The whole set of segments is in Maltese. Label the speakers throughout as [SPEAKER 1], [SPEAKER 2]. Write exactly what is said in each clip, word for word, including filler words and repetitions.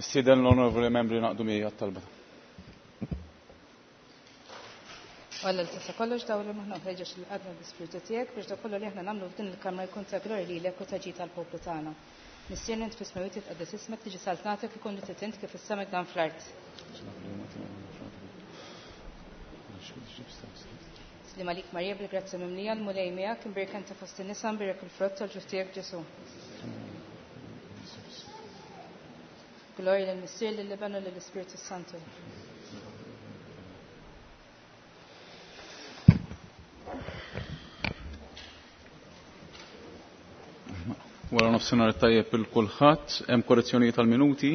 [SPEAKER 1] Nistieden l-onorevoli membri naqdu miegħi għat-talba.
[SPEAKER 2] Alla li tista' kollox dawl li maħna ħeġġeġ lil qalbna bl-Ispirtu tiegħek biex dak kollu li aħna nagħmlu f'din il-kamra jkun ta' glorja lilek u ta' ġid tal-poplu tagħna. Missierna int fis-smewwiet jitqaddes ismek, tiġi saltnatek, ikun li trid int kif is-sema dan fl-art. Slim għalik Marija bil-grazzja mimlija, l-Mulej miegħek, imbierka inti fost in-nisa, imbierek il-frott tal-ġuf tiegħek Ġesù. Glorja lill-Missier, lill-Iben u lill-Ispirtu Santu.
[SPEAKER 1] Wara nofsinhar tajjeb il kulħadd, hemm korrezzjonijiet tal-minuti.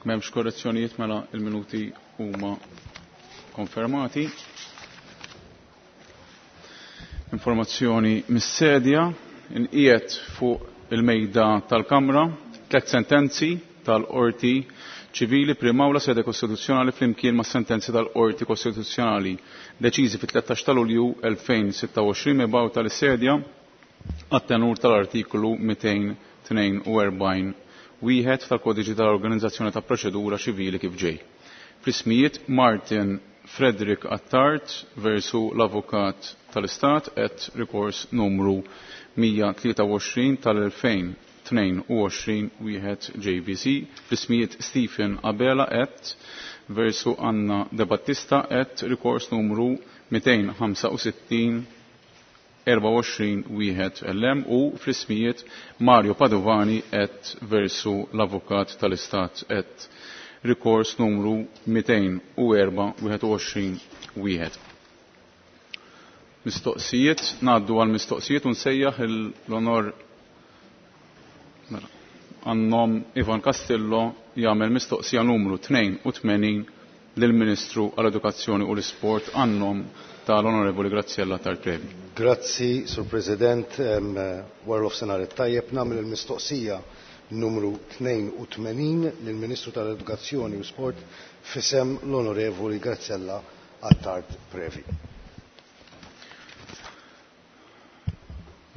[SPEAKER 1] M'hemmx korrezzjonijiet mela il-minuti huma konfermati. Informazzjoni mis-sedja inqiegħed fuq il-mejda tal-Kamra tliet sentenzi tal-Qorti Ċivili Primawla Sede Kostituzzjonali flimkien ma' sentenzi tal-Qorti Kostituzzjonali deċiżi fit-tlettax ta' Lulju elfejn sitta u għoxrin mibgħuta lis-sedja għat-tenur tal-artikolu mitejn tnejn u erbgħin wieħed tal-Kodiċi tal-Organizzazzjoni ta' Proċedura Ċivili kif ġej. Fl-ismijiet Martin Frederick Attard versu l-Avukat tal-Istat et rikors numru mija tlieta u għoxrin tal-elfejn tnejn u għoxrin wieħed J V C, fl-ismijiet Stephen Abela et versu Anna De Battista et rikors numru mitejn ħamsa u sittin erba' u għoxrin wieħed L M u fl-ismijiet Mario Padovani et versu l-Avukat tal-Istat et rikors numru mitejn u erba' wieħed u għoxrin wieħed. Mistoqsijiet, ngħaddu għal mistoqsijiet u nsejjaħ l-onor għannom Ivan Castillo jagħmel mistoqsija numru tnejn u tmenin lill-Ministru għall-Edukazzjoni u l-Isport għannom tal-Onorevoli Graziella Attard Previ.
[SPEAKER 3] Grazzi, Sur President, wara l-ofsenar it-tajjeb nagħmel il-mistoqsija numru tnejn u tmenin lill-Ministru tal-Edukazzjoni u Sport fisem l-Onorevoli Graziella Attard Previ.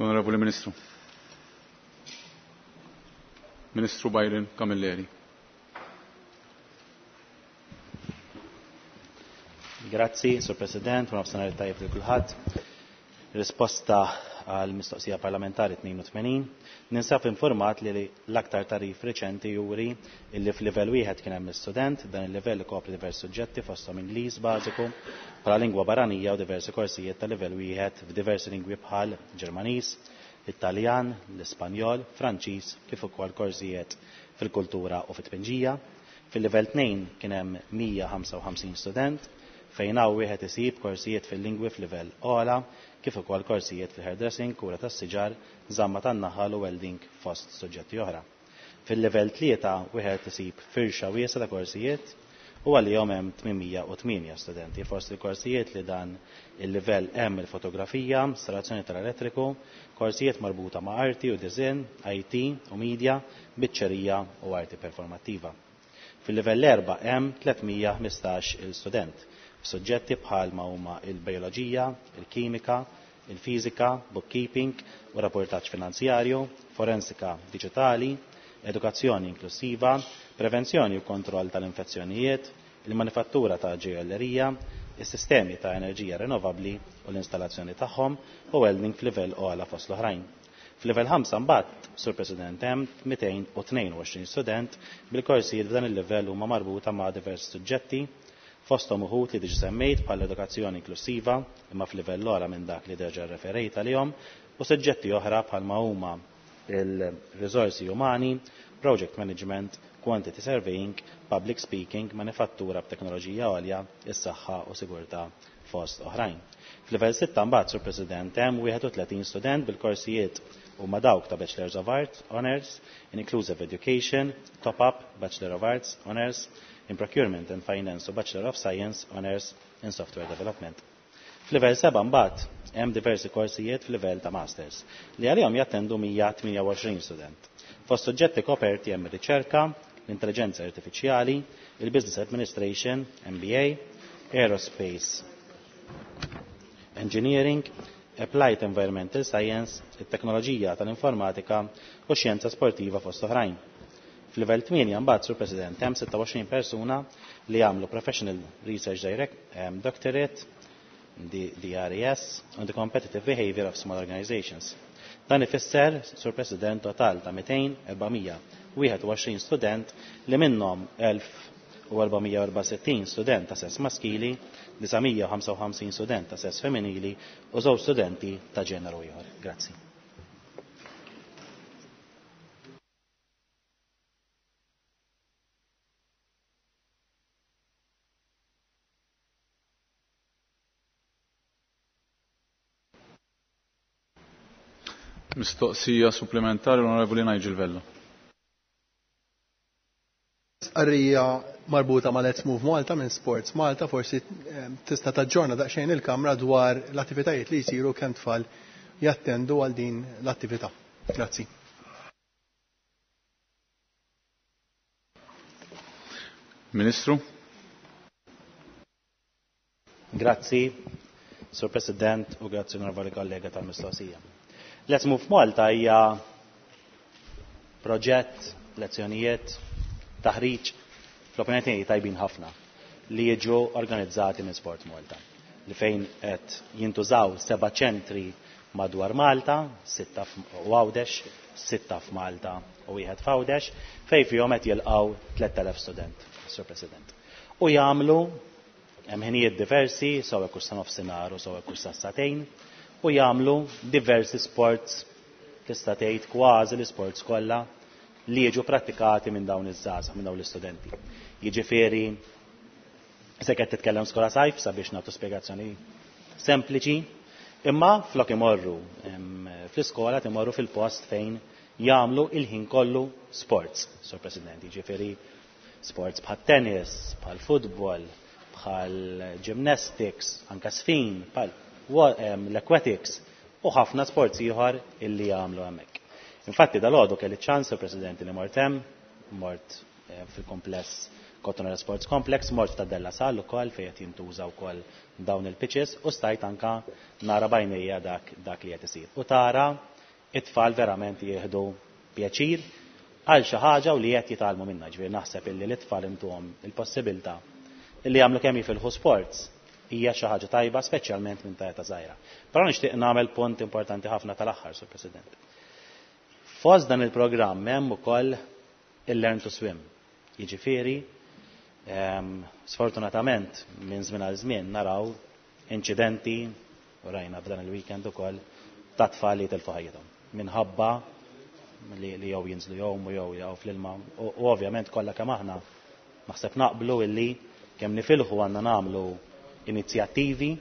[SPEAKER 1] Onorevoli Ministru. Ministru Byron Camilleri.
[SPEAKER 4] Grazzi, Sur President, u nofsinhar tajjeb lil kulħadd. Risposta għal mistoqsija parlamentari tnejn u tmenin. Ninsab informat li l-aktar tarif reċenti juri illi f'livell wieħed kien hemm student, dan il-livell ikopri diversi suġġetti fosthom Ingliż bażiku, bħala lingwa barranija u diversi korsijiet ta' livell wieħed f'diversi lingwi bħal Ġermaniż, Italjan, l-Ispanjol, Franċiż, kif ukoll korsijiet fil-kultura u fit-tpinġija. Fil-livell tnejn kien hemm mija ħamsa u ħamsin student, fejn hawn wieħed isib korsijiet fil-lingwi f'livell ogħla, kif ukoll korsijiet fil-hairdressing, kura tas-siġar, żamma tan-naħal u welding fost suġġetti oħra. Fil-livell tlieta wieħed isib firxa wiesgħa ta' korsijiet u għalihom hemm tmien u tmienja studenti. Fost il-korsijiet li dan il-livell hemm il-fotografija, installazzjoni tal-elettriku, korsijiet marbuta ma' arti u design, I T u media, biċċerija u arti performattiva. Fil-livell erba' hemm tliet mija ħmistax il-student f'suġġetti bħal ma huma il-bioloġija, il-kimika, il-fiżika, bookkeeping u rapportaġġ finanzjarju, forensika diġitali, edukazzjoni inklusiva, prevenzjoni u kontroll tal-infezzjonijiet, il-manifattura ta' ġojjellerija, is-sistemi ta' enerġija rinnovabbli u l-installazzjoni tagħhom u welding f'livell ogħla fost l-oħrajn. F'livell ħamsa mbagħad, Sur President, hemm mitejn u tnejn u għoxrin student bil-korsijiet f'dan il-livell huma marbuta ma' diversi suġġetti, fosthom uħud li diġà semmejt bħal edukazzjoni inklusiva imma f'livell ogħla minn dak li diġà referejt għalihom, u suġġetti oħra bħalma huma il-riżorsi umani, project management, quantity surveying, public speaking, manifattura b'teknoloġija għolja, is-saħħa u sigurtà fost oħrajn. F'livell sitta mbagħad, Sur President, hemm wieħed u tletin student bil-korsijiet huma dawk ta' Bachelors of Arts, Honours, in Inclusive Education, Top-Up, Bachelor of Arts, Honours, in Procurement and Finance u Bachelor of Science, Honours in Software Development. F'livell seba' mbagħad hemm diversi korsijiet f'livell ta' Masters li għalihom jattendu mija tmienja u għoxrin student. Fost suġġetti koperti hemm ir-riċerka, l-intelligenza artifiċjali, il-Business Administration, M B A, Aerospace Engineering, Applied Environmental Science, it-teknoloġija tal-informatika u xjenza sportiva fost oħrajn. F'livell tmienja mbagħad, Sur President, hemm sitta u għoxrin persuna li jagħmlu Professional Research Direct, um, Doctorate, D R E S, on the Competitive Behavior of Small Organizations. Dan ifisser, Sur President, total ta' mitejn erbamija wieħed u għoxrin student li minnhom elf u erbamija u erba' sittin student ta' sess maskili, disamija u ħamsa u ħamsin student ta' sess femminili u żewġ studenti ta' ġeneru ieħor. Grazzi.
[SPEAKER 1] Mistoqsija supplementari l-Onorevoli Nigel Vella.
[SPEAKER 5] Arrija marbuta ma' Let's Move Malta minn Sports Malta, forsi, eh, tista' taġġorna daqsxejn il-Kamra dwar l-attivitajiet li jsiru kemm tfal jattendu għal din l-attività. Grazzi.
[SPEAKER 1] Ministru.
[SPEAKER 4] Grazzi, Sur President, u grazzi onorevoli kollega tal-mistoqsija. Let's Move Malta hija proġett, lezzjonijiet, taħriġ, fl-opinjoni tiegħi tajbin ħafna li jiġu organizzati minn Sport Malta, li fejn qed jintużaw seba' ċentri madwar Malta, sitta u Għawdex, sitta f'Malta u wieħed f'Għawdex, fejn fihom qed jilqgħu tliet elef student, Sur President. U jagħmlu hemm ħinijiet diversi, sew hekk sa nofsinhar u sew hekk sa sagħtejn, u jagħmlu diversi sports, tista' tgħid kważi l-isports kollha li jiġu prattikati minn dawn iż-żgħażagħ, minn dawn l-istudenti. Jiġifieri, se qed titkellem skola sajf sabiex nagħtu spjegazzjoni sempliċi, imma flok imorru, em, fl-iskola timorru fil-post fejn jagħmlu il-ħin kollu sports, Sur President, jiġifieri sports bħal tennis, bħal futbol, bħal gymnastics, anka sfin, bħal wa-, em, l-aquatics u ħafna sports ieħor illi jagħmlu hemmhekk. Infatti dal-għodu kelli ċans, Sur President, li mort hemm, mort, eh, fil-kompless Cottonera Sports Complex, mort ta' Della Salle ukoll fejn qed jintuża wkoll dawn il-pitches u stajt anka nara bajnejja dak, dak li qed isir. U tara it-tfal verament jieħdu pjaċir għal xi ħaġa u li qed jitgħallmu minnha. Ġifieri naħseb illi l-itfal intuhom il-possibilità illi jagħmlu kemm jifilħu sports hija xi ħaġa tajba, speċjalment minn ta' età żgħira. Però nixtieq nagħmel punt importanti ħafna tal-aħħar, Sur President. Fost dan il-programm hemm ukoll il-Learn to Swim. Jiġifieri, ehm, sfortunatament minn żmien għal żmien naraw inċidenti, u rajna f'dan il-weekend ukoll, ta' tfal li jitilfu ħajjithom minħabba li, li jew jinżlu jgħumu jew jaqgħu fl-ilma. U, u ovvjament kollha kemm aħna naħseb naqblu illi kemm nifilħu għandna nagħmlu inizjattivi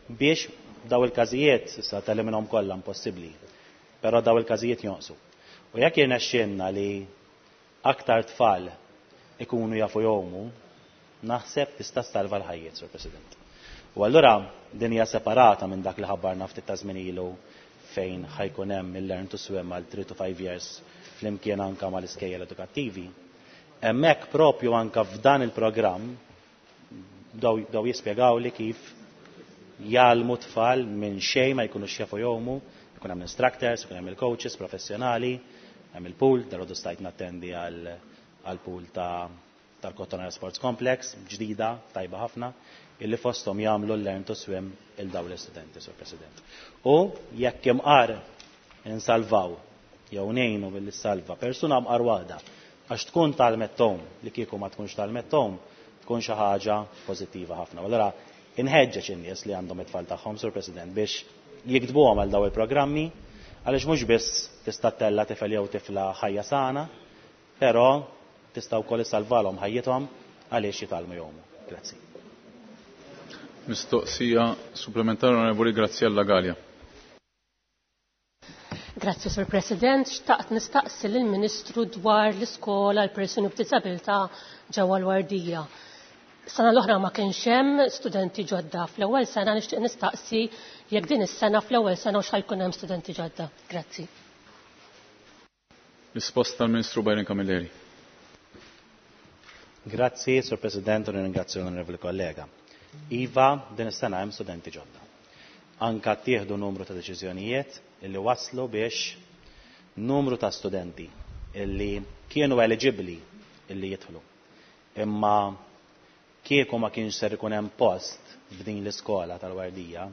[SPEAKER 4] biex daw il-każijiet, issa teliminhom kollha impossibbli, però daw il-każijiet jonqsu. U jekk jirnexxielna li aktar tfal ikunu jafu jgħumu, naħseb tista' salva l-ħajjiet, Sur President. U allura din hija separata minn dak li ħabbarna ftit ta' żmien ilu fejn ħajkun hemm il-Learn to Swim għal three to five years flimkien anka mal-iskejjel edukattivi. Hemmhekk propju anka f'dan il-programm daw, daw jispjegaw li kif jgħallmu tfal minn xejn ma jkunux jafu jgħumu, ikun hemm instructors, ikun hemm il-coaches professjonali, hemm il-pool, dal-għodu stajt nattendi għal, għal pool ta' tal-Cottonera Sports Complex, ġdida, tajba ħafna, illi fosthom jagħmlu l-Learn to Swim il dawn l-istudenti, Sur President. U jekk imqar insalvaw jew ngħinu billi salva persuna mqar waħda għax tkun tal-mettom li kieku ma tkunx tal-mettom tkun xi ħaġa pożittiva ħafna. Allura inħeġġeġ in-nies li għandhom it-tfal tagħhom, Sur President, biex jiktbuhom għal daw il-programmi, għaliex mhux biss tista' tella tifel jew tifla ħajja sana, però tista' wkoll issalvalhom ħajjithom għaliex jitgħallmu jgħumu. Grazzi.
[SPEAKER 1] Mistoqsija supplementari Onorevoli Graziella Galea.
[SPEAKER 6] Grazzi, Sur President. Xtaqt nistaqsi lill-Ministru dwar l-iskola għal persuni b'diżabilità ġewwa l-Wardija. Sena l-oħra ma kienx hemm studenti ġodda fl-ewwel sena, nixtieq nistaqsi jekk din is-sena fl-ewwel sena u x'ħajkun hemm studenti ġodda. Grazzi.
[SPEAKER 1] Risposta tal-Ministru Byron Camilleri.
[SPEAKER 4] Grazzi, Sur President, u ringrazzju l-onorevoli kollega. Iva, din is-sena hemm studenti ġodda. Anka ttieħdu numru ta' deċiżjonijiet illi waslu biex numru ta' studenti illi kienu eligibbli illi jidħlu. Imma kieku ma kienx ser ikun hemm post f'din l-iskola tal-Wardija,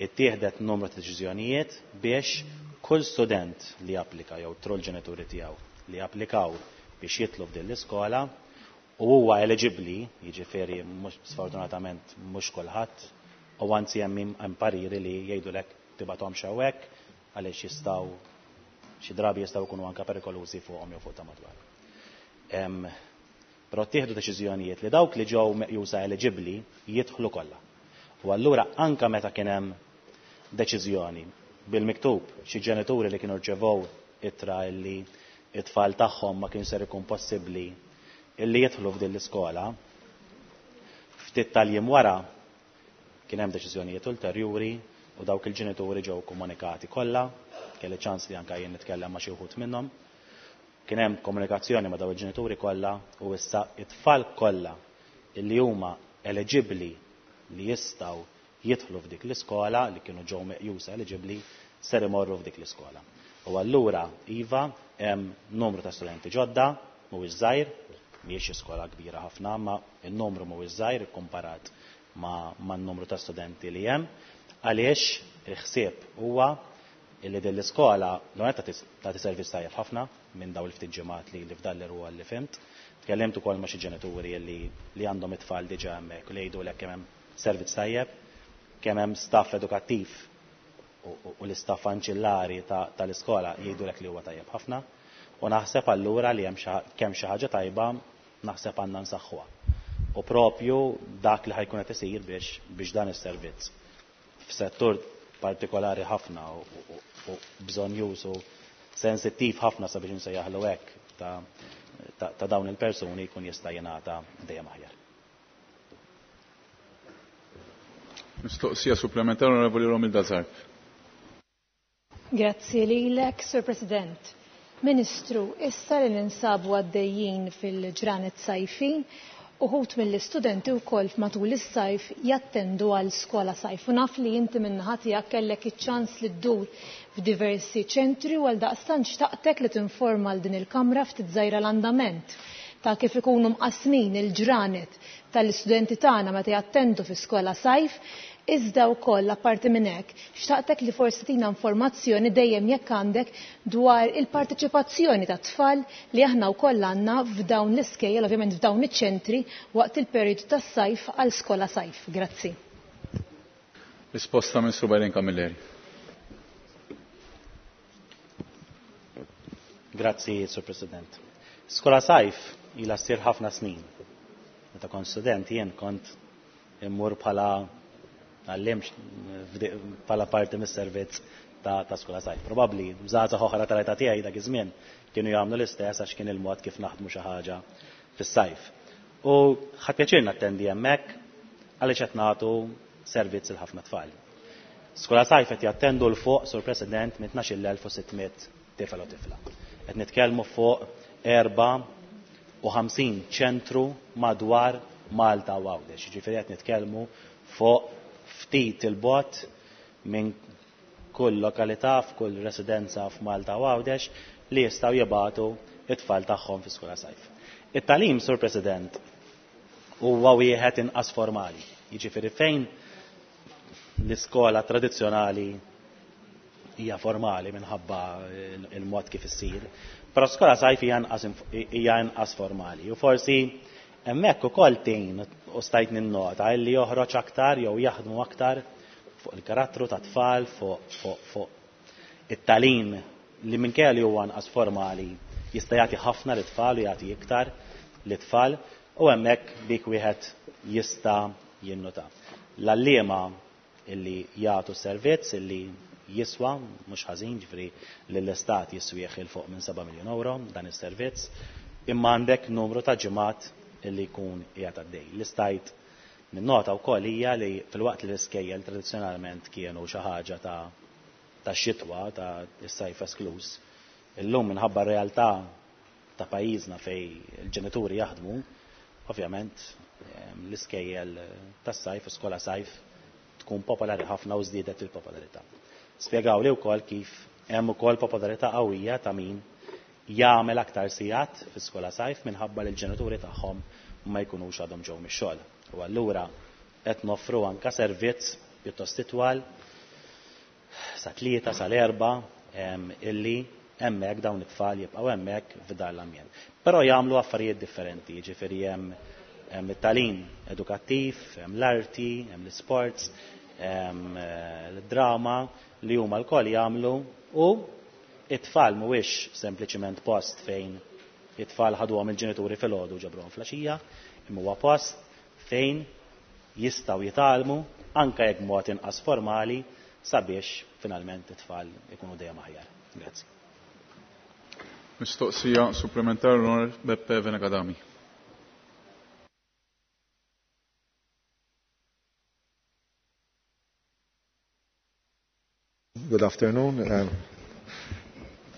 [SPEAKER 4] ittieħdet numru ta' deċiżjonijiet biex kull student li applika jew troll ġenituri tiegħu li applikaw biex jitlu f'din l-iskola u huwa eligibbli, jiġifieri mhux sfortunatament mhux kulħadd, u anzi hemm hemm pariri li jgħidulek tibgħathomx hawnhekk għaliex jistgħu xi drabi jistgħu jkunu anke perikolużi fuqhom jew fuq ta' madwar. Però ttieħdu deċiżjonijiet li dawk li ġew meqjusa eligibbli jidħlu kollha. U allura anke meta kien hemm deċiżjoni bil-miktub xi ġenituri li kienu rċevew ittra illi it-tfal tagħhom ma kien ser ikun possibbli illi jidħlu f'din l-iskola, ftit tal-jiem wara kien hemm deċiżjonijiet ulterjuri u dawk il-ġenituri ġew komunikati kollha, kelli ċans li anke jien nitkellem ma' xi wħud minnhom. Kien hemm komunikazzjoni ma' dawn il-ġenituri kollha u issa it-tfal kollha illi huma eligibbli li jistgħu jidħlu f'dik l-iskola li kienu ġew meqjusa eligibbli ser imorru f'dik l-iskola. U allura iva hemm numru ta' studenti ġodda, mhuwiex żgħir, mhijiex iskola kbira ħafna, ma n-numru mhuwiex żgħir ikkumparat ma' man-numru ta' studenti li hemm, għaliex il-ħsieb huwa illi din l-iskola l-għonet tagħti servizz tajjeb ħafna minn dawn il-ftit ġimgħat li li f'dan l-irwol li fimt. Tkellimt ukoll ma' xi ġenituri li li għandhom it-tfal diġà hemmhekk u li jgħidulek kemm hemm servizz tajjeb, kemm hemm staff edukattiv u l-istaff anċillari tal-iskola jgħidulek li huwa tajjeb ħafna. U naħseb allura li hemm kemm xi ħaġa tajba naħseb għandna nsaħħuha. U propju dak li ħajkun qed isir biex biex dan is-servizz f'settur partikolari ħafna u bżonjuż u sensittiv ħafna sabiex insejjaħlu hekk ta', ta, ta dawn il-persuni jkun jista' jingħata dejjem aħjar.
[SPEAKER 1] Mistoqsija supplementari Onorevoli Romilda Zarb.
[SPEAKER 7] Grazzi lilek, Sur President. Ministru, issa li ninsabu għaddejjin fil-ġranet sajfin, uħut mill-istudenti wkoll matul is-sajf jattendu għal skola sajf. U naf li inti min-naħa tiegħek kellek iċ-ċans li ddur f'diversi ċentri u għal daqstant xtaqtek li tinforma għal din il-kamra ftit żgħira l-andament ta' kif ikunu mqasmin il-ġranet tal-istudenti tagħna meta jattendu fi skola sajf. Iżda wkoll apparti minn hekk, xtaqtek li forsi tina informazzjoni dejjem jekk għandek dwar il-parteċipazzjoni ta' tfal li aħna wkoll għandna f'dawn l-iskejjel, ovvjament f'dawn iċ-ċentri waqt il-perjodu tas-sajf għal skola sajf. Grazzi.
[SPEAKER 1] Risposta Ministru Byron Camilleri.
[SPEAKER 4] Grazzi, Sur President. Skola sajf ilha ssir ħafna snin. Meta kont student jien kont immur bħala għallimx bħala parti mis-servizz ta', ta' skola sajf. Probabbli żgħażagħ oħra tal-età tiegħi dak iż-żmien kienu jagħmlu l-istess għax kien il-mod kif naħdmu xi ħaġa fis-sajf. U ħadd pjaċir nattendi hemmhekk għaliex qed nagħtu servizz il ħafna tfal. Skola sajf qed jattendu l fuq, Sur President, minn tnax-il elf u sitt mitt tifel u tifla. Qed nitkellmu fuq erba' u ħamsin ċentru madwar Malta u Għawdex. Jiġifieri qed nitkellmu fuq ftit il-bot minn kull lokalità, f'kull residenza f'Malta u Għawdex li jistgħu jibagħtu it-tfal tagħhom fi skola sajf. It-tagħlim, Sur President, huwa wieħed inqas formali. Jiġifieri fejn l-iskola tradizzjonali hija formali minħabba il-mod kif issir, però skola sajf hija inqas formali. U forsi hemmhekk ukoll tgħin u stajt ninnota li joħroġ aktar jew jaħdmu aktar fuq il-karattru ta' tfal, fuq fuq fuq it-tagħlim li minkejja li huwa anqas formali jista' jagħti ħafna lit-tfal u jagħti iktar lit-tfal u hemmhekk dik wieħed jista' jinnota. L-għalliema illi jagħtu servizz illi jiswa mhux ħażin, ġifieri lill-istat jiswieħ il fuq minn seba' miljun euro dan is-servizz, imma għandek numru ta' ġimgħat illi jkun qiegħed għaddej. L-istajt minnota wkoll hija li filwaqt li l-iskejjel tradizzjonalment kienu xi ħaġa ta' ta' xitwa, ta' is-sajf esklus, illum minħabba r-realtà ta' pajjiżna fej il-ġenituri jaħdmu, ovvjament l-iskejjel tas-sajf u skola sajf tkun popolari ħafna u żdiedet il-popolarità. Spjegaw li wkoll kif hemm ukoll popolarità qawwija ta' min jagħmel aktar sigħat fi-skola sajf minħabba li l-ġenituri tagħhom ma jkunux għadhom ġew mix-xogħol. U allura qed noffru anke servizz pjuttost itwal sa tlieta sal-erba' illi hemmhekk dawn it-tfal jibqgħu hemmhekk f'dan l-ambjent. Però jagħmlu affarijiet differenti, jiġifieri hemm hemm it-tagħlim edukattiv, hemm l-arti, hemm l-isports, hemm l-drama li huma lkoll jagħmlu u it-tfal mhuwiex sempliċiment post fejn it-tfal ħaduhom il-ġenituri filgħodu ġabruhom flaxija, imma huwa post fejn jistgħu jitgħallmu anke jekk mod inqas formali sabiex finalment it-tfal ikunu dejjem aħjar. Grazzi.
[SPEAKER 1] Mistoqsija supplementari l-Onorevoli Beppe Fenech Adami.
[SPEAKER 8] Good afternoon.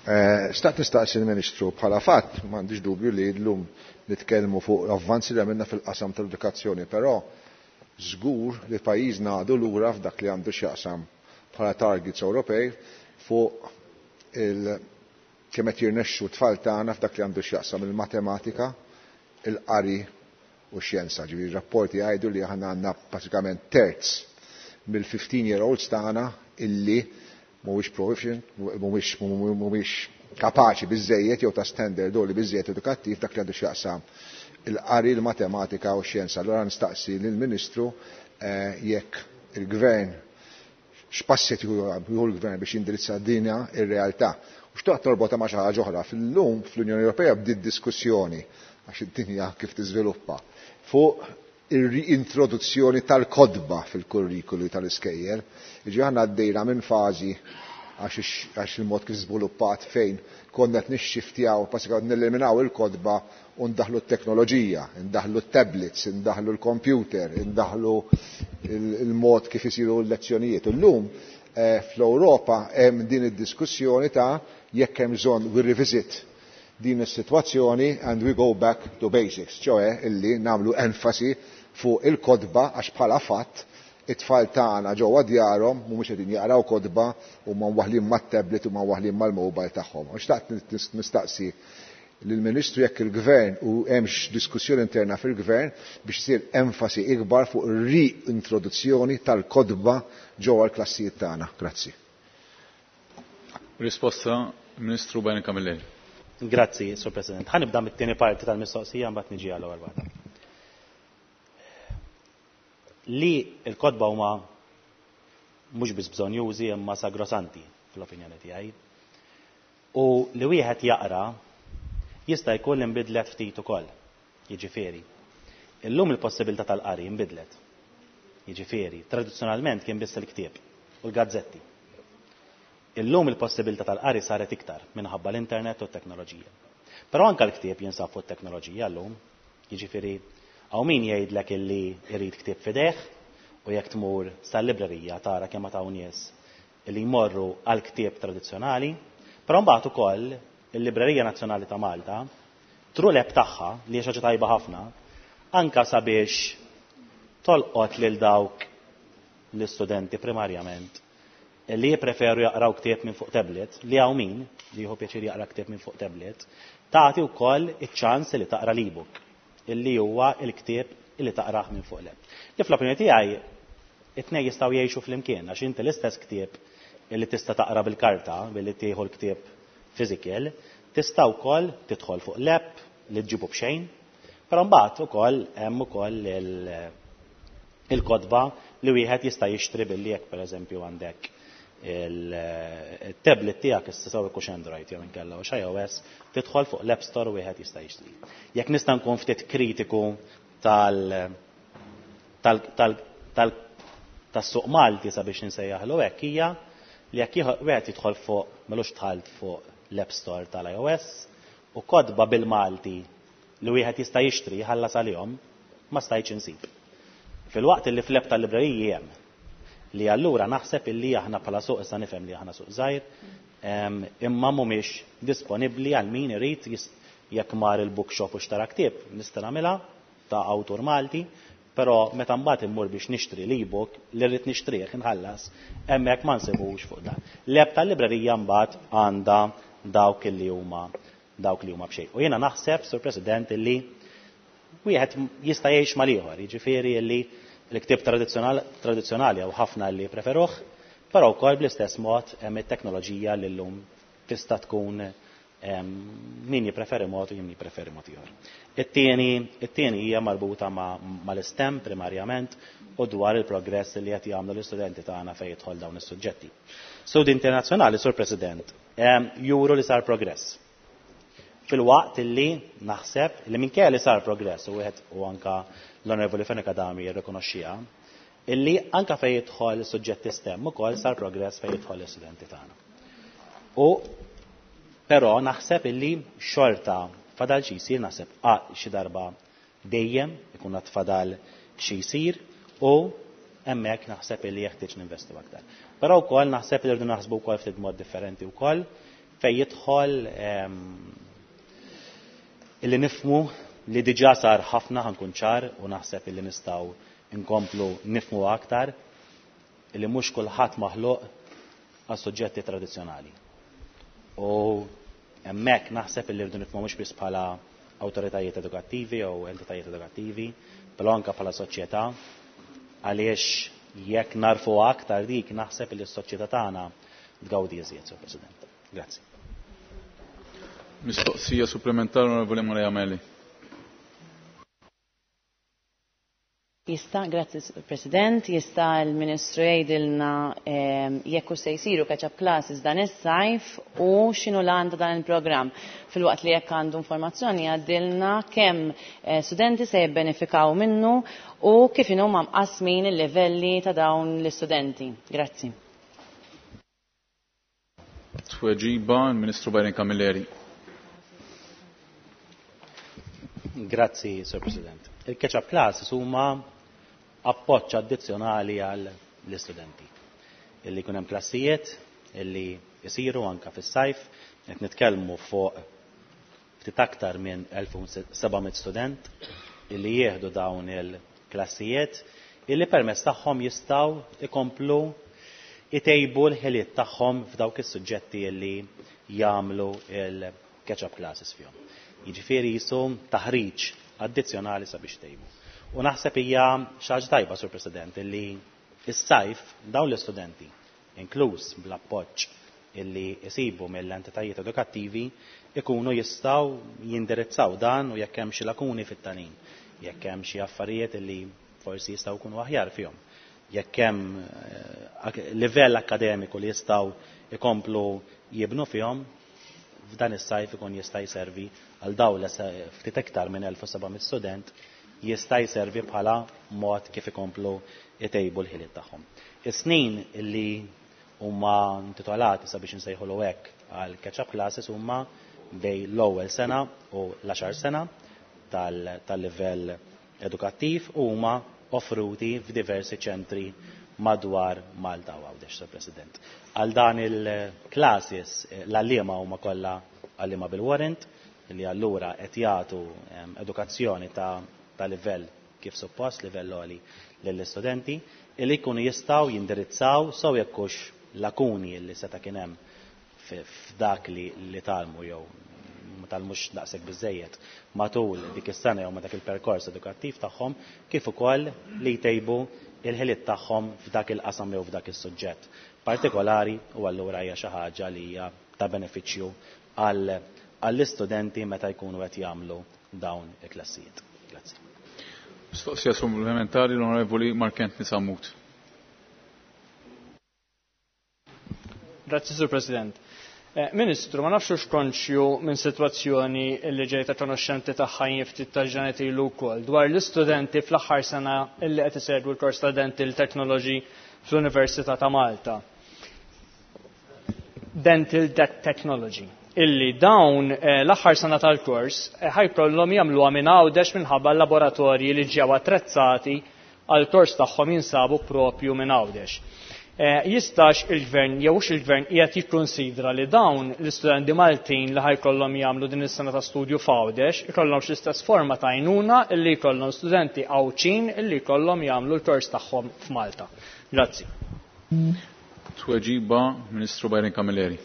[SPEAKER 8] Xtaqt nistaqsi l-Ministru bħala fatt, m'għandix dubju li llum nitkellmu fuq avvanzi li għamilna fil-qasam tal-edukazzjoni, però żgur li pajjiżna għadu lura f'dak li għandu x'jaqsam bħala targets Ewropej fuq il kemm qed jirnexxu t-tfal tagħna f'dak li għandu x'jaqsam il-matematika, il-qari u x-xjenza. Ġifieri rapporti jgħidu li aħna għandna pratikament terz mill-fifteen year olds tagħna illi mhuwiex proficient, mhuwiex mhuwiex kapaċi biżejjed jew ta' standard li biżejjed edukattiv dak li għandu x'jaqsam il-qari, il-matematika u x-xjenza. Allura nistaqsi lill-Ministru jekk il-Gvern x'passi jieħu l-Gvern biex jindirizza dinja ir-realtà. U xtaqt torbota ma' xi ħaġa oħra. Fil-lum fl-Unjoni Ewropea bdiet diskussjoni għax id-dinja kif tiżviluppa fuq ir-reintroduzzjoni tal-kodba fil-kurrikulu tal-iskejjel. Jiġifieri aħna għaddejna minn fażi għax il-mod kif żviluppat fejn konna qed nixxiftjaw, passi neliminaw il-kodba u ndaħlu t-teknoloġija, ndaħlu t-tablets, ndaħlu l-computer, ndaħlu il-mod kif isiru l-lezzjonijiet. Illum fl-Ewropa hemm din id-diskussjoni ta' jekk hemm bżonn we revisit din is-sitwazzjoni and we go back to basics, ċoe illi nagħmlu enfasi fuq il-kodba għax bħala fatt it-tfal tagħna ġewwa djarhom mhumiex qegħdin jaqraw kodba u ma waħlin mat-tablet u ma waħlin mal-mobile tagħhom. U xtaqt nistaqsi lill-Ministru jekk il-Gvern u hemmx diskussjoni interna fil-Gvern biex isir enfasi ikbar fuq ir-reintroduzzjoni tal-kodba ġewwa l-klassijiet tagħna. Grazzi.
[SPEAKER 1] Risposta Ministru Byron Camilleri.
[SPEAKER 4] Grazzi, Sur President. Ħa nibda mit-tieni parti tal-mistoqsija mbagħad niġi għall-ewwel waħda. Li l-kodba huma mhux biss bżonjużi imma sagrosanti fl-opinjoni tiegħi. U li wieħed jaqra jista' jkun li nbidlet ftit ukoll. Jiġifieri. Illum il-possibilità tal-qari nbidlet. Jiġifieri, tradizzjonalment kien biss il-ktieb u l-gazzetti. Illum il-possibilità tal-qari saret iktar minħabba l-internet u t-teknoloġija. Però anke l-ktieb jinsab fuq it-teknoloġija llum. Jiġifieri, hawn min jgħidlek illi jrid ktieb f'idejh u jekk tmur sal-librerija tara kemm hawn nies illi jmorru għal ktieb tradizzjonali, però mbagħad ukoll il-Librerija Nazzjonali ta' Malta tru l-app tagħha li hija xi ħaġa tajba ħafna anka sabiex tolqot lil dawk l-istudenti primarjament li jippreferu jaqraw ktieb minn fuq tablet, li hawn min li jieħu pjaċir jaqra ktieb minn fuq tablet, tagħti wkoll iċ-ċans li taqra l-ebook illi huwa l-ktieb illi taqrah minn fuq l-app. Li fl-opinjoni tiegħi it-tnejn jistgħu jgħixu flimkien għax inti l-istess ktieb illi tista' taqra bil-karta billi tieħu l-ktieb physical, tista' wkoll tidħol fuq l-app li ġġibu b'xejn, però mbagħad ukoll hemm ukoll il-kotba li wieħed jista' jixtri billi jekk pereżempju għandek il-tablet tiegħek issa sew ikux Android jew inkella u iOS, tidħol fuq l-App Store u wieħed jista' jixtri. Jekk nista' nkun ftit kritiku tal tal tal tal tas-suq Malti sabiex insejjaħlu hekk hija li jekk wieħed jidħol fuq m'elux dħalt fuq l-App Store tal-iOS u kotba bil-Malti li wieħed jista' jixtri jħallas għalihom ma stajtx insib. Fil-waqt li fl-app tal-libreriji hemm li allura naħseb illi aħna bħala suq issa nifhem li aħna suq żgħir, imma mhumiex disponibbli għal min irid jekk mar il-bookshop u xtara ktieb, nista' nagħmilha ta' awtur Malti, però meta mbagħad immur biex nixtri l-ebook li rrid nixtrih inħallas, hemmhekk ma nsibux fuq dan. L-app tal-librerija mbagħad għandha dawk illi huma dawk li huma b'xejn. U jiena naħseb, Sur President, illi wieħed jista' jgħix mal-ieħor, jiġifieri illi l-ktieb tradizzjonali hawn ħafna li preferuh, però wkoll bl-istess mod hemm it-teknoloġija li llum tista' tkun min jippreferi mod u min jippreferi mod ieħor. It-tieni it-tieni hija marbuta mal-STEM primarjament u dwar il-progress li qed jagħmlu l-istudenti tagħna fejn jidħol dawn is-suġġetti. Studi internazzjonali, Sur President, juru li sar progress. Fil-waqt illi naħseb li minkejja li sar progress u wieħed u anka l-Onorevoli Fenech Adami jirrikonoxxiha, illi anka fejn jidħol suġġetti STEM ukoll sar progress fejn jidħol l-istudenti tagħna. U però naħseb illi xorta fadal xi jsir, naħseb xi darba dejjem ikun għad fadal xi jsir u hemmhekk naħseb illi jeħtieġ ninvestu aktar. Però wkoll naħseb li rridu naħsbu wkoll ftit mod differenti wkoll fejn jidħol illi nifmu li diġà sar ħafna, ħankun ċar, u naħseb illi nistgħu nkomplu nifmu aktar illi mhux kulħadd maħluq għas suġġetti tradizzjonali. U hemmhekk naħseb illi rridu nifmu mhux biss bħala awtoritajiet edukattivi jew entitajiet edukattivi, però anke bħala soċjetà, għaliex jekk narfu aktar dik naħseb illi s-soċjetà tagħna tgawdi iżjed, Sur President. Grazzi.
[SPEAKER 1] Mistoqsija supplementari, Onorevoli Maria Meli.
[SPEAKER 9] Jista, grazzi President, jista l-Ministru jgħidilna jekk se jsiru catch-up classes dan is-sajf u x'inhu l-għan ta' dan il-programm. Filwaqt li jekk għandu informazzjoni jgħaddilna kemm studenti se jibbenefikaw minnu u kif inhuma mqasmin il-livelli ta' dawn l-istudenti. Grazzi.
[SPEAKER 1] Tweġiba l-Ministru Byron Camilleri.
[SPEAKER 4] Grazzi, Sir President. Il-catch-up classes huma appoġġ addizzjonali għall-istudenti. Illi jkun hemm klassijiet illi jsiru anka fis-sajf, qed nitkellmu fuq ftit aktar minn elf u seba' mitt student illi jieħdu dawn il-klassijiet illi permezz tagħhom jistgħu ikomplu itejbu l-ħiliet tagħhom f'dawk is-suġġetti illi jagħmlu il-catch-up classes fihom. Jiġifieri jisu taħriġ addizzjonali sabiex tejbu. U naħseb hija xi ħaġa tajba, Sur President, illi is-sajf dawn l-istudenti, inkluż bl-appoġġ illi jsibu mill-entitajiet edukattivi, ikunu jistgħu jindirizzaw dan u jekk hemm xi lakuni fit-tagħlim, jekk hemm xi affarijiet illi forsi jistgħu jkunu aħjar fihom, jekk hemm livell akademiku li jistgħu ikomplu jibnu fihom, f'dan is-sajf ikun jista' jservi għal dawn ftit iktar minn elf u seba' mitt student jista' jservi bħala mod kif ikomplu jtejbu l-ħiliet tagħhom. Is-snin illi huma intitolati sabiex insejħulu hekk għal catch-up classes huma bej l-ewwel sena u l-għaxar sena tal-livell edukattiv u huma offruti f'diversi ċentri madwar Malta u Għawdex, Sir President. Għal dan il-classes l-għalliema huma kollha għalliema bil-warrant li allura qed jagħtu edukazzjoni ta' ta' livell kif suppost, livell għoli lill-istudenti, illi jkunu jistgħu jindirizzaw sew jekk hux lakuni li seta' kien hemm f'dak li, li talmu jew ma talmux daqshekk biżejjed matul dik is-sena jew ma dak il-perkors edukattiv tagħhom, kif ukoll li jtejbu il-ħiliet tagħhom f'dak il-qasam jew f'dak is-suġġett partikolari, u allura hija xi ħaġa li hija ta' benefiċċju għall-istudenti meta jkunu qed jagħmlu dawn il-klassijiet. Grazzi.
[SPEAKER 1] Mistoqsija supplementari l-Onorevoli Mark Anthony Sammut.
[SPEAKER 10] Grazzi, Sur President. Ministru, ma nafx hux konxju minn sitwazzjoni li ġejta konoxxenti tagħha jien ftit ta' ġranet ilu wkoll dwar l-istudenti fl-aħħar sena illi qed isegwu l-kors ta' Dental Technology fl-Università ta' Malta. Dental Technology. Illi dawn l-aħħar sena tal-kors ħajkollhom jagħmluha minn Għawdex minħabba l-laboratorji li ġew attrezzati għall-kors tagħhom jinsabu propju minn Għawdex. Jistax il-gvern jew hux il-gvern qiegħed jikkonsidra li dawn l-istudenti Maltin li ħajkollhom jagħmlu din is-sena ta' studju f'Għawdex ikollhom l-istess forma ta' għajnuna illi jkollhom studenti Għawdxin illi jkollhom jagħmlu l-kors tagħhom f'Malta. Grazzi.
[SPEAKER 1] Tweġiba Ministru Byron Camilleri.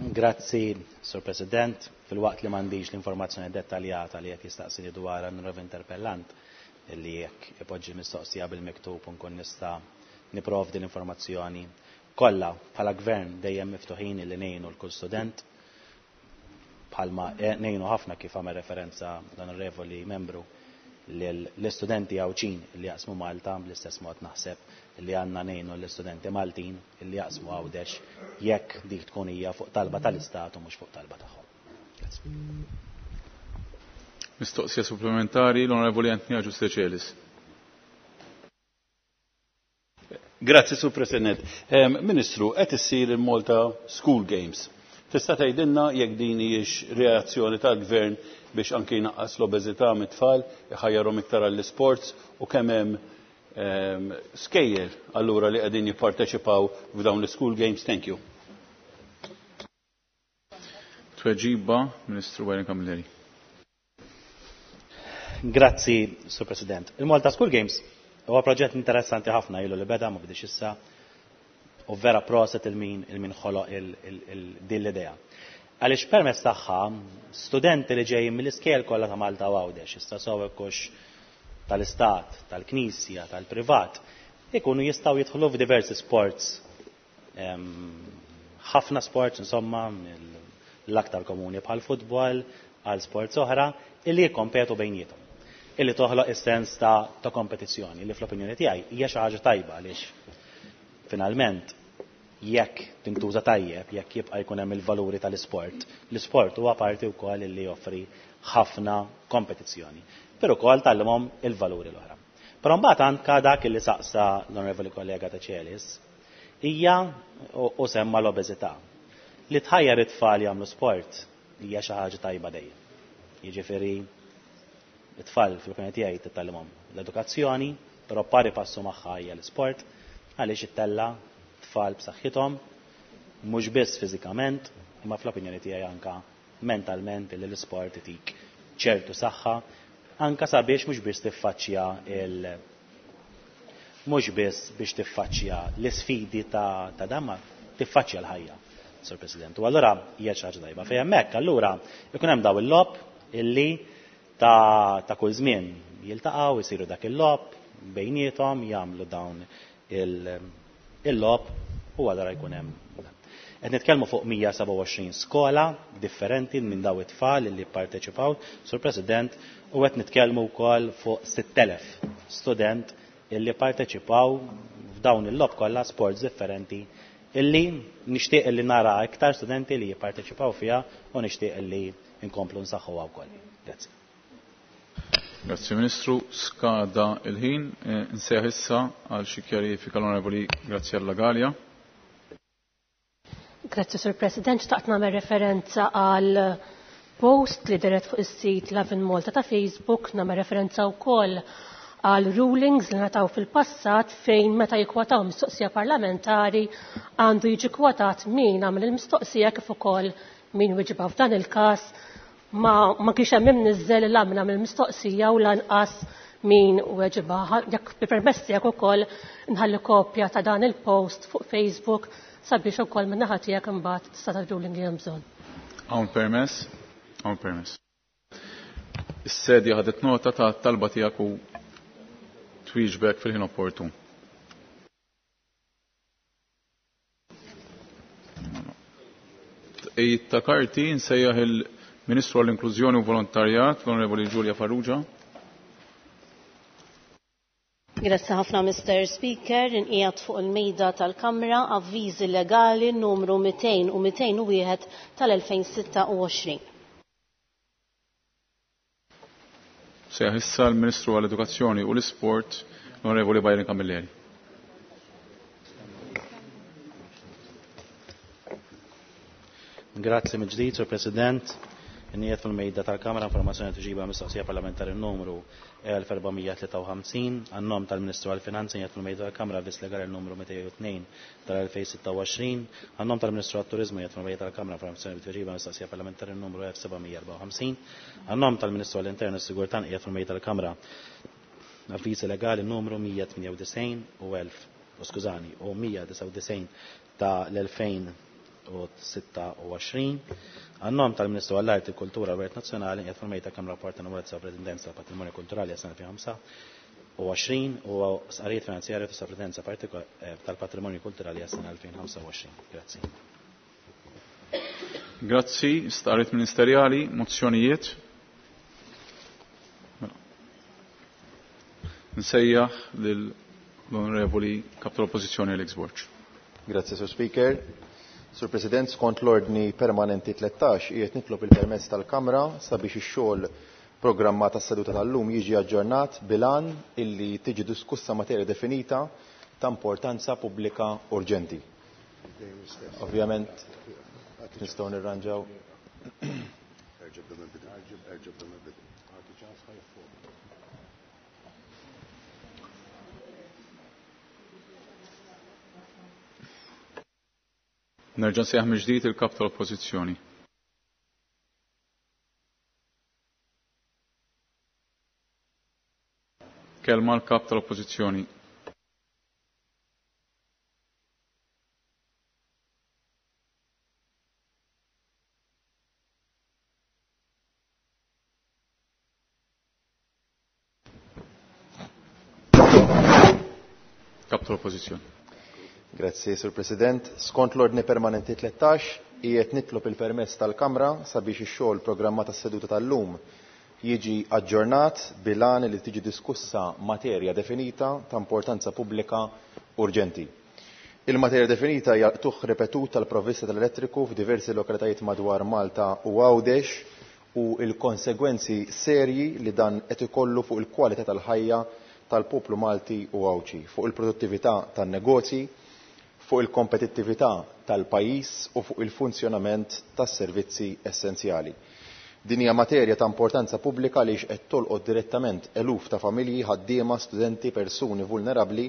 [SPEAKER 4] Grazzi, Sur President. Filwaqt li m'għandix l-informazzjoni dettaljata li qed jistaqsini dwar l-onorevoli interpellant, li jekk ipoġġi mistoqsija bil-miktub u nkun nista' niprovdi l-informazzjoni kollha. Bħala gvern dejjem miftuħin li ngħinu l kull student, bħalma ngħinu ħafna kif għamel referenza l-onorevoli membru l-istudenti Għawdxin li jaqsmu Malta, bl-istess mod naħseb li għandna ngħinu l-istudenti Maltin li jaqsmu Għawdex jekk dik tkun hija fuq talba tal-Istat u mhux fuq talba tagħhom.
[SPEAKER 1] Mistoqsija supplementari l-Onorevoli Anthony Agius Decelis.
[SPEAKER 11] Grazzi, Sur President. Ministru, qed issir il-Malta School Games. Tista' tgħidilna jekk din hijiex reazzjoni tal-Gvern biex anke jnaqqas l-obeżità mit-tfal, iħajjarhom iktar għall-isports u kemm hemm skejjel allura li qegħdin jipparteċipaw f'dawn l-School Games? Thank you.
[SPEAKER 1] Tweġiba, Ministru Byron Camilleri.
[SPEAKER 4] Grazzi, Sur President. Il-Malta School Games huwa proġett interessanti ħafna, ilu li beda, ma bidix issa, u vera proset il-min il-min ħoloq din l-idea. Għaliex permezz tagħha studenti li ġejjin mill-iskejjel kollha ta' Malta u Għawdex, issa sew hekk tal-istat, tal-knisja, tal-privat, ikunu jistgħu jidħlu f'diversi sports, ħafna sports insomma, l-aktar komuni bħal futbol, għal sports oħra, illi jikkompetu bejniethom, illi toħloq is-sens ta', ta kompetizzjoni, li fl-opinjoni tiegħi hija xi ħaġa tajba għaliex finalment jekk tintuża tajjeb, jekk jibqa' jkun hemm il-valuri tal-isport, l-isport huwa parti wkoll illi joffri ħafna kompetizzjoni, però wkoll tgħallimhom il-valuri l-oħra. Però mbagħad anke dak illi saqsa l-onorevoli kollega ta' Celis hija u semma l-obeżità. Li tħajjar it-tfal jagħmlu sport hija xi ħaġa tajba dejjem. Jiġifieri it-tfal fl-opinjoni tiegħi titgħallimhom l-edukazzjoni, però pari passu magħha hija l-isport, għaliex ittella tfal b'saħħithom, mhux biss fiżikament, imma fl-opinjoni tiegħi anka mentalment li l-isport itik ċertu saħħa, anka sabiex mhux biss tiffaċċja il mhux biss biex tiffaċċja l-isfidi ta' ta' dan, ma tiffaċċja l-ħajja, Sur President. U allura hija xi ħaġa tajba. Fejn hemmhekk allura ikun hemm daw il-logħob illi ta', ta' kull żmien jiltaqgħu, jsiru dak il-logħob bejniethom, jagħmlu dawn il-logħob u allura jkun hemm. Qed nitkellmu fuq mija seba' u għoxrin skola differenti minn daw it-tfal li pparteċipaw, Sur President, u qed nitkellmu wkoll fuq sitt elef student illi parteċipaw f'dawn il-logħob kollha sports differenti illi nixtieq illi nara iktar studenti li jipparteċipaw fiha u nixtieq illi nkomplu nsaħħuha wkoll. Grazzi.
[SPEAKER 1] Grazzi Ministru, skada il-ħin, nsejħ issa għal xi kjarifika l-Onorevoli Graziella Galea.
[SPEAKER 6] Grazzi Sur President, xtaqt nagħmel referenza għal post li deret fuq is-sit Lovin Malta ta' Facebook, nagħmel referenza wkoll għal rulings li nataw fil-passat fejn meta jikkwataw mistoqsija parlamentari għandu jiġi kwotat min għamel il-mistoqsija kif ukoll min wieġibha. F'dan il-każ ma, ma kienx hemm imniżżel il għamel għamel mistoqsija u lanqas min weġibha. Jekk bil-permess tiegħek ukoll nħalli kopja ta' dan il-post fuq Facebook sabiex ukoll min-naħa tiegħek imbagħad tista' tagħti li hemm bżonn.
[SPEAKER 1] Hawn permess, hawn permess. Is-sedja ħadet nota ta' talba tiegħek u twieġbek fil-ħin opportun. Tqejjid ta' karti nsejjaħ il-Ministru għall-Inklużjoni u Volontarjat, l-Onorevoli Julia Farrugia.
[SPEAKER 12] Grazzi ħafna, Mister Speaker. Inqiegħed fuq il-mejda tal-Kamra avviżi legali numru mitejn u mitejn u wieħed tal-elfejn sitta u għoxrin.
[SPEAKER 1] Sejjaħ issa l-Ministru għall-Edukazzjoni u l-Isport, l-Onorevoli Byron Camilleri.
[SPEAKER 4] Grazzi mill-ġdid, Sur President. Inqiegħed fil-mejda tal-Kamra informazzjoni tuġiba mistoqsija parlamentari numru elf erba' mija tlieta u ħamsin għan-nom tal-Ministru għall-Finanzi. Inqiegħed fil-mejda tal-Kamra avviż legali numru mitejn u tnejn tal-elfejn sitta u għoxrin għan-nom tal-Ministru għat-Turiżmu. Inqiegħed fil-mejda tal-Kamra informazzjoni tuġiba mistoqsija parlamentari numru elf seba' mija erba' u ħamsin għan-nom tal-Ministru għall-Intern u s-Sigurtà. Inqiegħed fil-mejda tal-Kamra avviż legali numru mija tmien u disgħin u elf, u skużani, u mija disgħa u disgħin ta' l-elfejn sitta u għoxrin. Għan-nom tal-Ministru għall-Arti, Kultura u Wirt Nazzjonali qiegħed fil-mejda kemm rapport ta' numru ta' tal-Patrimonju Kulturali għas-sena elfejn u ħamsa u għoxrin u stqarrijiet finanzjarji ta' Soprintendenza tal-Patrimonju Kulturali għas-sena elfejn u ħamsa u għoxrin. Grazzi.
[SPEAKER 1] Grazzi, stqarrijiet ministerjali, mozzjonijiet. Nsejjaħ lill-Onorevoli Kap tal-Oppożizzjoni Alex Borg.
[SPEAKER 13] Grazzi, Sur Speaker. Sur President, skont l-ordni permanenti tlettax, qiegħed nitlob il-permess tal-Kamra sabiex ix-xogħol programmat tas-seduta tal-lum jiġi aġġornat bilan illi tiġi diskussa materja definita ta' importanza pubblika urġenti. Ovvjament nistgħu nirranġaw.
[SPEAKER 1] Nerġa' nsejjaħ mill-ġdid il-Kap tal-Oppożizzjoni. Kelma l-Kap tal-Oppożizzjoni. Kap tal-Oppożizzjoni.
[SPEAKER 13] Grazzi, Sur President. Skont l-ordni permanenti tlettax, qiegħed nitlob il-permess tal-Kamra sabiex ix-xogħol programmat tas-seduta tal-lum jiġi aġġornat bilan li tiġi diskussa materja definita ta' importanza pubblika urġenti. Il-materja definita hija qtugħ ripetut tal-provvista tal-elettriku f'diversi lokalitajiet madwar Malta u Għawdex u l-konsegwenzi serji li dan qed ikollu fuq il-kwalità tal-ħajja tal-poplu Malti u Għawdxi, fuq il-produttività tan-negozji, fuq il-kompetittività tal-pajjiż u fuq il-funzjonament tas-servizzi essenzjali. Din hija materja ta' importanza pubblika għaliex qed tolqot direttament eluf ta' familji, ħaddiema, studenti, persuni vulnerabbli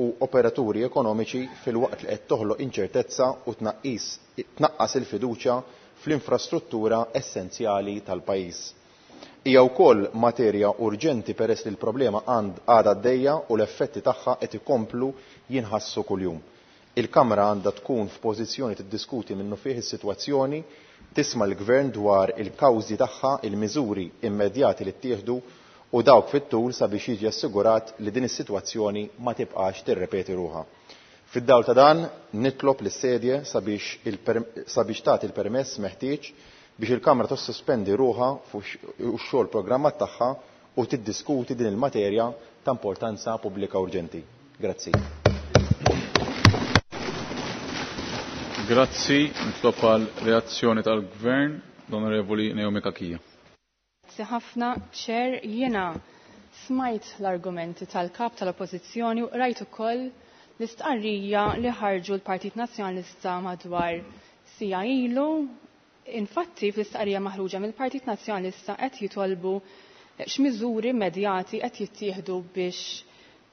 [SPEAKER 13] u operaturi ekonomiċi filwaqt li qed toħloq inċertezza u tnaqqis tnaqqas il-fiduċja fl-infrastruttura essenzjali tal-pajjiż. Hija wkoll materja urġenti peress li l-problema għadha għaddejja u l-effetti tagħha qed ikomplu jinħassu kuljum. Il-Kamra għandha tkun f'pożizzjoni tiddiskuti minnu fih is-sitwazzjoni, tisma' l-Gvern dwar il-kawżi tagħha, il-miżuri immedjati li ttieħdu u dawk fit-tul sabiex jiġi assigurat li din is-sitwazzjoni ma tibqax tirrepeti ruħha. Fid-dawl ta' dan nitlob lis-sedje sabiex sabiex tagħti il-permess meħtieġ biex il-Kamra tissospendi ruħha fuq x-xogħol programmat tagħha u tiddiskuti din il-materja ta' importanza pubblika urġenti. Grazzi.
[SPEAKER 1] Grazzi, nitlob għal reazzjoni tal-Gvern, l-Onorevoli Naomi Cachia.
[SPEAKER 14] Grazzi ħafna, Chair, jiena smajt l-argumenti tal-kap tal-Oppożizzjoni u rajt ukoll l-istqarrija li ħarġu l-Partit Nazzjonalista madwar sija ilu. Infatti, fl-istqarrija maħruġa mill-Partit Nazzjonalista qed jitolbu x'miżuri immedjati qed jittieħdu biex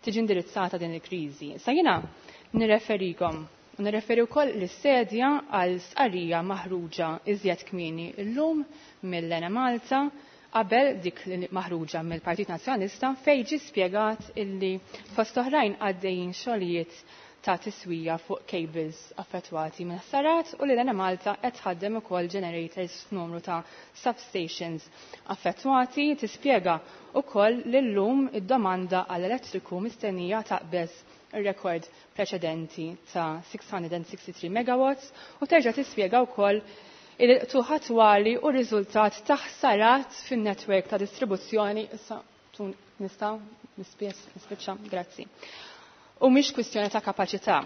[SPEAKER 14] tiġi indirizzata din il-kriżi. Sa jiena nirreferikom u nirreferi wkoll lis-sedja għal stqarrija maħruġa iżjed kmieni llum mill-Enemalta qabel dik li maħruġa mill-Partit Nazzjonalista fejn ġie spjegat illi fost oħrajn għaddejjin xogħlijiet ta' tiswija fuq cables affettwati minn ħsarat u li l-Enemalta qed tħaddem ukoll generators f'numru ta' substations affettwati. Tispjega wkoll li llum id-domanda għall-elettriku mistennija taqbeż ir-rekord preċedenti ta' six hundred and sixty-three megawatts u terġa' tispjega wkoll il-qtuħ attwali u r-riżultat ta' ħsarat fin-netwerk ta' distribuzzjoni. Issa tun nista' nispiċċa, grazzi. U mhix kwistjoni ta' kapaċità.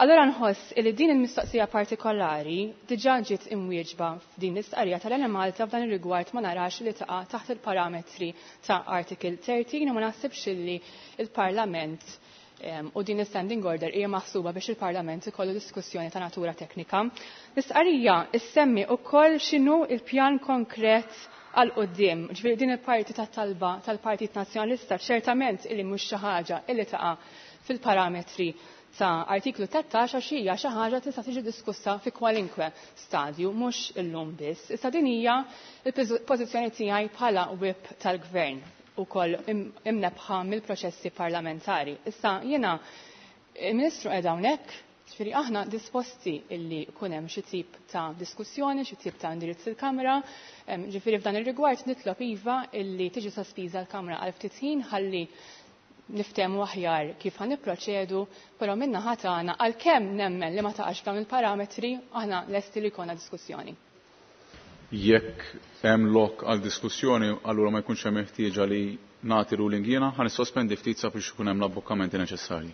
[SPEAKER 14] Allora nħoss li din il-mistoqsija partikolari diġà ġiet imwieġba f'din l-istqarrija tal-Enemalta f'dan ir-rigward ma narax li taqa' taħt il-parametri ta' Article thirteen u ma naħsibx li il-Parlament u din il-standing order hija maħsuba biex il-Parlament ikollu diskussjoni ta' natura teknika. L-istqarrija issemmi wkoll x'inhu il-pjan konkret għal quddiem. Ġifieri din il-parti tat-talba tal-Partit Nazzjonalista ċertament illi mhux xi ħaġa illi taqa' fil-parametri ta' artiklu tlettax għax hija xi ħaġa tista' tiġi diskussa fi kwalinkwe stadju, mhux illum biss. Issa din hija l-pożizzjoni tiegħi bħala whip tal-Gvern ukoll imnebħa mill-proċessi parlamentari. Issa jiena il-Ministru qiegħed hawnhekk, Ġifieri aħna disposti illi jkun hemm xi tip ta' diskussjoni, xi tip ta' indirizz il-Kamra, ġifieri f'dan ir-rigward nitlob iva illi tiġi sospiża l-Kamra għal ftit ħin ħalli niftehmu aħjar kif ħa nipproċedu, però min-naħa tagħna għalkemm nemmen li ma taqax f'dawn il-parametri aħna lesti li jkollna diskussjoni.
[SPEAKER 1] Jekk hemm lok għal diskussjoni, allura ma jkunx hemm ħtieġa li nagħti ruling jiena, ħa nissospendi ftit sabiex ikun hemm l-abbokkamenti neċessarji.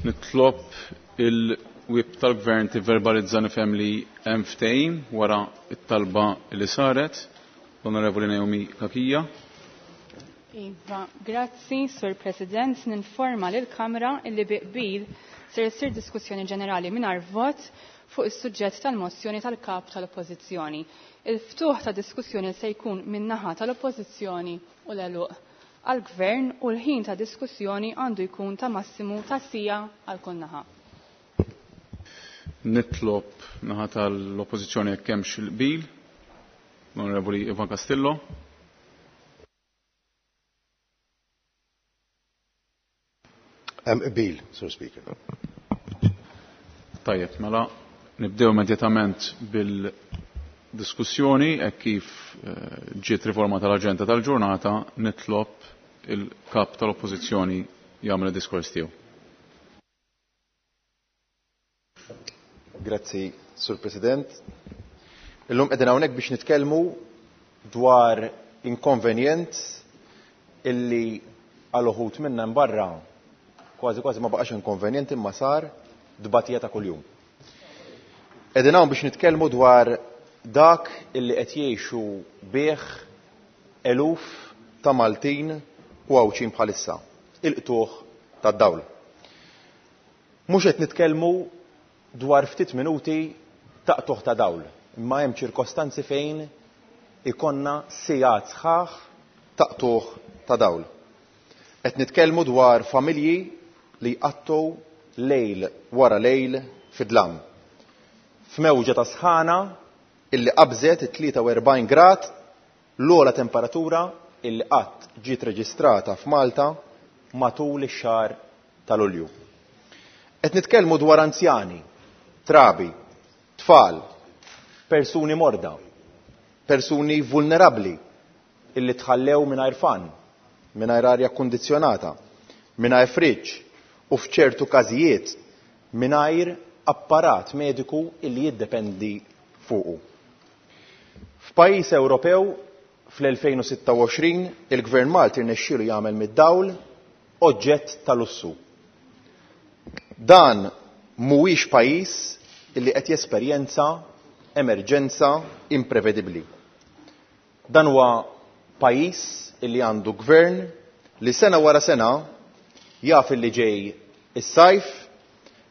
[SPEAKER 1] Nitlob il-whip tal-Gvern tivverbalizza nifhem li hemm ftehim wara t-talba li saret. L-Onorevoli Naomi Cachia.
[SPEAKER 14] Iva, grazzi, Sur President. Ninforma lill-Kamra illi bi qbil ser issir diskussjoni ġenerali mingħajr vot fuq is-suġġett tal-mozzjoni tal-kap tal-Oppożizzjoni. Il-ftuħ ta' diskussjoni se jkun min-naħa tal-Oppożizzjoni u l-għeluq għall-Gvern u l-ħin ta' diskussjoni għandu jkun ta' massimu ta' siegħa għal kull naħa.
[SPEAKER 1] Nitlob naħa tal-Oppożizzjoni jekk hemmx il-qbil. L-Onorevoli Ivan Castillo.
[SPEAKER 3] Hemm qbil, Sur Speaker.
[SPEAKER 1] Tajjeb, mela nibdew immedjatament bil-diskussjoni hekk kif ġiet riforma tal-aġenda tal-ġurnata, nitlob il-kap tal-Oppożizzjoni jagħmel id-diskors tiegħu.
[SPEAKER 13] Grazzi, Sur President. Illum qegħdin hawnhekk biex nitkellmu dwar inkonvenjent illi għal uħud minna barra kważi kważi ma baqax inkonvenjent imma sar dbatija ta' kuljum. Qegħdin hawn biex nitkellmu dwar dak illi qed jgħixu bih eluf ta' Maltin u Għawdxin bħalissa, il-qtuħ tad-dawl. Mhux qed nitkellmu dwar ftit minuti ta' qtuħ ta' dawl, imma hemm ċirkostanzi fejn ikonna sigħat sħaħ ta' qtuħ ta' dawl. Qed nitkellmu dwar familji li jqattu lejl wara lejl fid-dlam. F'mewġa ta' sħana illi qabżet it-tlieta u erbgħin grad, l-ogħla temperatura illi qatt ġiet reġistrata f'Malta matul ix-xahar ta' Lulju. Qed nitkellmu dwar anzjani, trabi, tfal, persuni morda, persuni vulnerabbli illi tħallew mingħajr fan, mingħajr arja kkundizzjonata, mingħajr friġġ u f'ċertu każijiet mingħajr apparat mediku illi jiddependi fuqu. F'pajjiż Ewropew fl-elfejn u sitta u għoxrin il-Gvern Malti rnexxielu jagħmel mid-dawl oġġett ta' lussu. Dan mhuwiex pajjiż illi qed jesperjenza emerġenza imprevedibbli. Dan huwa pajjiż illi għandu gvern li sena wara sena jaf illi ġej is-sajf,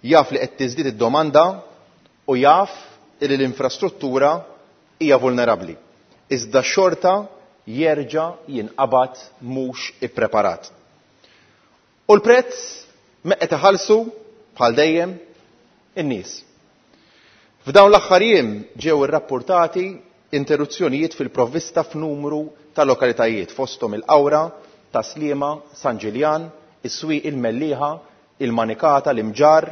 [SPEAKER 13] jaf li qed tiżdied id-domanda u jaf illi l-infrastruttura hija vulnerabbli. Iżda xorta jerġa' jinqabad mhux ippreparat. U l-prezz me qed iħallsu bħal dejjem in-nies. F'dawn l-aħħar jiem ġew irrappurtati interruzzjonijiet fil-provvista f'numru ta' lokalitajiet fosthom il-Qawra, ta' Sliema, San Ġiljan, is-Swieq il-Mellieħa, il-Manikata, l-Imġarr,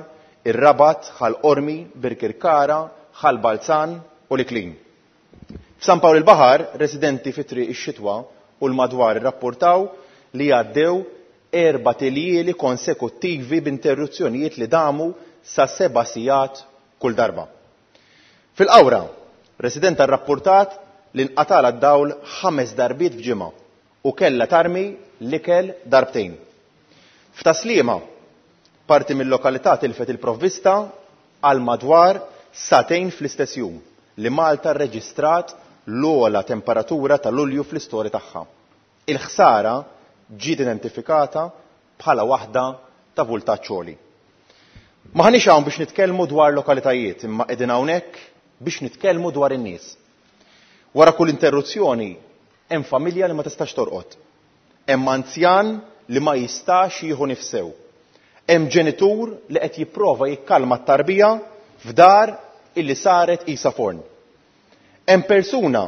[SPEAKER 13] ir-Rabat, Ħal Qormi, Birkirkara, Ħal Balzan u l-Iklin. F'San Pawl il-Baħar, residenti fi Triq ix-Xitwa u l-madwar irrappurtaw li għaddew erba' tiljieli konsekuttivi b'interruzzjonijiet li damu sa seba' sigħat kull darba. Fil-Qawra, residenta rrappurtat li nqatala d-dawl ħames darbiet f'ġimgħa u kellha tarmi l-ikel darbtejn. F'Ta' Sliema, parti mill-lokalità tilfet il-provvista għal madwar sagħtejn fl-istess jum li Malta rreġistrat l-ogħla temperatura ta' Lulju fl-istorja tagħha. Il-ħsara ġiet identifikata bħala waħda ta' vultaġġ għoli. Maħniex hawn biex nitkellmu dwar lokalitajiet, imma qegħdin hawnhekk biex nitkellmu dwar in-nies. Wara kull interruzzjoni hemm familja li ma tistax torqod. Hemm anzjan li ma jistax jieħu nifsew. Hemm ġenitur li qed jipprova jikkalma t-tarbija f'dar illi saret qisha forn. Hemm persuna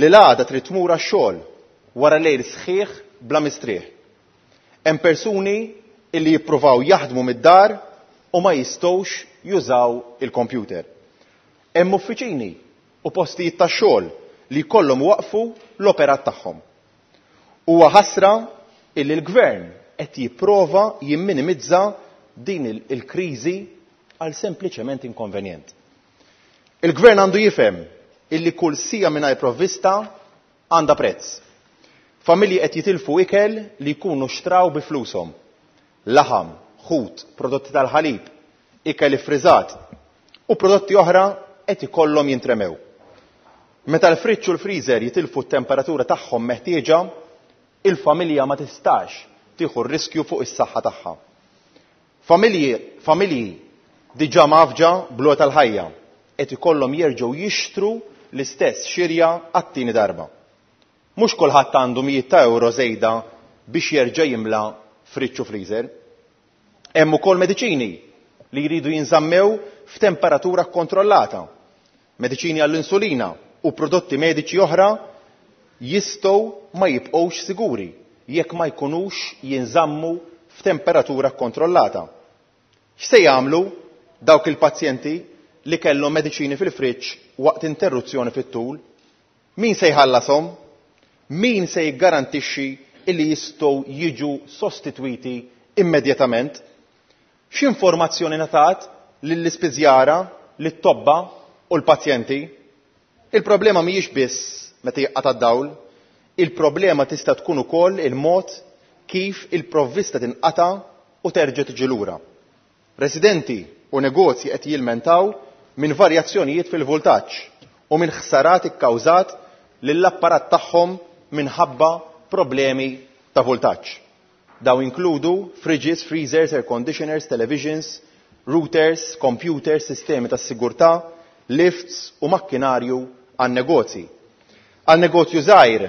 [SPEAKER 13] li l-għada trid tmur għax-xogħol wara lejl sħiħ bla mistrieħ. Hemm persuni illi jippruvaw jaħdmu mid-dar u ma jistgħux jużaw il-kompjuter. Hemm uffiċini u postijiet tax-xogħol li jkollhom waqfu l-operat tagħhom. Huwa ħasra illi l-gvern qed jipprova jimminimizza din il-, il-kriżi għal sempliċement inkonvenjent. Il-gvern għandu jifhem illi kull siegħa mingħajr provvista għandha prezz. Familji qed jitilfu ikel li jkunu xtraw bi flushom. Laħam, ħut, prodotti tal-ħalib, ikel iffriżat u prodotti oħra qed ikollhom jintremew. Meta l-friġġ u l-freezer jitilfu t-temperatura tagħhom meħtieġa, il-familja ma tistax tieħu r-riskju fuq is-saħħa tagħha. Familji, familji diġà mgħaffġa bl-għoli tal-ħajja qed ikollhom jerġgħu jixtru l-istess xirja għat-tieni darba. Mhux kulħadd għandu mijiet ta' euro żejda biex jerġa' jimla friġġ u freezer. Hemm ukoll mediċini li jridu jinżammew f'temperatura kkontrollata. Mediċini għall-insulina u prodotti mediċi oħra jistgħu ma jibqgħux siguri jekk ma jkunux jinżammu f'temperatura kkontrollata. X'se jagħmlu dawk il-pazjenti li kellhom mediċini fil-friġġ waqt interruzzjoni fit-tul? Min se jħallashom? Min se jiggarantixxi illi jistgħu jiġu sostitwiti immedjatament? X'informazzjoni ngħatat lill-ispiżjara, lit-tobba u l-pazjenti? Il-problema mhijiex biss meta jinqata' d-dawl, il-problema tista' tkun ukoll il-mod kif il-provvista tinqata' u terġa' tiġi lura. Residenti u negozji qed jilmentaw minn varjazzjonijiet fil-vultaġġ u minn ħsarat ikkawżat lill-apparat tagħhom minħabba problemi ta' vultaġġ. Dawn inkludu fridges, freezers, air conditioners, televisions, routers, computers, sistemi ta' sigurtà, lifts u makkinarju għan negozji. Għal negozju żgħir,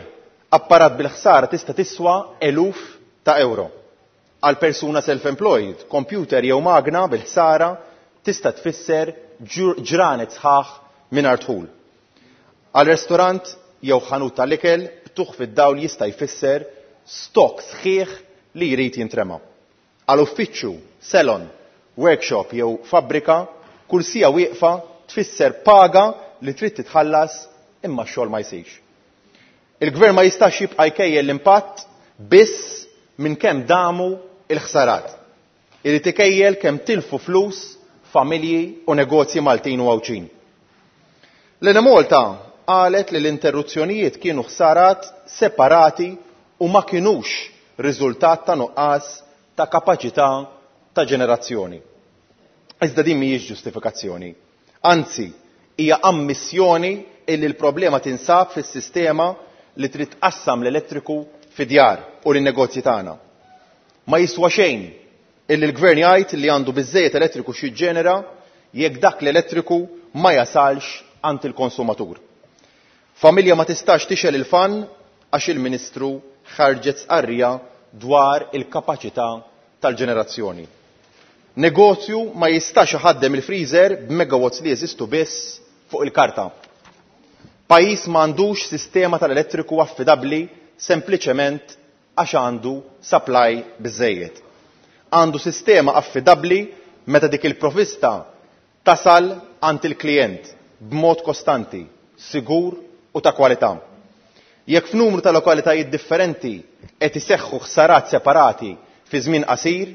[SPEAKER 13] apparat bil-ħsara tista' tiswa eluf ta' euro. Għal persuna self-employed, computer jew magna bil-ħsara tista' tfisser ġranet sħaħ mingħajr dħul. Għal restorant jew ħanut tal-ikel, qtugħ fid-dawl jista' jfisser stok sħiħ li jrid jintrema. Għal uffiċċju, salon, workshop jew fabbrika, kull siegħa wieqfa tfisser paga li trid titħallas imma x-xogħol ma jsirx. Il-gvern ma jistax jibqa' jkejjel l-impatt biss minn kemm damu il-ħsarat. Irid ikejjel kemm tilfu flus familji u negozji Maltin u Għawdxin. L-Enemalta qalet li l-interruzzjonijiet kienu ħsarat separati u ma kinux riżultat ta' nuqqas ta' kapaċità ta' ġenerazzjoni. Iżda din mhijiex ġustifikazzjoni. Anzi, hija ammissjoni illi l-problema tinsab fis-sistema li trid tqassam l-elettriku fid-djar u lin-negozji tagħna. Ma jiswa xejn illi l-gvern jgħid li għandu biżejjed elettriku x'jiġġenera jekk dak l-elettriku ma jasalx għand il-konsumatur. Familja ma tistax tixgħel il-fan għax il-Ministru ħarġet stqarrija dwar il-kapaċità tal-ġenerazzjoni. Negozju ma jistax iħaddem il-freezer b'megawatts li jeżistu biss fuq il-karta. Pajjiż m'għandux sistema tal-elettriku affidabbli sempliċement għax għandu supply biżejjed. Għandu sistema affidabbli meta dik il-provvista tasal għand il-klijent b'mod kostanti, sigur u ta' kwalità. Jekk f'numru ta' lokalitajiet differenti qed iseħħu ħsarat separati fi żmien qasir,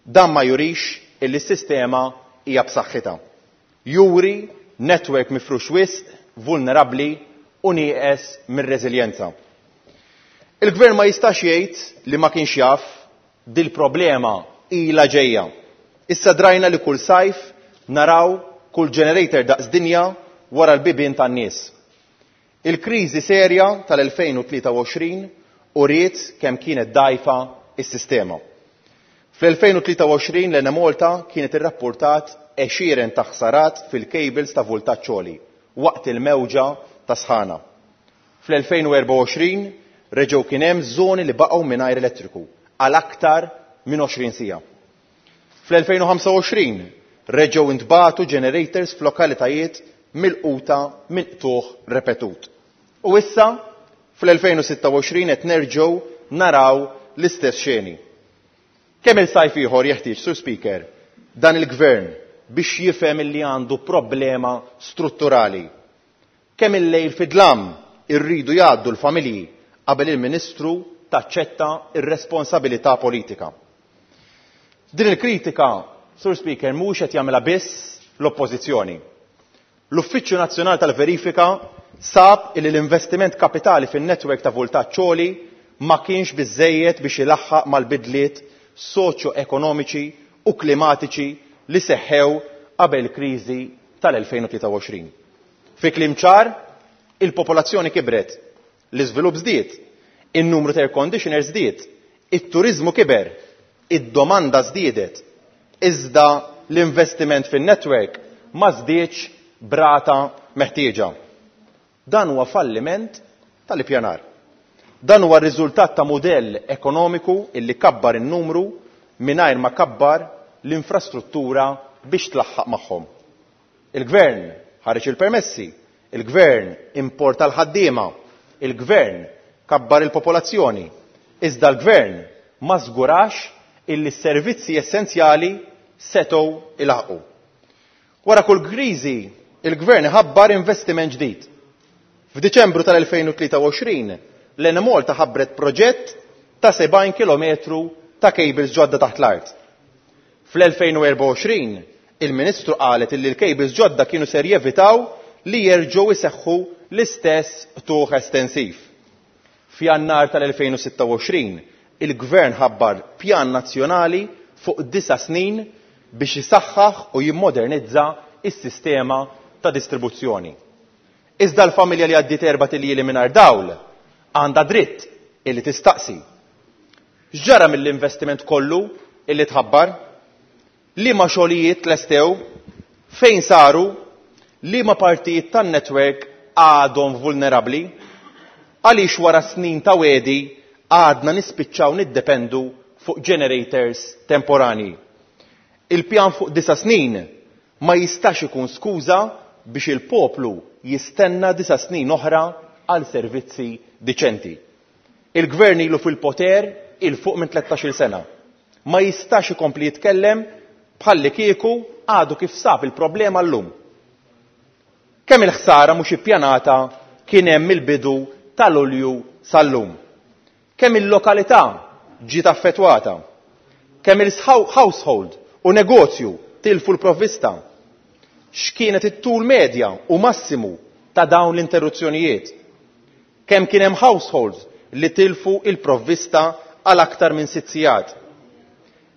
[SPEAKER 13] dan ma jurix illi s-sistema hija b'saħħitha. Juri network mifrux wisq, vulnerabbli u nieqes mir-reżiljenza. Il-gvern ma jistax jgħid li ma kienx jaf dil-problema ilha ġejja. Issa drajna li kull sajf naraw kull generator daqs dinja wara l-bibien tan-nies. Il-kriżi serja tal-elfejn u tlieta u għoxrin uriet kemm kienet dgħajfa s-sistema. Fl-elfejn u tlieta u għoxrin l-Enemalta kienet irrapportat għexieren ta' ħsarat fil-cables ta' vultaġġ għoli waqt il-mewġa ta' sħana. Fl-elfejn u erbgħa u għoxrin reġgħu kien hemm żoni li baqgħu mingħajr elettriku għal aktar minn għoxrin siegħa. Fl-elfejn u ħamsa u għoxrin reġgħu intbagħtu generators f'lokalitajiet milquta minn qtugħ repetut. U issa fl-elfejn u sitta u għoxrin qed nerġgħu naraw l-istess xeni. Kemm il-sajf ieħor jeħtieġ, Sur Speaker, dan il-gvern biex jifhem illi għandu problema strutturali? Kemm il-lejl fid-dlam irridu jgħaddu l-familji qabel il-Ministru taċċetta ir-responsabilità politika? Din il-kritika, Sur Speaker, mhux qed jagħmilha biss l-Oppożizzjoni. L-Uffiċċju Nazzjonali tal-Verifika sab illi l-investiment kapitali fin-netwerk ta' vultaġġ għoli ma kienx biżejjed biex ilaħħaq mal-bidliet soċjo-ekonomiċi u klimatiċi li seħħew qabel kriżi tal-elfejn u tlieta u għoxrin. Fi kliem ċar, il-popolazzjoni kibret, l-iżvilupp żdied, in-numru ta' air conditioners żdied, it-turiżmu kiber, id-domanda żdiedet, iżda l-investiment fin-network ma żdiedx brata meħtieġa. Dan huwa falliment tal-ippjanar. Dan huwa r-riżultat ta' mudell ekonomiku illi kabbar in-numru mingħajr ma kabbar l-infrastruttura biex tlaħħaq magħhom. Il-gvern ħareġ il-permessi, il-gvern importa l-ħaddiema, il-gvern kabbar il-popolazzjoni, iżda l-gvern ma żgurax illi s-servizzi essenzjali setgħu ilaħqu. Wara kull kriżi, il-gvern ħabbar investiment ġdid. F'Diċembru tal-elfejn u tlieta u għoxrin, l-Enemalta ħabbret proġett ta' sebgħin kilometru ta' cables ġodda taħt l-art. Fl-elfejn u erba' u għoxrin, il-Ministru qalet illi l-cables ġodda kienu ser jevitaw li jerġgħu jseħħu l-istess qtugħ estensiv. F'Jannar tal-elfejn u sitta u għoxrin, il-Gvern ħabbar pjan nazzjonali fuq disa' snin biex isaħħaħ u jimmodernizza s-sistema ta' distribuzzjoni. Iżda l-familja li għaddiet erba' tiljieli mingħajr dawl għandha dritt illi tistaqsi. X'ġara mill-investiment kollu illi tħabbar? Liema xogħlijiet tlestew? Fejn saru? Liema partijiet tan-netwerk għadhom vulnerabbli? Għaliex wara snin ta' wedi għadna nispiċċaw niddependu fuq generators temporani? Il-pjan fuq disa' snin ma jistax ikun skuża biex il-poplu jistenna disa' snin oħra għal servizzi diċenti. Il-gvern ilu fil-poter il fuq minn tlettax-il sena. Ma jistax ikompli jitkellem bħalli kieku għadu kif sab il-problema llum. Kemm il-ħsara mhux ippjanata kien hemm il-bidu tal-Lulju sal-lum. Kemm il-lokalità ġiet affettwata. Kemm il-household u negozju tilfu l-provvista. X'kienet it-tul medja u massimu ta' dawn l-interruzzjonijiet. Kemm kien hemm households li tilfu il-provvista għal aktar minn sitt sigħat.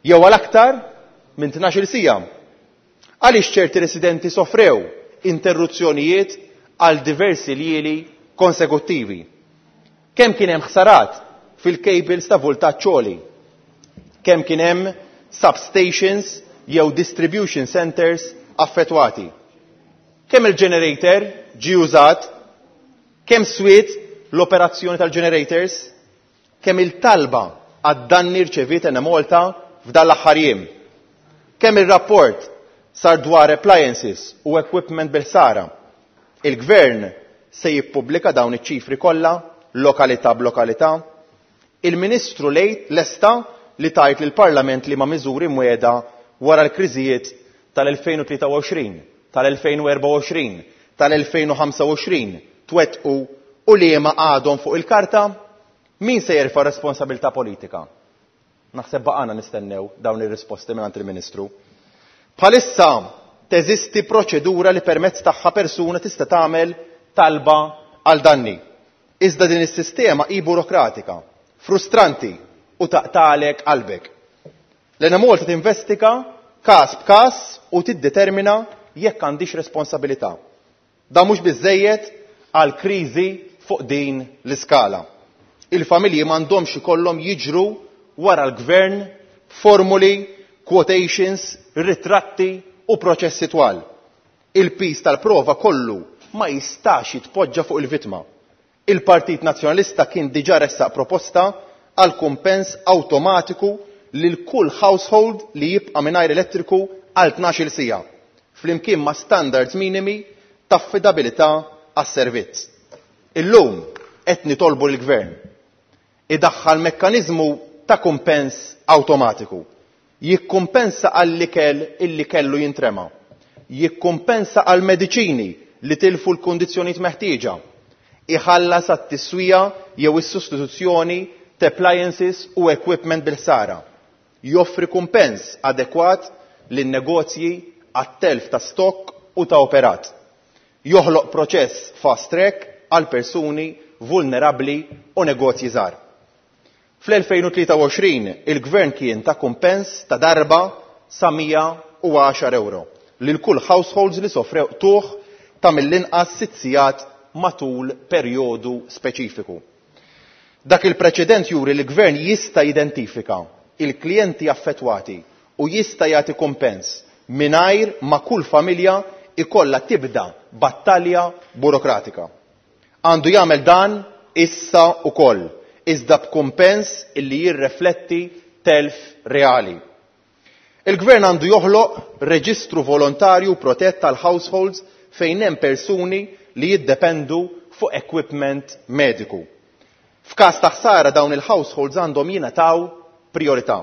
[SPEAKER 13] Jew għal aktar minn tnax-il siegħa. Għaliex ċerti residenti sofrew interruzzjonijiet għal diversi ljieli konsekuttivi. Kemm kien hemm ħsarat fil-cables ta' voltaġġ għoli. Kemm kien hemm substations jew distribution centers affettwati. Kemm il-generator ġie użat, kemm swiet l-operazzjoni tal-generators, kemm il-talba għad-danni rċeviet Enemalta f'dan l-aħħar jiem. Kemm il-rapport sar dwar appliances u equipment bil-ħsara. Il-gvern se jippubblika dawn iċ-ċifri kollha, lokalità b'lokalità. Il-Ministru lejt lesta li tajt lill-Parlament li ma' miżuri mwiegħda wara l-kriżijiet tal-elfejn u tlieta u għoxrin, tal-elfejn u erba' u għoxrin, tal-elfejn u ħamsa u għoxrin twettqu u li ma għadhom fuq il-karta, min se jerfa' responsabilità politika? Naħseb baqgħana nistennew dawn ir-risposti mingħand il-Ministru. Bħalissa teżisti proċedura li permezz tagħha persuna tista' tagħmel talba għal danni. Iżda din is-sistema hi burokratika, frustranti u taqtalek qalbek. L-Enemalta tinvestiga każ b'każ u tiddetermina jekk għandix responsabilità. Dan mhux biżżejjed għal kriżi fuq din l-iskala. Il-familji m'għandhomx ikollhom jiġru wara l-gvern formuli, quotations, ritratti u proċessi twal. Il-pis tal-prova kollu ma jistax jitpoġġa fuq il-vittma. Il-Partit Nazzjonalista kien diġà ressaq proposta għal kumpens awtomatiku lil kull household li jibqa' mingħajr elettriku għal tnax-il siegħa, flimkien ma' standards minimi ta' affidabilità għas-servizz. Illum qed nitolbu lill-gvern idaħħal mekkaniżmu ta' kumpens awtomatiku. Jikkumpensa għall-ikel illi kellu jintrema. Jikkumpensa għall-mediċini li tilfu l-kundizzjonijiet meħtieġa. Iħallas għat-tiswija jew is-sostituzzjoni ta' appliances u equipment bil-ħsara. Joffri kumpens adekwat lin-negozji għat-telf ta' stokk u ta' operat. Joħloq proċess fast track għal persuni vulnerabbli u negozji żgħar. Fl-elfejn u tlieta u għoxrin il-gvern kien ta' kumpens ta' darba sa mija u għaxar euro lil kull households li sofrew qtugħ ta' mill-inqas sitt sigħat matul perjodu speċifiku. Dak il-preċedent juri li l-gvern jista' jidentifika il-klijenti affettwati u jista' jagħti kumpens mingħajr ma kull familja ikollha tibda battalja burokratika. Għandu jagħmel dan issa ukoll, iżda b'kumpens illi jirrefletti telf reali. Il-gvern għandu joħloq reġistru volontarju protett tal-households fejn hemm persuni li jiddependu fuq equipment mediku. F'każ ta' ħsara dawn il-households għandhom jingħataw priorità.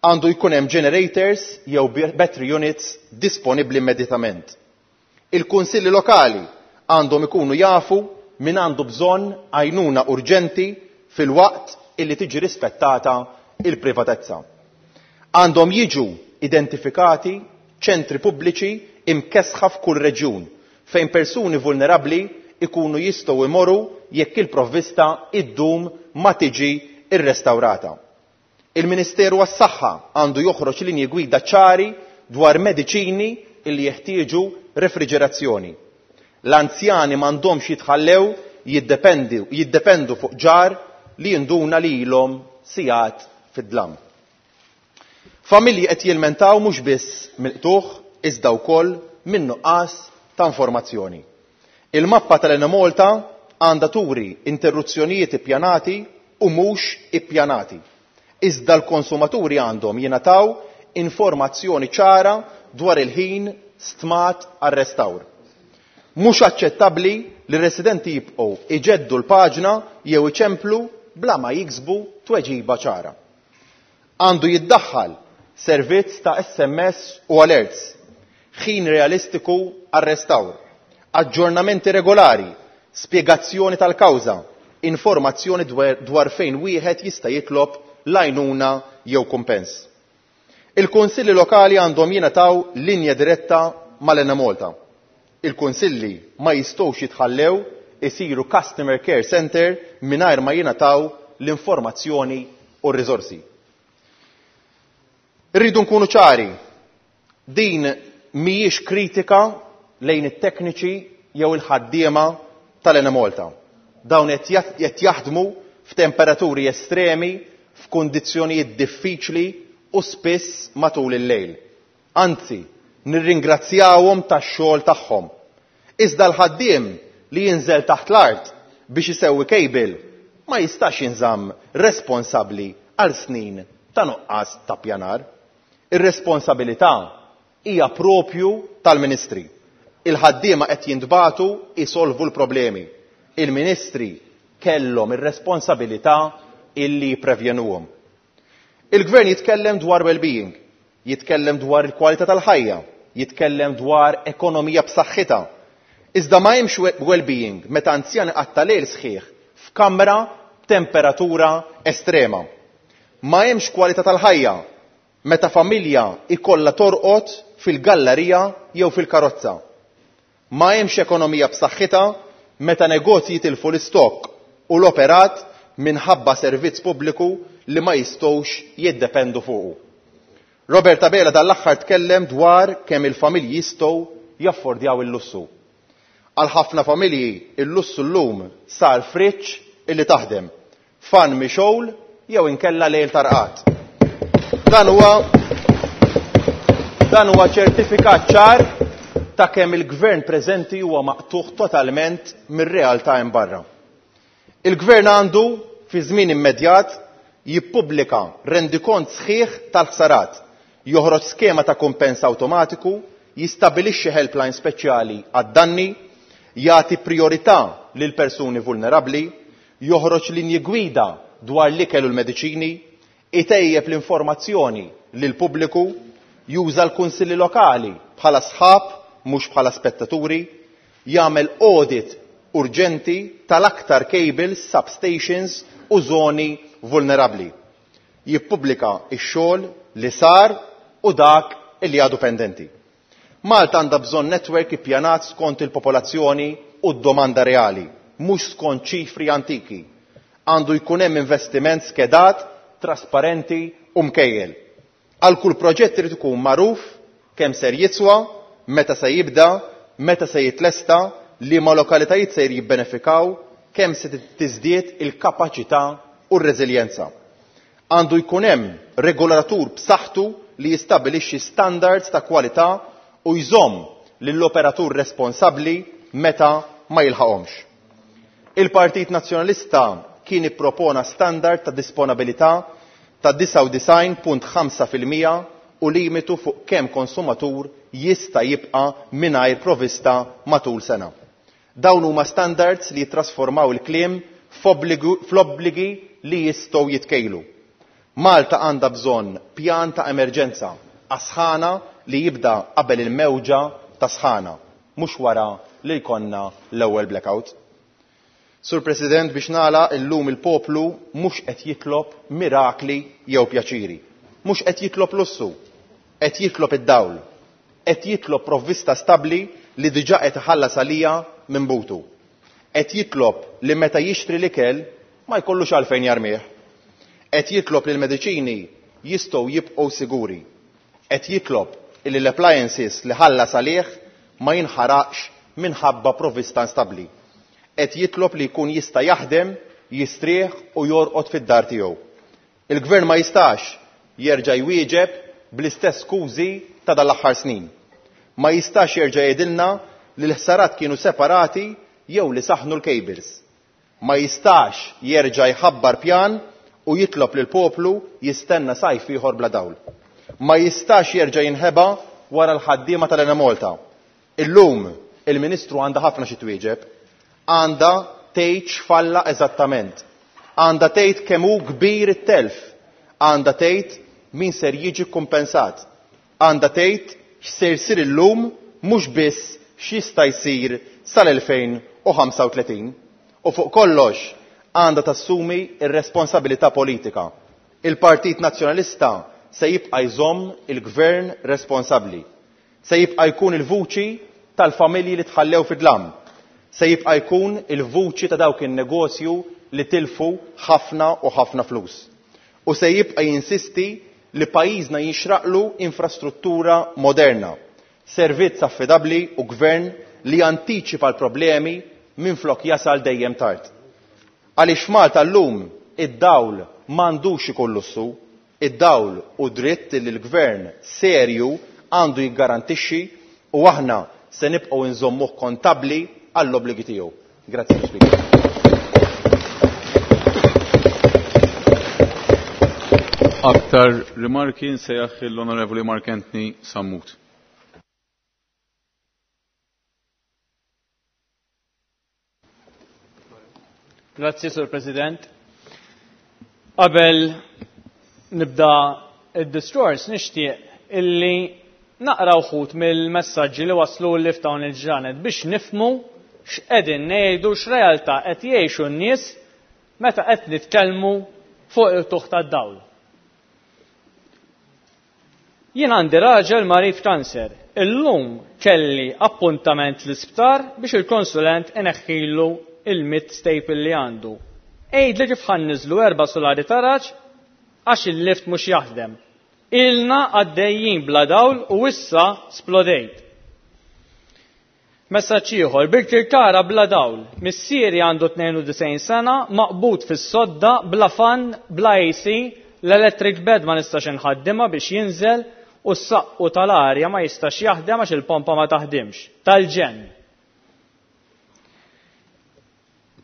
[SPEAKER 13] Għandu jkun hemm generators jew battery units disponibbli immedjatament. Il-kunsilli lokali għandhom ikunu jafu min għandu bżonn għajnuna urġenti fil-waqt illi tiġi rispettata il-privatezza. Għandhom jiġu identifikati ċentri pubbliċi imkesħa f'kull reġjun fejn persuni vulnerabbli ikunu jistgħu imorru jekk il-provvista iddum ma tiġi irrestawrata. Il-Ministeru għas-Saħħa għandu joħroġ linji gwida ċari dwar mediċini illi jeħtieġu refriġerazzjoni. L-anzjani m'għandhomx jitħallew jiddependu, jiddependu fuq ġar li jinduna li ilhom sigħat fid-dlam. Familji qed jilmentaw mhux biss mill-qtugħ iżda wkoll minn nuqqas ta' informazzjoni. Il-mappa tal-Enemalta għandha turi interruzzjonijiet ippjanati u mhux ippjanati. Iżda l-konsumaturi għandhom jingħataw informazzjoni ċara dwar il-ħin stmat għar-restawr. Mhux aċċettabbli li r-residenti jibqgħu iġeddu l-paġna jew iċemplu bla ma jiksbu tweġiba ċara. Għandu jiddaħħal servizz ta' S M S u alerts, ħin realistiku għar-restawr, aġġornamenti regolari, spjegazzjoni tal-kawża, informazzjoni dwar, dwar fejn wieħed jista' jitlob l-għajnuna jew kumpens. Il-kunsilli lokali għandhom jingħataw linja diretta mal-Enemalta. Il-kunsilli ma jistgħux jitħallew isiru customer care center mingħajr ma jingħataw l-informazzjoni u r-riżorsi. Irridu nkunu ċari, din mhijiex kritika lejn it-tekniċi jew il-ħaddiema tal-Enemalta. Dawn qed jaħdmu f'temperaturi estremi, f'kundizzjonijiet diffiċli u spiss matul il-lejl. Anzi, nirringrazzjawhom tax-xogħol tagħhom. Iżda l-ħaddiem li jinżel taħt l-art biex isewwi cable ma jistax jinżamm responsabbli għal snin ta' nuqqas ta' pjanar. Ir-responsabilità hija propju tal-ministri. Il-ħaddiema qed jintbagħtu isolvu l-problemi. Il-ministri kellhom ir-responsabilità illi jipprevjenuhom. Il-gvern jitkellem dwar well-being, jitkellem dwar il-kwalità tal-ħajja, jitkellem dwar ekonomija b'saħħitha. Iżda ma hemmx well-being meta anzjan iqatta' lejl sħiħ f'kamra b'temperatura estrema. Ma hemmx kwalità tal-ħajja meta familja ikollha torqod fil-gallerija jew fil-karozza. Ma hemmx ekonomija b'saħħitha meta negozji jitilfu l-istokk u l-operat minħabba servizz pubbliku li ma jistgħux jiddependu fuqu. Robert Abela dal-aħħar tkellem dwar kemm il-familji jistgħu jaffordjaw il-lussu. Għal ħafna familji il-lussu llum sar friġġ illi taħdem, fan mixgħul jew inkella lejl tarqat. Dan huwa dan huwa ċertifikat ċar ta' kemm il-gvern preżenti huwa maqtugħ totalment mir-realtà hemm barra. Il-gvern għandu fi żmien immedjat jippubblika rendikont sħiħ tal-ħsarat, joħroġ skema ta' kumpens awtomatiku, jistabilixxi helpline speċjali għad-danni, jagħti priorità lil persuni vulnerabbli, joħroġ linji gwida dwar l-ikel u l-mediċini, itejjeb l-informazzjoni lil pubbliku, juża l-kunsilli lokali bħala sħab mhux bħala spettaturi, jagħmel audit urġenti tal-aktar cables, substations u żoni vulnerabbli. Jippubblika x-xogħol li sar u dak li għadu pendenti. Malta għandha bżonn netwerk ippjanat skont il-popolazzjoni u d-domanda reali, mhux skont ċifri antiki. Għandu jkun hemm investiment skedat, trasparenti u mkejjel. Għal kull proġett irid ikun magħruf kemm ser jiswa, meta se jibda, meta se jitlesta, liema lokalitajiet se jibbenefikaw, kemm se tiżdied il-kapaċità u r-reżiljenza. Għandu jkun hemm regolatur b'saħħtu li jistabbilixxi standards ta' kwalità u jżomm lill-operatur responsabbli meta ma jilħaqhomx. Il-Partit Nazzjonalista kien ippropona standard ta' disponabilità ta' disgħa u disgħin punt ħamsa fil-mija u limitu fuq kemm konsumatur jista' jibqa' mingħajr provista matul sena. Dawn huma standards li jittrasformaw il-kliem fl-obbligi li jistgħu jitkejlu. Malta għandha bżonn pjan ta' emerġenza għas-sħana li jibda qabel il-mewġa ta' sħana, mhux wara li jkollna l-ewwel blackout. Sur President, biex nagħlaq, illum il-poplu mhux qed jitlob mirakli jew pjaċiri. Mhux qed jitlob lussu, qed jitlob id-dawl, qed jitlob provvista stabbli li diġà qed iħallas għalija minn butu. Qed jitlob li meta jixtri l-ikel ma jkollux għalfejn jarmih. Qed jitlob li l-mediċini jistgħu jibqgħu siguri. Qed jitlob li l-appliances li ħallas għalih ma jinħaraqx minħabba provvista instabbli. Qed jitlob li jkun jista' jaħdem, jistrieħ u jorqod fid-dar tiegħu. Il-gvern ma jistax jerġa' jwieġeb bl-istess skużi ta' dal-aħħar snin. Ma jistax jerġa' jgħidilna li l-ħsarat kienu separati jew li saħnu l-cables. Ma jistax jerġa' jħabbar pjan u jitlob lil poplu jistenna sajf ieħor bla dawl. Ma jistax jerġa' jinħeba wara l-ħaddiema tal-Enemalta. Illum il-Ministru għandha ħafna xi twieġeb, għandha tgħid x'falla eżattament, għandha tgħid kemm hu kbir it-telf, għandha tgħid min ser jiġi kkumpensat, għandha tgħid x'ser jsir illum mhux biss x'jista' jsir sal-elfejn u ħamsa u tletin. U fuq kollox għandha tassumi r-responsabilità politika. Il-Partit Nazzjonalista se jibqa' jżomm il-gvern responsabbli. Se jibqa' jkun il-vuċi tal-familji li tħallew fid-dlam. Se jibqa' jkun il-vuċi ta' dawk in-negozju li tilfu ħafna u ħafna flus. U se jibqa' jinsisti li pajjiżna jinxraqlu infrastruttura moderna, servizz affidabbli u gvern li jantiċipa l-problemi minflok jasal dejjem tard. Għaliex Malta llum id-dawl m'għandux ikun lussu, id-dawl u dritt li l-gvern serju għandu jiggarantixxi u aħna se nibqgħu nżommuh kontabbli għall-obbligi tiegħu. Grazzi, Speaker.
[SPEAKER 1] Aktar rimarki nsejjaħ l-Onorevoli Mark Anthony Sammut.
[SPEAKER 10] Grazzi, Sur President. Qabel nibda id-diskors nixtieq illi naqra wħud mill-messaġġi li waslu li f'dawn il-ġranet biex nifhmu x'qegħdin ngħidu, x'realtà qed jgħixu n-nies meta qed nitkellmu fuq il-tuħ tad-dawl. Jien għandi raġel marid kanser. Illum kelli appuntament l-isptar biex il-konsulent ineħħilu il-mid staple li għandu. Għidli kif ħanniżlu erba' solari taraġ għax il-lift mhux jaħdem. Ilna għaddejjin bla dawl u issa splodejt. Messaġġ ieħor, Birkirkara bla dawl. Missieri għandu tnejn u disgħin sena, maqbud fis-sodda, bla fan, bla A C, l-electric bed ma nistax inħaddimha biex jinżel u s-saqqu tal-arja ma jistax jaħdem għax il-pompa ma taħdimx. Tal-ġenn.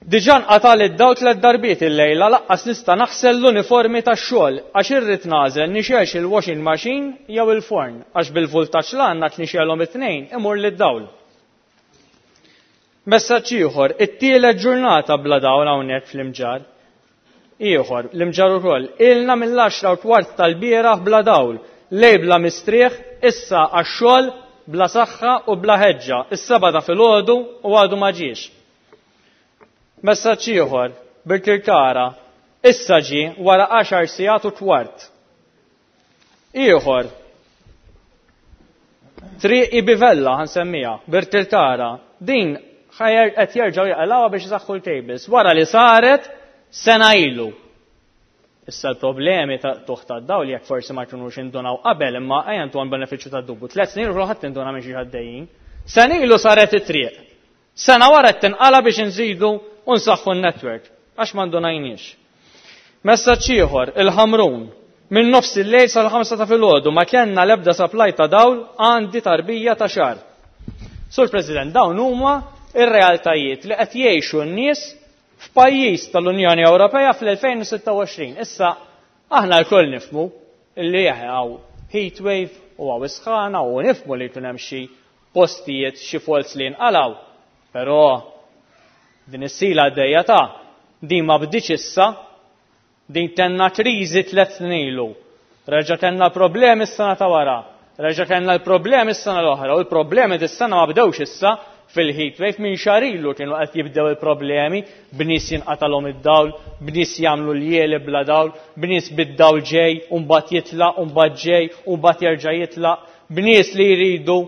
[SPEAKER 10] Diġà nqatal id-dawl tliet darbiet illejla laqqas nista' naħsel l-uniformi tax-xogħol għax irrid nagħżel nixgħelx il-washing machine jew il-forn għax bil-vultaġġ l għandna tnixgħelhom it-tnejn imur lid-dawl. Messaġġ ieħor, it-tielet ġurnata bla dawl hawnhekk fl-Imġarr. Ieħor, l-Imġarr ukoll, ilna mill-għaxra u kwart tal-bieraħ bla dawl, lej bla mistrieħ, issa għax-xogħol bla saħħa u bla ħeġġa, is-seba' ta' filgħodu u għadu ma ġiex. Messaġġ ieħor, Birkirkara, issa ġie wara għaxar sigħat u kwart. Ieħor, Triq Ibivella ħansemmija, Birkirkara, din ħajer qed jerġgħu jaqalgħuha biex isaħħu l-cables wara li saret sena ilu. Issa l-problemi ta' tuħ ta' dawl jekk forsi ma jkunux indunaw qabel imma ejja ntuhom benefiċċju ta' dubju. Tliet snin ilu ħadd induna minn xi ħaddejjin. Sena ilu saret it-triq. Sena wara qed tinqala biex inżidu u nsaħħu n-network għax ma ndunajniex. Messaġġ ieħor, il-Ħamrun. Minn nofs il-lejl sal-ħamsa ta' filgħodu ma kellna l-ebda supply ta' dawl għandi tarbija ta' xahar. Sur President, dawn huma ir-realtajiet li qed jgħixu n-nies f'pajjiż tal-Unjoni Ewropea fl-elfejn u sitta u għoxrin. Issa aħna lkoll nifhmu li hawn heat wave u hawn isħana u nifhmu li jkun hemm xi postijiet xi faults li jinqalgħu. Però din is-sila għaddejja ta' din ma bdietx issa, din tenna kriżi tliet snin ilu. Reġa' kellna problemi s-sena ta' wara, reġa' kellna l-problemi s-sena l-oħra u l-problemi dis-sena ma bdewx issa fil-heat wave minn xahar ilu kienu qed jibdew il-problemi b'nies jinqatalhom id-dawl, b'nies jagħmlu ljieli bla dawl, b'nies bid-dawl ġej u mbagħad jitlaq u mbagħad ġej u mbagħad jerġa' jitlaq, b'nies li jridu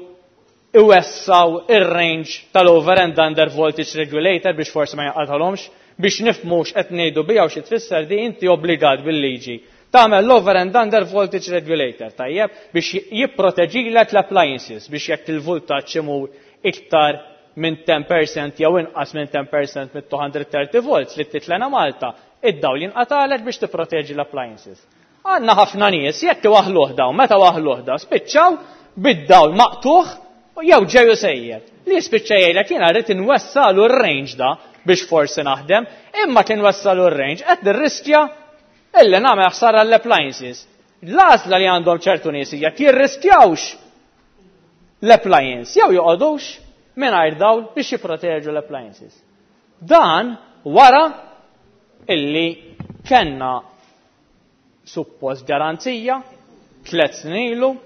[SPEAKER 10] iwessaw ir-range tal-over and under voltage regulator biex forsi ma jinqatalhomx, biex nifhmu x'qed ngħidu biha u xi tfisser di inti obbligat bil-liġi. Tagħmel l-over and under voltage regulator, tajjeb, biex jipproteġilek l-appliances, biex jekk il-voltaġġ imur iktar minn ten percent jew inqas minn ten percent minn two hundred thirty volts li titlena Malta, id-dawl jinqatalek biex tipproteġi l-appliances. Għandna ħafna nies jekk iwaħħluh dawn, meta waħħluh dawn, spiċċaw bid-dawl maqtuħ jew ġew sejjer. Li jispiċċa jgħidlek jiena rrid inwessalu r-range da biex forsi naħdem, imma kien wassalu r-range qed nirriskja illi nagħmel ħsara l-appliances. L-għażla li għandhom ċertu nies hija jirriskjawx l-appliance jew joqogħdux mingħajr dawl biex jipproteġu l-appliances. Dan wara illi kellna suppost garanzija tliet snin ilu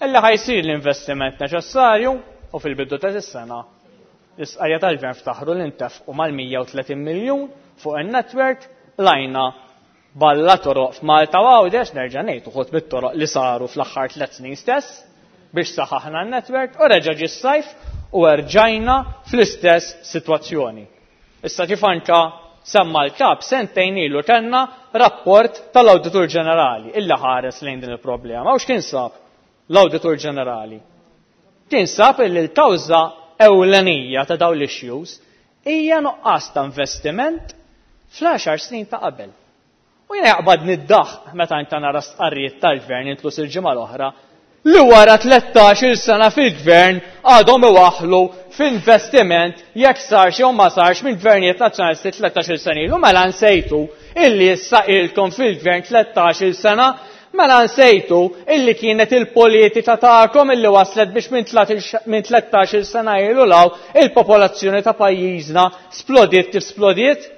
[SPEAKER 10] illi ħajsir l-investiment neċessarju u fil-bidu ta' is-sena l-isqarja tal-gvern ftaħru li ntefqu mal-mija u tletin miljun fuq in-network lajna balla toroq f'Malta u Għawdex, nerġa' ngħid uħud mit-toroq li saru fl-aħħar tliet snin stess biex saħaħna n-network u reġa' ġie s-sajf u erġajna fl-istess sitwazzjoni. Issa kif anka semma l-kap sentejn ilu kellna rapport tal-Awditur Ġenerali illi ħares lejn din il-problema. U x'kien sab l-Awditur Ġenerali? Kien sab illi l-kawża ewlenija ta' dawn l-issues hija nuqqas ta' investiment fl-għaxar snin ta' qabel. U jiena jaqbad niddaħ meta inta nara stqarrijiet tal-gvern intlus il-ġimgħa l-oħra li wara tlettax-il sena fil-gvern għadhom iwaħħlu f'investiment jekk sarx jew ma sarx minn gvernijiet nazzjonalisti tlettax-il sena ilu. Mela nsejtu illi issa ilkom fil-gvern tlettax-il sena, mela nsejtu illi kienet il-politika tagħkom illi waslet biex minn tlettax-il sena ilu law il-popolazzjoni ta' pajjiżna splodiet kif splodiet.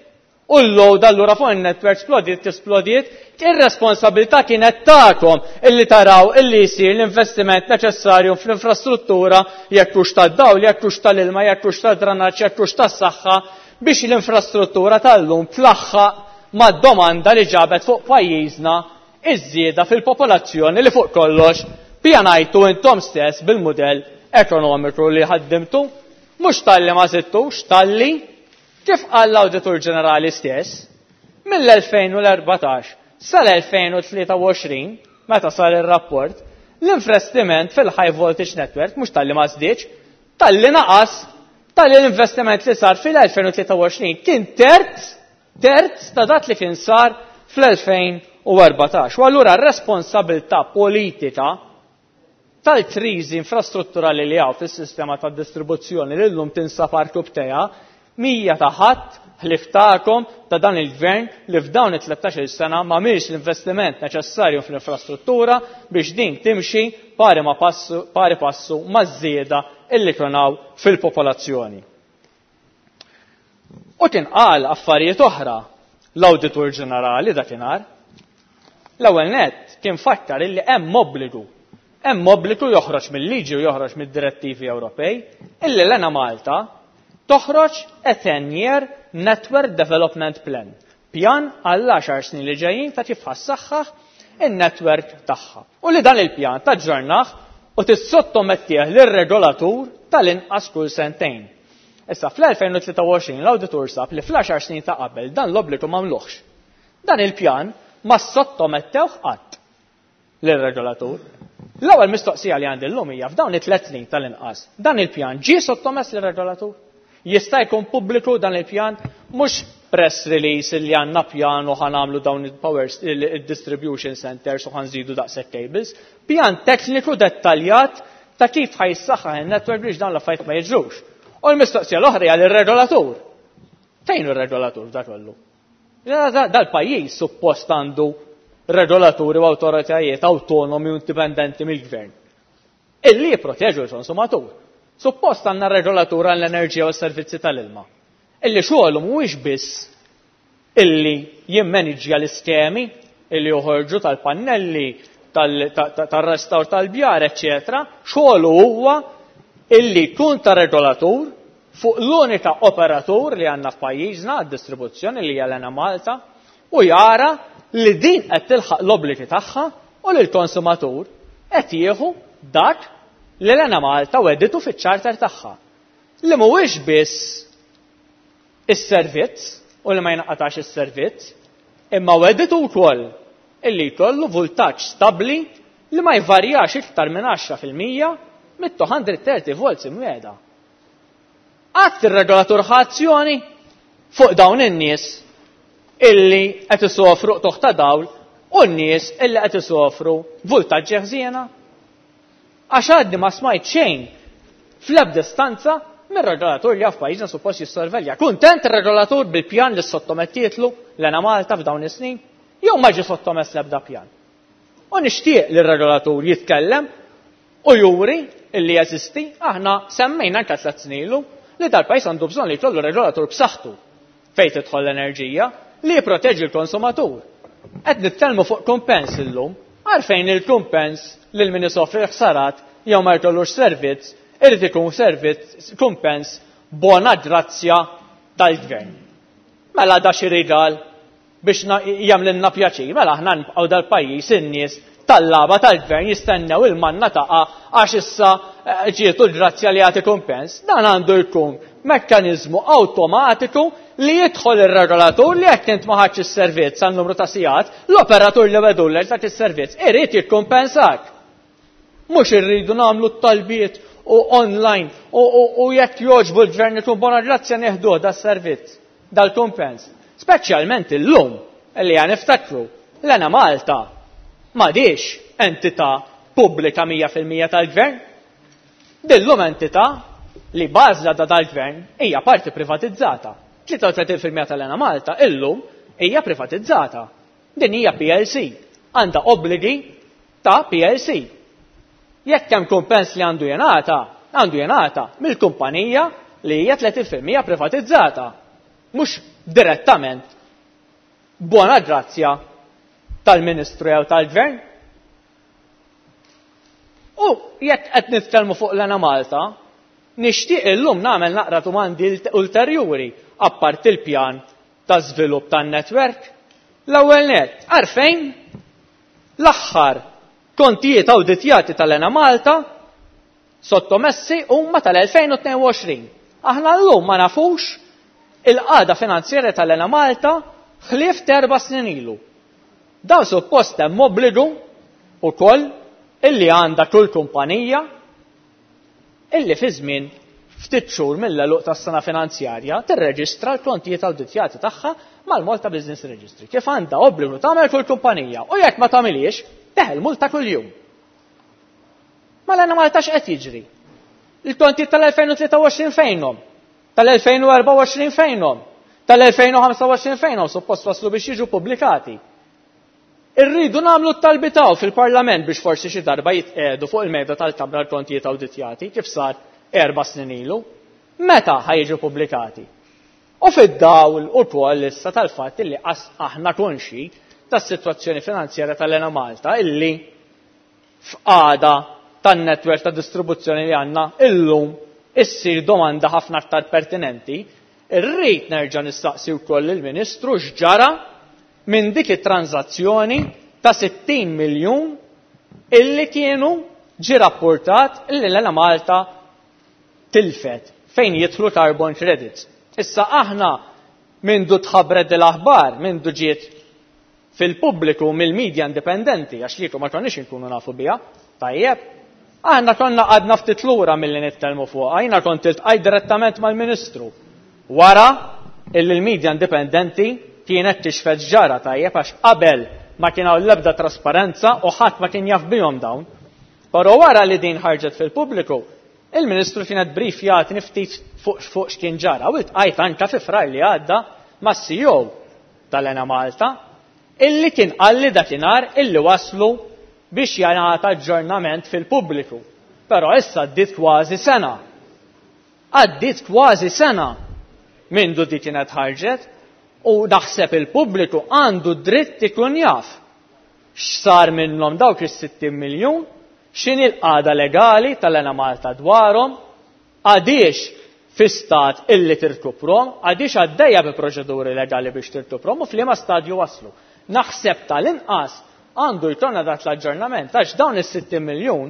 [SPEAKER 10] U l-load allura fuq il-network splodiet kif splodiet, ir-responsabilità kienet tagħkom illi taraw illi jsir l-investiment neċessarju fl-infrastruttura, jekk hux tad-dawl, jekk hux tal-ilma, jekk hux tad-dranaġġ, jekk hux tas-saħħa, biex l-infrastruttura tal-lum tlaħħaq mad-domanda li ġabet fuq pajjiżna iż-żieda fil-popolazzjoni li fuq kollox pjanajtu intom stess bil-mudell ekonomiku li ħaddimtu. Mhux talli ma żidtux, talli kif qal l-Awditur Ġenerali stess, mill-elfejn u l-erbatax sal-elfejn u tlieta u għoxrin, meta sar ir-rapport, l-investiment fil-high voltage network mhux talli ma żdiedx, talli naqas, talli l-investiment li sar fil-elfejn u tlieta u għoxrin kien terz, terz ta' dak li kien sar fl-elfejn u erbatax. U allura r-responsabilità politika tal-kriżi infrastrutturali li hawn fis-sistema tad-distribuzzjoni li llum tinsab arkubteja mija ta' ħadd ħlif tagħkom ta' dan il-gvern li f'dawn it-tlettax-il sena ma mhix l-investiment neċessarju fl-infrastruttura biex din timxi pari ma passu, pari passu maż-żieda illi kien hawn fil-popolazzjoni. U kien qal affarijiet oħra l-Awditur Ġenerali dakinhar. L-ewwel nett kien fakkar illi hemm obbligu, hemm obbligu joħroġ mill-liġi u joħroġ mid-direttivi Ewropej illi l-Ena Malta toħroġ a ten-year Network Development Plan, pjan għall għaxar snin li ġejjin ta' kif ħassaħħaħ in-network tagħha. U li dan il-pjan taġġornah u tissottomettih lir-regolatur tal-inqas kull sentejn. Issa fl-elfejn u tlieta u għoxrin l-awditur sab li fl-għaxar snin ta' qabel dan l-obbligu m'għamluhx. Dan il-pjan Ma ssottomettewh qatt lir-regolatur. L-ewwel mistoqsija li għandi llum hija f'dawn it-tliet snin tal-inqas, dan il-pjan ġie sottomess lir-regolatur? Jista' jkun pubbliku dan il-pjan? Mhux press release li għandna pjan u ħa nagħmlu dawn il-power il-distribution centers u ħa nżidu daqshekk cables. Pjan tekniku dettaljat ta' kif ħa jissaħħaħ in-network biex dawn l-affarijiet ma jiġrux. U l-mistoqsija l-oħra hija lir-regolatur. Fejn hu r-regolatur f'da kollu? Dal-pajjiż suppost għandu regolaturi u awtoritajiet autonomi u indipendenti mill-gvern illi jipproteġu l-konsumatur. Suppost għandna regolatur għall-enerġija u s-servizzi tal-ilma. Illi xogħlu mhuwiex biss illi jimmaniġġja l-iskemi illi joħorġu tal-pannelli, tal-restawr tal-bjar, eċċetera. Xogħlu huwa illi jkun ta' regolatur fuq l-unika operatur li għandna f'pajjiżna għad-distribuzzjoni li hija l-Enemalta u jara li din qed tilħaq l-obbligi tagħha u li l-konsumatur qed jieħu dak li l-Enemalta wegħditu fiċ-charter tagħha. Li mhuwiex biss is-servizz u li ma jinqatax is-servizz, imma wegħditu wkoll illi jkollu vultaġġ stabbli li ma jvarjax iktar minn għaxra fil-mija mit-two hundred thirty volts imwiegħda. Qatt ir-regolatur ħa azzjoni fuq dawn in-nies illi qed isofru qtugħ ta' dawl u n-nies illi qed isofru vultaġġi ħżiena? Għax għadni ma smajt xejn fl-ebda istanza mir-regolatur li f'pajjiżna suppost jissorvelja. Kuntent ir-regolatur bil-pjan li sottomettietlu l-Enemalta f'dawn is-snin? Jew ma ġie sottomess l-ebda pjan? U nixtieq li r-regolatur jitkellem u juri illi jeżisti. Aħna semmejna anke tliet snin ilu li dal-pajjiż għandu bżonn li jkollu regolatur b'saħħtu fejn tidħol l-enerġija li jipproteġi l-konsumatur. Qed nitkellmu fuq kumpens illum, għalfejn il-kumpens lil min isofri ħsarat jew ma jkollux servizz irid ikun servizz kumpens bona grazzja tal-gvern? Mela da xi rigal biex jagħmlilna pjaċir, mela aħna nibqgħu dal-pajjiż in-nies tallaba tal-gvern jistennew il-manna taqa' għax issa eh, ġietu l-grazzja li jagħti kumpens. Dan għandu jkun mekkaniżmu awtomatiku li jidħol ir-regolatur li jekk int ma ħadx is-servizz għal numru ta' sigħat, l-operatur li wegħdulek dak is-servizz irid jikkumpensak. Mhux irridu nagħmlu t-talbiet u online u, u, u jekk jogħġbu l-gvern ikun bona grazzja nieħduh das-servizz, dal-kumpens. Speċjalment illum li għan niftakru l-Enemalta m'għadhiex entità pubblika mija fil-mija tal-gvern. Dillum entità li bażla da dal-gvern hija parti privatizzata. tlieta u tletin fil-mija tal-Enemalta illum hija privatizzata. Din hija P L C, għandha obbligi ta' P L C. Jekk hemm kumpens li għandu jingħata, għandu jingħata mill-kumpanija li hija tletin fil-mija privatizzata. Mhux direttament bona grazzja tal-Ministru jew tal-Gvern. U jekk qed nitkellmu fuq l-Enemalta, nixtieq illum nagħmel naqra domandi ulterjuri apart il-pjan ta' żvilupp tan-netwerk. L-ewwel nett, għalfejn l-aħħar kontijiet awditjati tal-Enemalta sottomessi huma tal-elfejn u tnejn u għoxrin? Aħna llum ma nafux il-qagħda finanzjarja tal-Enemalta ħlief t'erba' snin ilu. Dan suppost hemm obbligu ukoll illi għandha kull kumpanija illi fi żmien ftit xhur mill-għeluq tas-sena finanzjarja tirreġistra l-kontijiet awditjati tagħha mal-Malta Business Registry. Kif għandha obbligu tagħmel kull kumpanija, u jekk ma tagħmilhiex teħel multa kuljum. Mela Malta x'qed jiġri? Il-kontijiet tal-elfejn u tlieta u għoxrin fejnhom? Tal-elfejn u erbgħa u għoxrin fejnhom? Tal-elfejn u ħamsa u għoxrin fejnhom? Suppost waslu biex jiġu pubblikati. Irridu nagħmlu t-talbiet fil-Parlament biex forsi xi darba jitqiegħdu fuq il-mejda tal-Kamra l-kontijiet awditjati kif sar erba' snin ilu. Meta ħa jiġu pubblikati? U fid-dawl ukoll issa tal-fatt illi aħna konxi tas-sitwazzjoni finanzjarja tal-Enemalta, illi f'qagħda tan-netwerk ta' distribuzzjoni li għandna illum issir domanda ħafna aktar pertinenti, irrid nerġa' nistaqsi wkoll il-Ministru x'ġara minn dik it-tranzazzjoni ta' sittin miljun illi kienu ġi rapportat illi l-Enemalta tilfet fejn jidħlu carbon credits. Issa aħna mindu tħabbret l-aħbar, mindu ġiet fil-pubbliku mill-medja indipendenti, għax kieku ma konniex inkunu nafu biha, tajjeb. Aħna konna għadna ftit lura milli nitkellmu fuqha, jiena kont iltqajt direttament mal-Ministru. Wara illi l-medja indipendenti kienet tixfet ġara, tajjeb, għax qabel ma kien hawn l-ebda trasparenza u ħadd ma kien jaf bihom dawn. Però wara li din ħarġet fil-pubbliku, il-Ministru kienet brief jagħtini ftit fuq fuq x'kien ġara u iltqajt anke fi Frar li għadda mas-C E O tal-Enemalta illi kien qalli dakinhar illi waslu biex jingħata aġġornament fil-pubbliku. Però issa għaddiet kważi sena. Għaddiet kważi sena mindu di kienet ħarġet u naħseb il-pubbliku għandu dritt ikun jaf x'sar minnhom dawk is-sittin miljun, x'inhi l-qagħda legali tal-Enemalta dwarhom, għadiex fi stat illi tirkuprom, għadiex għaddejja bi proċeduri legali biex tirkuprom u f'liema stadju waslu. Naħseb tal-inqas għandu jkollna dak l-aġġornament għax dawn is-sittin miljun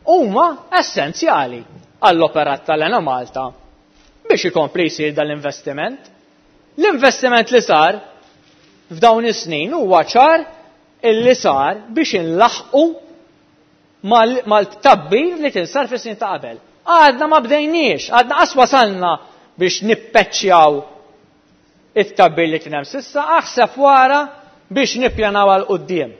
[SPEAKER 10] huma essenzjali għall-operat tal-Enemalta biex ikompli jsir dal-investiment. L-investiment li sar f'dawn is-snin huwa ċar illi sar biex inlaħqu mal-, mal-tkabbir li kien sar fis-snin ta' qabel. Għadna ma bdejniex, għadna qas wasalna biex nippeċċjaw it-tkabbir li kien hemm sissa, aħseb wara biex nippjanaw għal quddiem.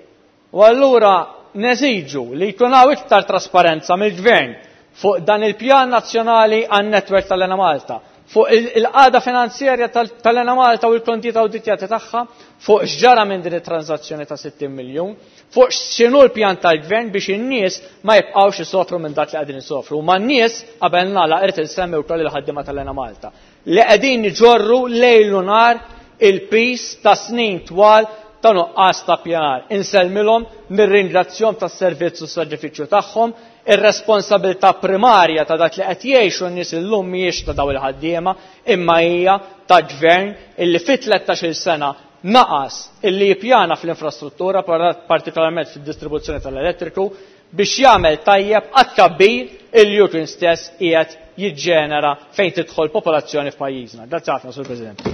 [SPEAKER 10] U allura neżiġu li jkun hawn iktar trasparenza mill-gvern fuq dan il-pjan nazzjonali għan-netwerk tal-Enemalta, fuq il-, il-qagħda finanzjarja tal-, tal-Enemalta u l-kontijiet awditjati tagħha, fuq x'ġara minn din it-transazzjoni ta' sittin miljun, fuq x'inhu l-pjan tal-gvern biex in-nies ma jibqgħux isofru minn dak li qegħdin isofru. Ma n-nies qabel nagħlaq irid insemmi wkoll il-ħaddiema tal-Enemalta li qegħdin iġorru lejl u nhar il-pis ta' snin twal ta' nuqqas ta' pjanar. Insellmilhom, nirringrazzjahom tas-servizz u s-saġrifiċċju tagħhom, ir-responsabilità primarja ta' dak li qed jgħixu n-nies illum mhijiex ta' dawn il-ħaddiema, imma hija ta' gvern illi fi tlettax-il sena naqas illi jippjana fl-infrastruttura, partikolarment fid-distribuzzjoni tal-elettriku, biex jagħmel tajjeb għat-tkabbir illi hu kien stess qiegħed jiġġenera fejn tidħol popolazzjoni f'pajjiżna. Grazzi ħafna, Sur President.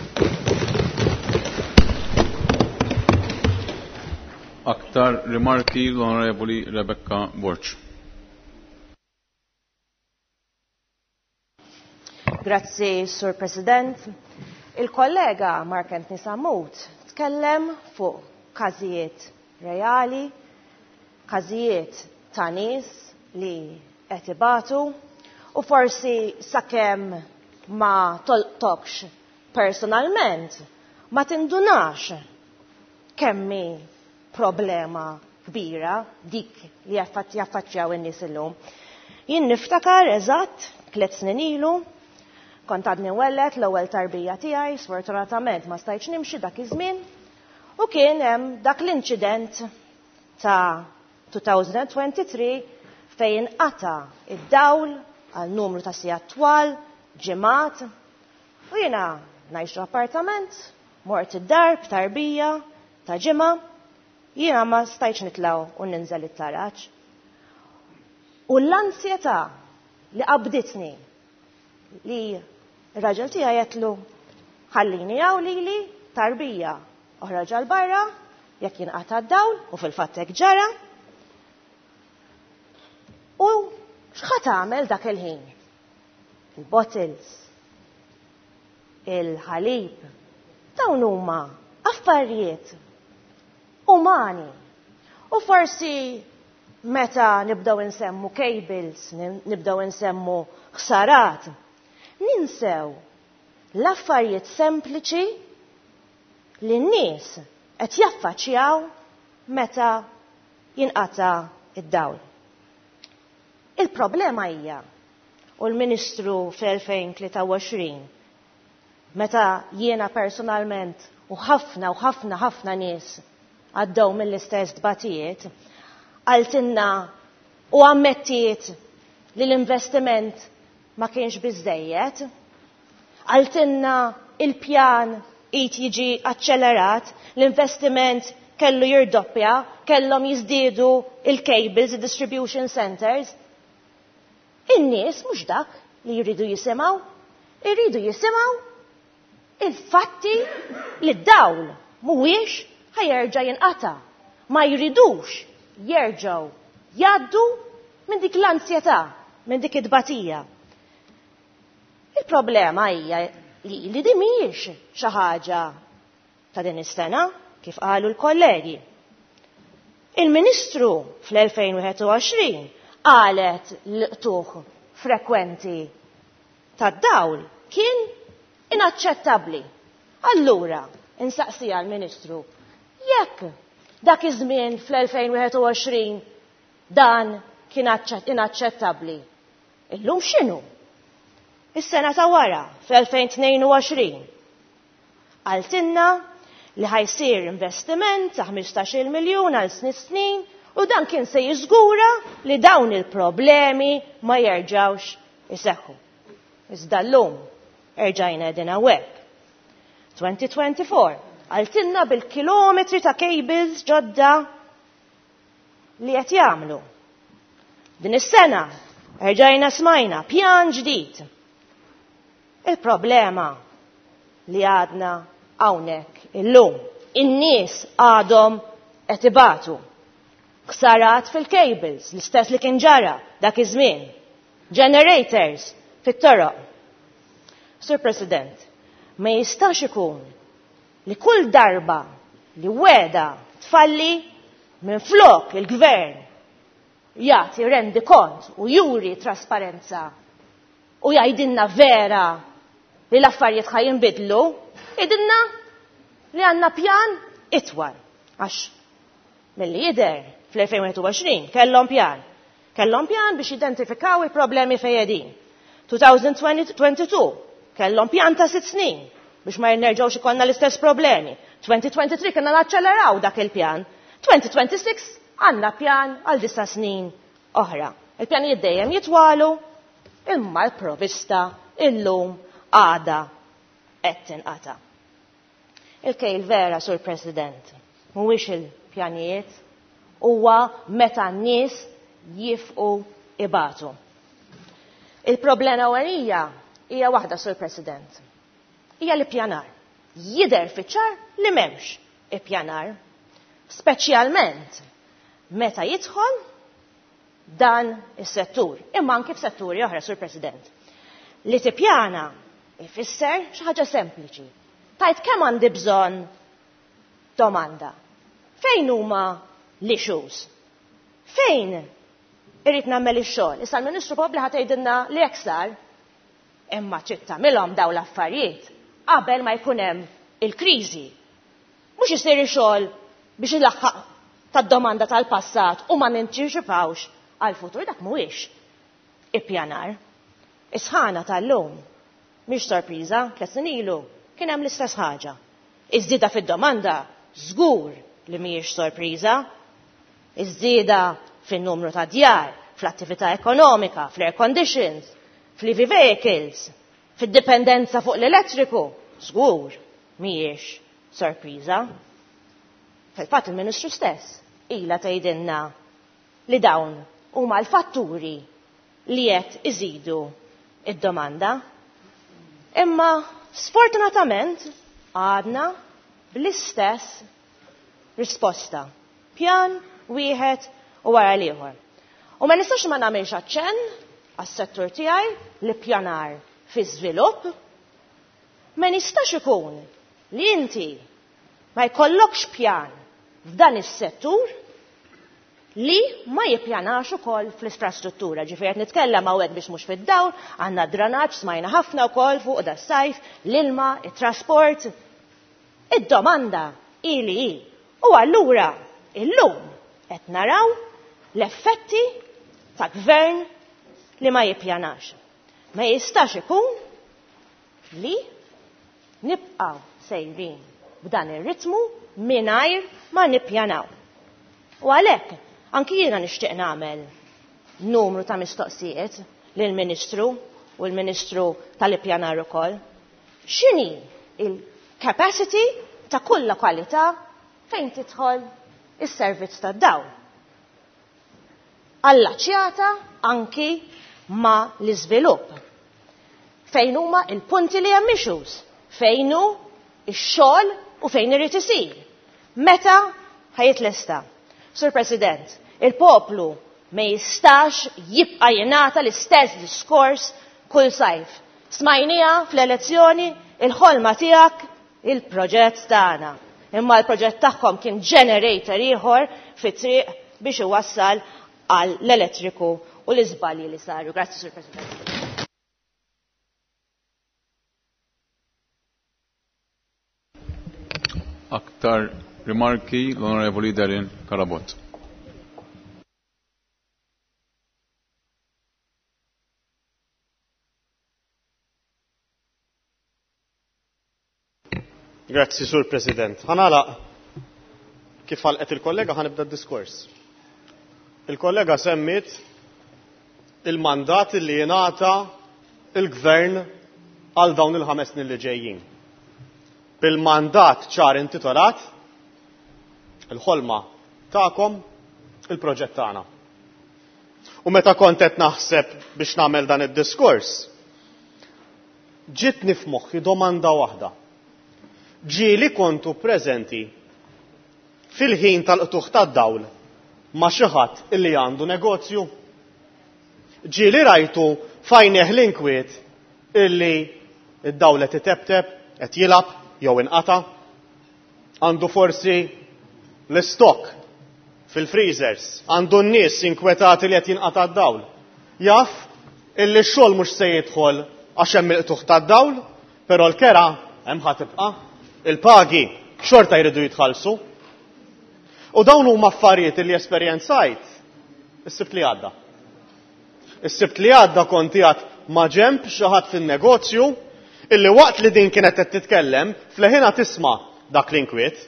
[SPEAKER 1] Aktar rimarki l-Onorevoli Rebecca Borg.
[SPEAKER 15] Grazzi, Sur President. Il-kollega Mark Anthony Sammut tkellem fuq każijiet reali, każijiet ta' nies li qed ibatu u forsi sakemm ma tolqtokx personalment ma tindunax kemmi problema kbira dik li jaffaċċjaw in-nies illum. Jien niftakar eżatt tliet snin ilu, kont għadni wellet l-ewwel tarbija tiegħi, sfortunatament ma stajtx nimxi dak iż-żmien, u kien hemm dak l-inċident ta' two thousand twenty-three fejn inqata' id-dawl għal numru ta' sigħat twal, ġimgħat, u jiena ngħix appartament, mort id-dar b'tarbija ta' ġimgħa, jiena ma stajtx nitlaw u ninżel it-taraġ. U l-ansjetà li qabditni li r-raġel tiegħi għedtlu ħallini hawn lili tarbija oħroġ għal barra jekk jinqata' d-dawl, u fil-fatt hekk ġara. U x'ħa tagħmel dak il-ħin? Il-bottles, il-ħalib, dawn huma affarijiet umani. U forsi meta nibdew insemmu cables, nibdew insemmu ħsarat, ninsew l-affarijiet sempliċi li n-nies qed jaffaċċjaw meta jinqata' id-dawl. Il-problema hija, u l-Ministru fl-elfejn tlieta u għoxrin, meta jiena personalment u ħafna u ħafna ħafna nies għaddew mill-istess tbatijiet, qaltilna u ammettiet li l-investiment ma kienx biżżejjed, qaltilna il-pjan qed jiġi aċċelerat, l-investiment kellu jirdoppja, kellhom jiżdiedu il-cables, il-distribution centers. In-nies mhux dak li jridu jisimgħu, jridu jisimgħu il-fatti li d-dawl mhuwiex ħa jerġa' jinqata'. Ma jridux jerġgħu jgħaddu minn dik l-ansjetà, minn dik it-tbatija. Il-problema hija li li di mhijiex xi ħaġa ta' din is-sena, kif qalu l-kollegi. Il-Ministru fl-elfejn u wieħed u għoxrin qalet l-qtugħ frekwenti tad-dawl kien inaċċettabbli. Allura, insaqsija l-Ministru, jekk dak iż-żmien fl-elfejn u wieħed u għoxrin dan kien inaċċettabbli, illum x'inhu? Is-sena ta' wara, fl-elfejn tnejn u għoxrin, qaltilna li ħajsir investiment ta' ħmistax-il miljun għal snin snin u dan kien se jiżgura li dawn il-problemi ma jerġgħux iseħħu. Iżda llum erġajna qegħdin hawnhekk. twenty twenty-four qaltilna bil-kilometri ta' cables ġodda li qed jagħmlu. Din is-sena erġajna smajna pjan ġdid. Il-problema li għadna hawnhekk illum, in-nies għadhom qed ibatu. Ħsarat fil-cables, l-istess li kien ġara dak iż-żmien. Generators fit-toroq. Sur President, ma jistax ikun li kull darba li weda tfalli minn flok il-gvern jagħti rendi kont u juri trasparenza u jgħidilna vera li l-affarijiet ħa jinbidlu, jgħidilna li għandna pjan itwal. Għax milli jidher fl-elfejn u wieħed u għoxrin kellhom pjan. Kellhom pjan biex jidentifikaw il-problemi fejn qegħdin. twenty twenty-two kellhom pjan ta' sitt snin biex ma jerġgħux ikollna l-istess problemi. twenty twenty-three kellna naċċeleraw dak il-pjan. twenty twenty-six għandna pjan għal disa' snin oħra. Il-pjanijiet dejjem jitwalu, imma l-provista illum għada qed tinqata'. Il-kejl vera, Sur President, mhuwiex il-pjanijiet, huwa meta n-nies jifqu ibatu. Il-problema ewlenija hija waħda, Sur President. Hija l-ippjanar. Jidher fiċ-ċar li m'hemmx ippjanar, speċjalment meta jidħol dan is-settur, imma anki f'setturi oħra, Sur President. Li tippjana ifisser xi ħaġa sempliċi. Tajt kemm għandi bżonn domanda. Fejn huma l-issues? Fejn irrid nagħmel ix-xogħol? Issa l-Ministru probabbli ħa tgħidilna li hekk sar, imma trid tagħmilhom dawn l-affarijiet qabel ma jkun hemm il-kriżi. Mhux isir ix-xogħol biex ilaħħaq tad-domanda tal-passat u ma nintiċipawx għal-futur, dak mhuwiex ippjanar. Is-sħana tal-lum mhix sorpriża, tliet snin ilu kien hemm l-istess ħaġa. Iż-żieda fid-domanda żgur li mhijiex sorpriża. Iż-żieda fin-numru ta' djar, fl-attività ekonomika, fl-air conditions, fl-E V vehicles, fid-dipendenza fuq l-elettriku, żgur mhijiex sorpriża. Fil-fatt il-Ministru stess ilha tgħidilna li dawn huma l-fatturi li qed iżidu id-domanda. Imma sfortunatament għadna bl-istess risposta. Pjan wieħed u wara l-ieħor. U ma nistax ma nagħmilx aċċenn għas-settur tiegħi li pjanar fi żvilupp. Ma nistax ikun li inti ma jkollokx pjan f'dan is-settur li ma jippjanax ukoll fl-infrastruttura. Ġifieri qed nitkellem hawnhekk biex mhux fid-dawl, għandna dranaġġ smajna ħafna wkoll fuq da sajf, l-ilma, it-trasport. Id-domanda hi li hi. U allura illum qed naraw l-effetti ta' gvern li ma jippjanax. Ma jistax ikun li nibqgħu sejrin b'dan ir-ritmu mingħajr ma nippjanaw. U għalhekk anki jiena nixtieq nagħmel numru ta' mistoqsijiet lill-Ministru u l-Ministru tal-Ippjanar ukoll. X'inhi il-capacity ta' kull lokalità fejn tidħol is-servizz tad-dawl? Allaċjata anki ma' l-iżvilupp. Fejn huma il-punti li hemm issues, fejn hu x-xogħol u fejn irid isir. Meta ħa jitlesta? Sur President, il-poplu ma jistax jibqa' jingħata l-istess diskors kull sajf. Smajnieha fl-elezzjoni, il-ħolma tiegħek, il-proġett tagħna. Imma l-proġett tagħhom kien generator ieħor fit-triq biex iwassal għal l-elettriku u l-iżbalji li saru. Grazzi, Sur President.
[SPEAKER 1] Aktar rimarki l-Onorevoli Darren Carabott.
[SPEAKER 16] Grazzi, Sur President. Ħa nagħlaq kif għalqet il-kollega ħa nibda d-diskors. Il-kollega semmiet il-mandat li jingħata il-gvern għal dawn il-ħames snin li ġejjin. Bil-mandat ċar intitolat il-ħolma tagħkom, il-proġett tagħna. U meta kont qed naħseb biex nagħmel dan id-diskors, ġitni f'moħħi domanda waħda. Ġieli kontu preżenti fil-ħin tal-qtugħ tad-dawl ma' xi ħadd illi għandu negozju? Ġieli rajtu f'għajnejh l-inkwiet illi id-dawl qed itebteb, qed jilgħab jew inqata'? Għandu forsi l-istokk fil-freezers, għandu n-nies inkwetati li qed jinqata' d-dawl. Jaf illi x-xogħol mhux se jidħol għax hemm il-qtugħ tad-dawl, però l-kera hemm ħa tibqa', il-pagi xorta jridu jitħallsu. U dawn huma affarijiet li esperjenzajt is-Sibt li għadda. Is-Sibt li għadda kont qiegħed ma' ġemb xi ħadd fin-negozju illi waqt li din kienet qed titkellem, fleħina tisma' dak l-inkwiet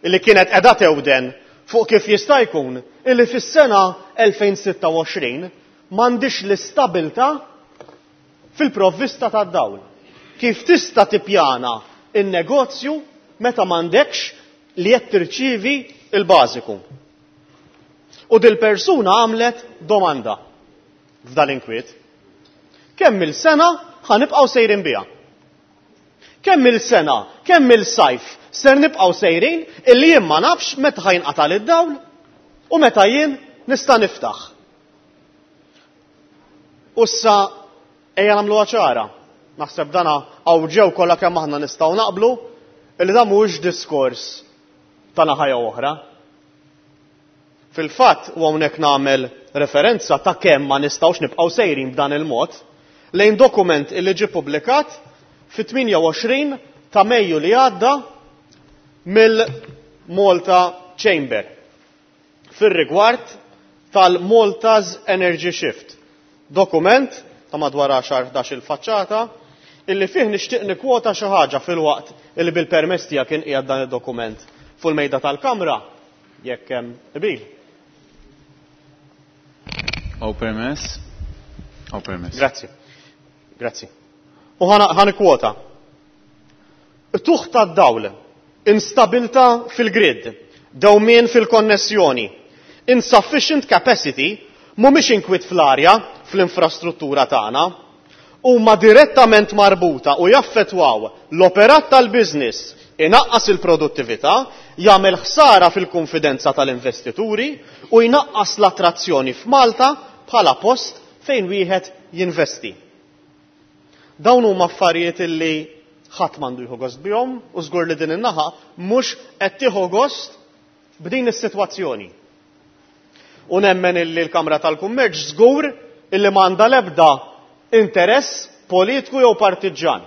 [SPEAKER 16] illi kienet qiegħda tewden fuq kif jista' jkun illi fis-sena elfejn sitta u għoxrin m'għandix l-istabilta fil-provvista tad-dawl. Kif tista' tippjana in-negozju meta m'għandekx li qed tirċievi il-bażiku? U dil-persuna għamlet domanda f'dal inkwiet. Kemm il-sena ħa nibqgħu sejrin biha? Kemm il-sena, kemm il-sajf ser nibqgħu sejrin illi jien ma nafx meta ħajnqata' lid-dawl u meta jien nista' niftaħ. U issa ejja nagħmluha ċara. Naħseb dana hawn ġew kollha kemm aħna nistgħu naqblu illi dan mhuwiex diskors ta' naħa jew oħra. Fil-fatt, u hawnhekk nagħmel referenza ta' kemm ma nistgħux nibqgħu sejrin b'dan il-mod lejn dokument illi ġie ppubblikat fit-tmienja u għoxrin ta' Mejju li għadda mill-Malta Chamber fir-rigward tal-Malta's Energy Shift. Dokument ta' madwar għaxar ħdax il-faċċata illi fih nixtieq nikkwota xi ħaġa fil-waqt illi bil-permess tiegħek kien qiegħed dan id-dokument fuq il-mejda tal-Kamra jekk hemm qbil.
[SPEAKER 1] Aw permess? Aw permess.
[SPEAKER 16] Grazzi. Grazzi. U ħa nikkwota. Tuħ tad-dawl, instabilità fil-grid, dewmien fil-konnessjoni, insufficient capacity mhumiex inkwiet fl-arja fl-infrastruttura tagħna, huma direttament marbuta u jaffettwaw l-operat tal-business, inaqqas il-produttività, jagħmel ħsara fil-konfidenza tal-investituri u jnaqqas l-attrazzjoni f'Malta bħala post fejn wieħed jinvesti. Dawn huma affarijiet illi ħadd m'għandu jieħu gost bihom u żgur li din in-naħa mhux qed tieħu gost b'din is-sitwazzjoni. U nemmen illi l-Kamra tal-Kummerċ żgur illi m'għandha l-ebda interess politiku jew partiġġan.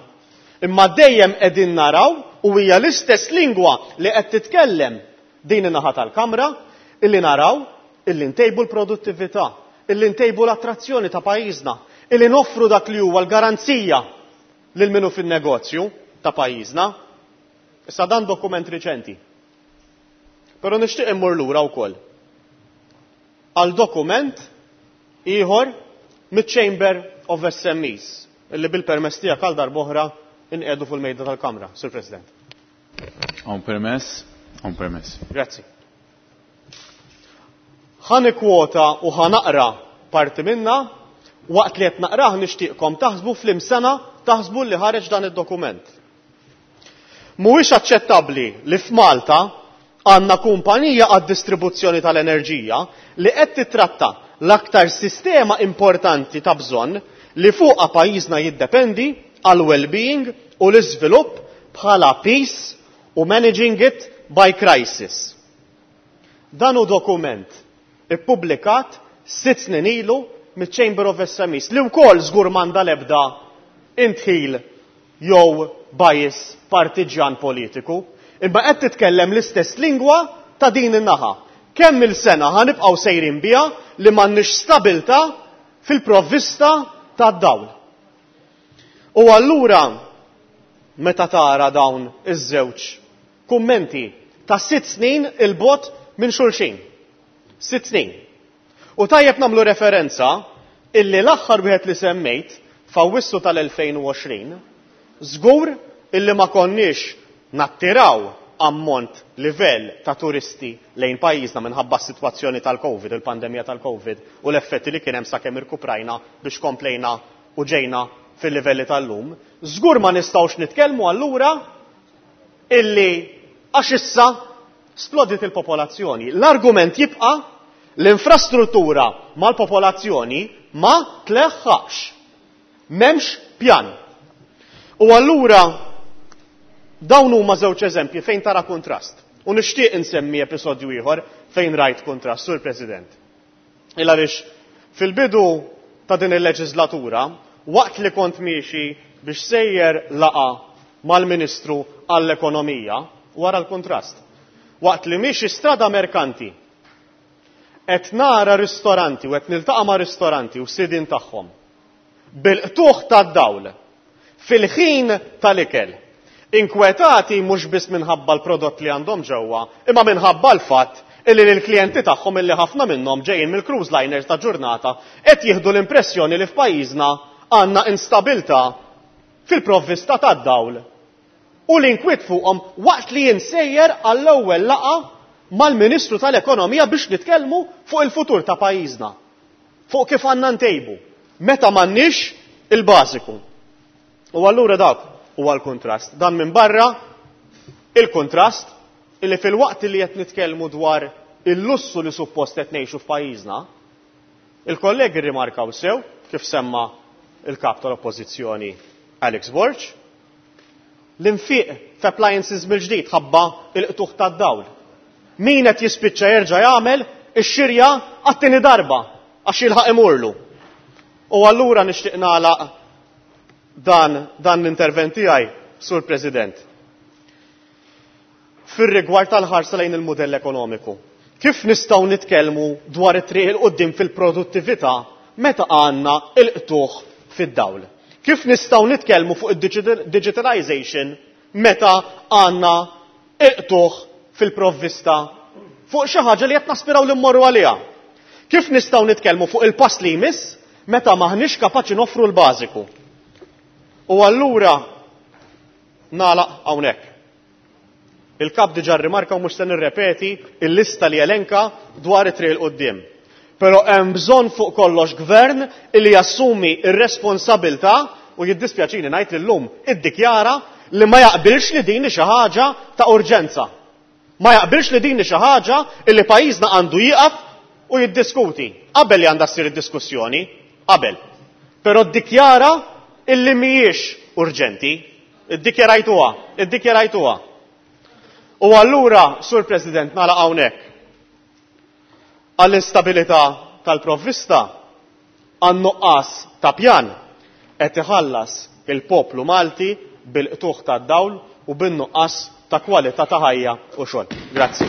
[SPEAKER 16] Imma dejjem qegħdin naraw u hija l-istess lingwa li qed titkellem din in-naħa tal-Kamra illi naraw illi ntejbu l-produttività, illi ntejbu l-attrazzjoni ta' pajjiżna, illi noffru dak li huwa l-garanzija lil minu fin-negozju ta' pajjiżna. Issa dan dokument riċenti. Però nixtieq immur lura wkoll għal dokument ieħor miċ-Chamber of S M Es, illi bil-permess tiegħek għal darb'oħra inqiegħdu fuq il-mejda tal-Kamra, Sur President.
[SPEAKER 1] Hawn permess, hawn permess.
[SPEAKER 16] Grazzi. Ħa nikkwota u ħa naqra parti minna, waqt li qed naqrah nixtieqkom taħsbu fl-imsena taħsbu li ħareġ dan id-dokument. Mhuwiex aċċettabbli li f'Malta Għandna kumpanija għad-distribuzzjoni tal-enerġija li qed titratta l-aktar sistema importanti ta' bżonn li fuqha pajjiżna jiddependi għal well-being u l-iżvilupp bħala peace u managing it by crisis. Dan hu dokument ippubblikat sitt snin ilu miċ-Chamber of S M Es li wkoll żgur m'għandha l-ebda intħil jew bias partiġjan politiku, imma qed titkellem l-istess lingwa ta' din in-naħa. Kemm il-sena ħanibqgħu sejrin biha li m'għandniex stabilta fil-provvista tad-dawl. U allura meta tara dawn iż-żewġ kummenti ta' sitt snin il-bot minn xulxin. Sitt snin. U tajjeb nagħmlu referenza illi l-aħħar wieħed li semmejt f'Awwissu tal-elfejn u għoxrin, żgur illi ma konniex nattiraw ammont livell ta' turisti lejn pajjiżna minħabba s-sitwazzjoni tal-Covid, il-pandemija tal-Covid u l-effetti li kien hemm sakemm irkuprajna biex komplejna u ġejna fil-livelli tal-lum. Żgur ma nistgħux nitkellmu allura illi għax issa splodiet il-popolazzjoni. L-argument jibqa' l-infrastruttura mal-popolazzjoni ma tleħħaqx. M'hemmx pjan. U allura dawn huma żewġ eżempji fejn tara kontrast. U nixtieq insemmi episodju ieħor fejn rajt kontrast, Sur President. Il għaliex fil-bidu ta' din il-leġislatura, waqt li kont miexi biex sejjer laqa mal-Ministru għall-Ekonomija, wara l-kontrast. Waqt li miexi strada merkanti, qed nara ristoranti u qed niltaqa' ma' ristoranti u sidin tagħhom bil-qtuħ tad-dawl fil-ħin tal-ikel, inkwetati mhux biss minħabba l-prodott li għandhom ġewwa, imma minħabba l-fatt illi lill-klijenti tagħhom illi ħafna minnhom ġejjin mill-cruise liners ta' ġurnata qed jieħdu l-impressjoni li f'pajjiżna għandna instabilità fil-provvista tad-dawl u l-inkwiet fuqhom waqt li jinsejjer għall-ewwel laqgħa mal-Ministru tal-Ekonomija biex nitkellmu fuq il-futur ta' pajjiżna, fuq kif għandna ntejbu, meta m'għandniex il-bażiku. U allura dak huwa l-kontrast. Dan minn barra il-kontrast illi fil-waqt li qed nitkellmu dwar il-lussu li suppost qed ngħixu f'pajjiżna, il-kollegi rrimarkaw sew kif semma il-kap tal-Oppożizzjoni Alex Borg, l-infiq f'appliances mill-ġdid ħabba il-qtuħ tad-dawl. Min qed jispiċċa jerġa' jagħmel ix-xirja għat-tieni darba għax jilħaq imurlu. U allura nixtieq nagħlaq dan, dan l-intervent tiegħi, Sur President. Fir-rigward tal-ħarsa lejn il-mudell ekonomiku. Kif nistgħu nitkellmu dwar it-triq il quddiem fil-produttività meta għandna il-qtuħ fid-dawl? Kif nistgħu nitkellmu fuq id-digitalization meta għandna il-qtuħ fil-provvista fuq xi ħaġa li qed naspiraw li mmorru għaliha? Kif nistgħu nitkellmu fuq il-pass li jmiss meta maħniex kapaċi noffru l-bażiku? U allura nagħlaq hawnhekk. Il-kap diġà rrimarka u mhux se nirrepeti il-lista li elenka dwar it-triq il quddiem. Però hemm bżonn fuq kollox gvern illi jassumi r-responsabilità u jiddispjaċini ngħid li llum iddikjara li ma jaqbilx li din hi xi ħaġa ta' urġenza. Ma jaqbilx li din hi xi ħaġa illi pajjiżna għandu jieqaf u jiddiskuti. Qabel li għandha ssir id-diskussjoni, qabel. Però ddikjara illi mhijiex urġenti. Iddikjarajtuha, iddikjarajtuha. U allura, Sur President, nagħlaq hawnhekk. Għall-instabilità tal-provvista, għan-nuqqas ta' pjan qed iħallas il-poplu Malti bil-qtuħ tad-dawl u bin-nuqqas ta' kwalità ta' ħajja u xogħol. Grazzi.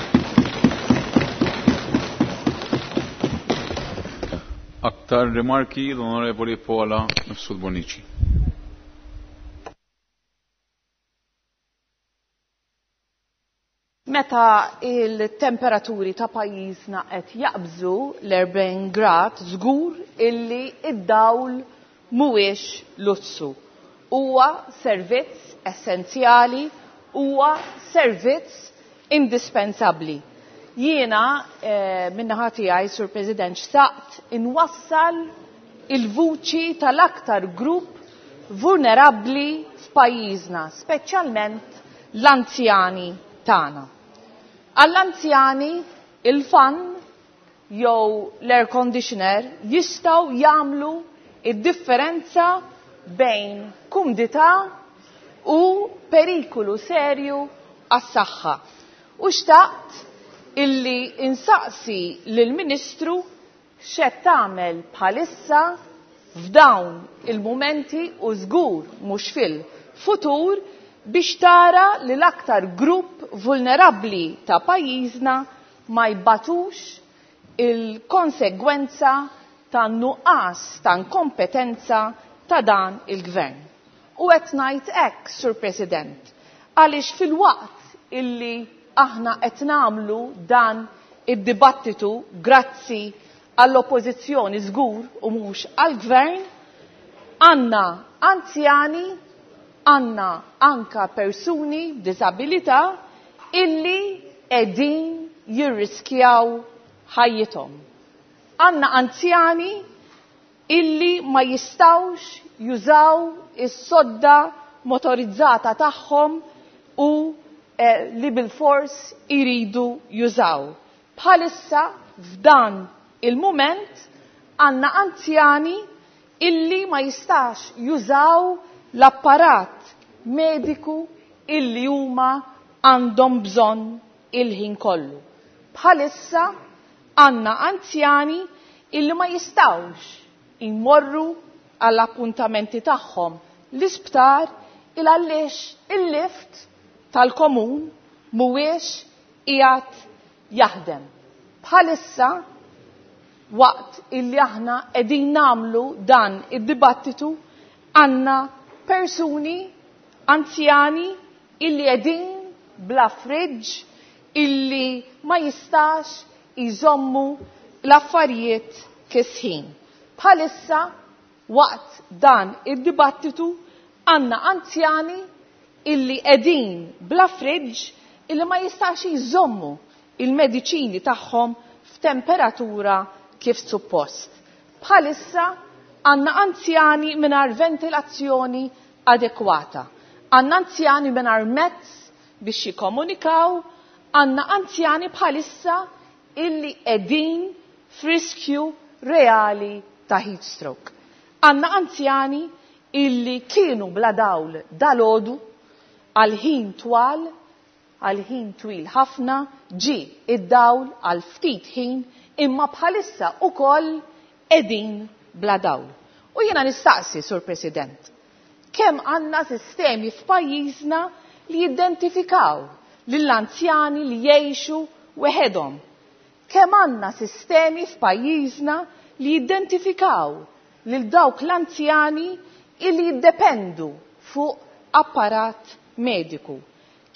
[SPEAKER 1] Aktar rimarki l-Onorevoli Paula Mifsud Bonnici.
[SPEAKER 17] Meta il-temperaturi ta' pajjiżna qed jaqbżu l-erbgħin grad, żgur illi id-dawl mhuwiex lussu. Huwa servizz essenzjali, huwa servizz indispensabbli. Jiena, eh, min-naħa tiegħi, Sur President, xtaqt inwassal il-vuċi tal-aktar grupp vulnerabbli f'pajjiżna, speċjalment l-anzjani tagħna. Għall-anzjani il-fan jew l-air conditioner jistgħu jagħmlu id-differenza bejn kumdità u perikolu serju għas-saħħa. U xtaqt illi insaqsi lill-Ministru x'qed tagħmel bħalissa f'dawn il-mumenti u żgur mhux fil-futur biex tara li l-aktar grupp vulnerabbli ta' pajjiżna ma jbatux il-konsegwenza ta' nuqqas ta' inkompetenza ta' dan il-gvern. U qed ngħid hekk, Sur President, għaliex fil-waqt illi aħna qed nagħmlu dan id-dibattitu grazzi għall-oppożizzjoni żgur u mhux għall-gvern, għandna anzjani, għandna anka persuni b'diżabilità illi qegħdin jirriskjaw ħajjithom. Għandna anzjani illi ma jistawx jużaw is-sodda motorizzata tagħhom u eh, li bil-fors iridu jużaw. Bħalissa f'dan il-mument għandna anzjani illi ma jistax jużaw l-apparat mediku illi huma għandhom bżonn il-ħin kollu. Bħalissa għandna anzjani illi ma jistawx imorru għall-appuntamenti tagħhom l-isptar il għaliex il-lift tal-komun mhuwiex qiegħed jaħdem. Bħalissa waqt illi aħna qegħdin nagħmlu dan id-dibattitu għandna persuni anzjani illi qegħdin bla fridge illi ma jistax jżommu l-affarijiet kisħin. Bħalissa waqt dan id-dibattitu għandna anzjani illi qegħdin bla fridge illi ma jistax jżommu il-mediċini tagħhom f'temperatura kif suppost. Bħalissa għandna anzjani mingħajr ventilazzjoni adekwata. Għandna anzjani mingħajr mezz biex jikkomunikaw, għandna anzjani bħalissa illi qegħdin f'riskju reali ta' heat stroke. Għandna anzjani illi kienu bla dawl dalodu għal ħin twal, għal ħin twil ħafna, ġi id-dawl għal ftit ħin, imma bħalissa ukoll qegħdin bla dawl. U jiena nistaqsi, Sur President, kemm għandna sistemi f'pajjiżna li jidentifikaw lill-anzjani li jgħixu weħedhom. Kemm għandna sistemi f'pajjiżna li jidentifikaw lil dawk l-anzjani illi jiddependu fuq apparat mediku.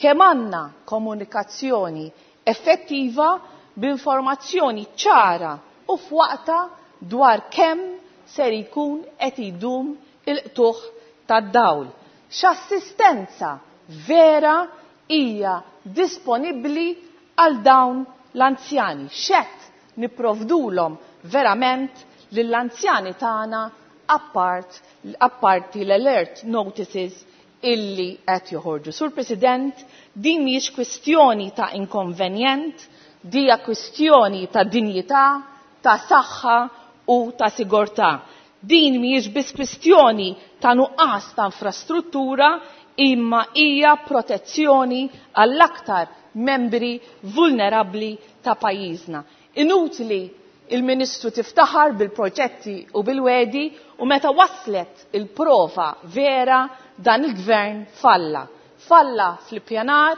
[SPEAKER 17] Kemm għandna komunikazzjoni effettiva b'informazzjoni ċara u f'waqta dwar kemm ser jkun qed idum il-qtuħ tad-dawl. X'assistenza vera hija disponibbli għal dawn l-anzjani. X'qed nipprovdulhom verament lill-anzjani tagħna appart apparti l-alert notices illi qed joħorġu. Sur President, din mhijiex kwistjoni ta' inkonvenjent, dija kwistjoni ta' dinjità, ta' saħħa u ta' sigurtà. Din mhijiex biss kwistjoni ta' nuqqas ta' infrastruttura, imma hija protezzjoni għall-aktar membri vulnerabbli ta' pajjiżna. Inutli il-Ministru tiftaħar bil-proġetti u bil-wedi u meta waslet il-prova vera dan il-gvern falla. Falla fl-ippjanar,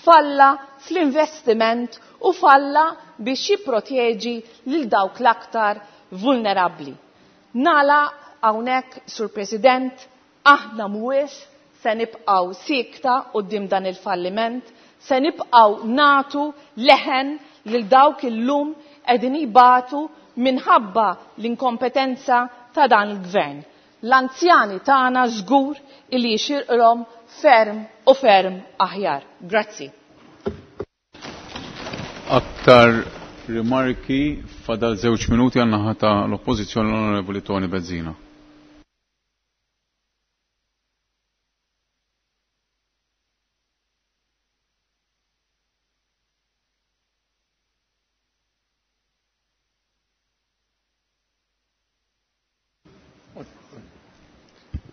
[SPEAKER 17] falla fl-investiment u falla biex jipproteġi lil dawk l-aktar vulnerabbli. Nala hawnhekk, Sur President, aħna mhuwiex se nibqgħu siekta quddiem dan il-falliment, se nibqgħu natu leħen lil dawk illum qegħdin jibatu minħabba l-inkompetenza ta' dan il-gvern. L-anzjani tagħna żgur illi jixirqhom ferm u ferm aħjar. Grazzi.
[SPEAKER 1] Aktar rimarki fadal żewġ minuti għan naħa ta' l-Oppożizzjoni l-Onorevoli Toni Bezzina.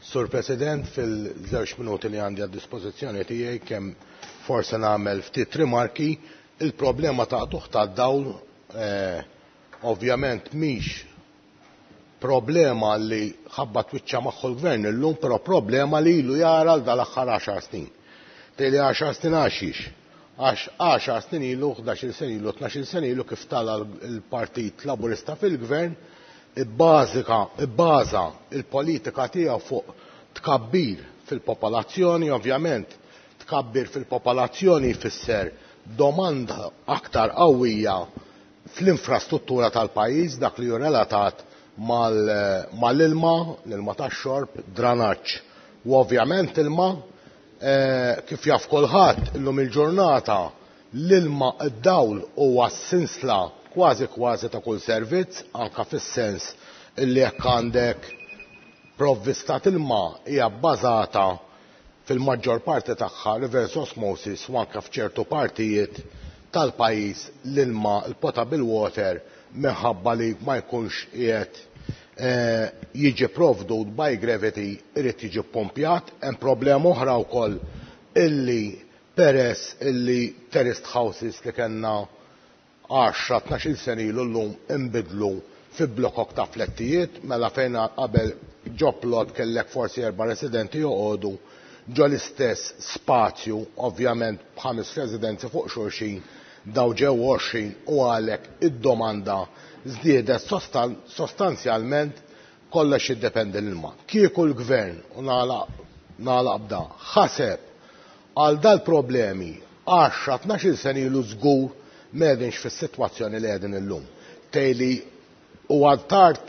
[SPEAKER 3] Sur President, fil-żewġ minuti li għandi għad dispożizzjoni tiegħi kemm forse nagħmel ftit rimarki, il-problema ta' qtugħ tad-dawl eh, ovvjament mhix problema li ħabba twiċċa magħhu l-gvern illum, però problema li ilu jara l dal-aħħar għaxar snin. Tgħidli għaxar snin għaxiex? Għax għaxar snin ilu, ħdax-il sena ilu, tnax-il sena ilu kif tala l-Partit Laburista fil-Gvern, ibbażika, ibbaża il-politika tiegħu fuq tkabbir fil-popolazzjoni, ovvjament tkabbir fil-popolazzjoni jfisser domanda aktar qawwija fl-infrastruttura tal-pajjiż, dak li hu relatat mal-ilma, l-ilma tax-xorb, dranaġġ. U ovvjament ilma, kif jaf kulħadd illum il-ġurnata, l-ilma d-dawl huwa s-sinsla kważi kważi ta' kull servizz, anka fis-sens illi jekk għandek provvista ilma hija bbażata fil-maġġor parti tagħha reverse osmosis u anke f'ċertu partijiet tal-pajjiż l-ilma, il-potable water, minħabba li ma jkunx qiegħed jiġi provdut by gravity irid jiġi ppompjat. Hemm problema oħra wkoll illi peress illi terraced houses li kellna għaxra tnax-il sena ilu llum inbidlu fi blokok ta' flettijiet, mela fejn qabel ġo plot kellek forsi erba' residenti joqogħdu ġo l-istess spazju, ovvjament b'ħames residenzi fuq xulxin, daw ġew għoxrin u għalhekk id-domanda żdiedet sostanzjalment, kollox jiddependi l-ilma. Kieku l-gvern, u nagħlaq b'da, ħaseb għal dal-problemi għaxra tnax-il sena ilu żgur m'qegħdinx fis-sitwazzjoni li qegħdin illum. Tgħidli huwa tard,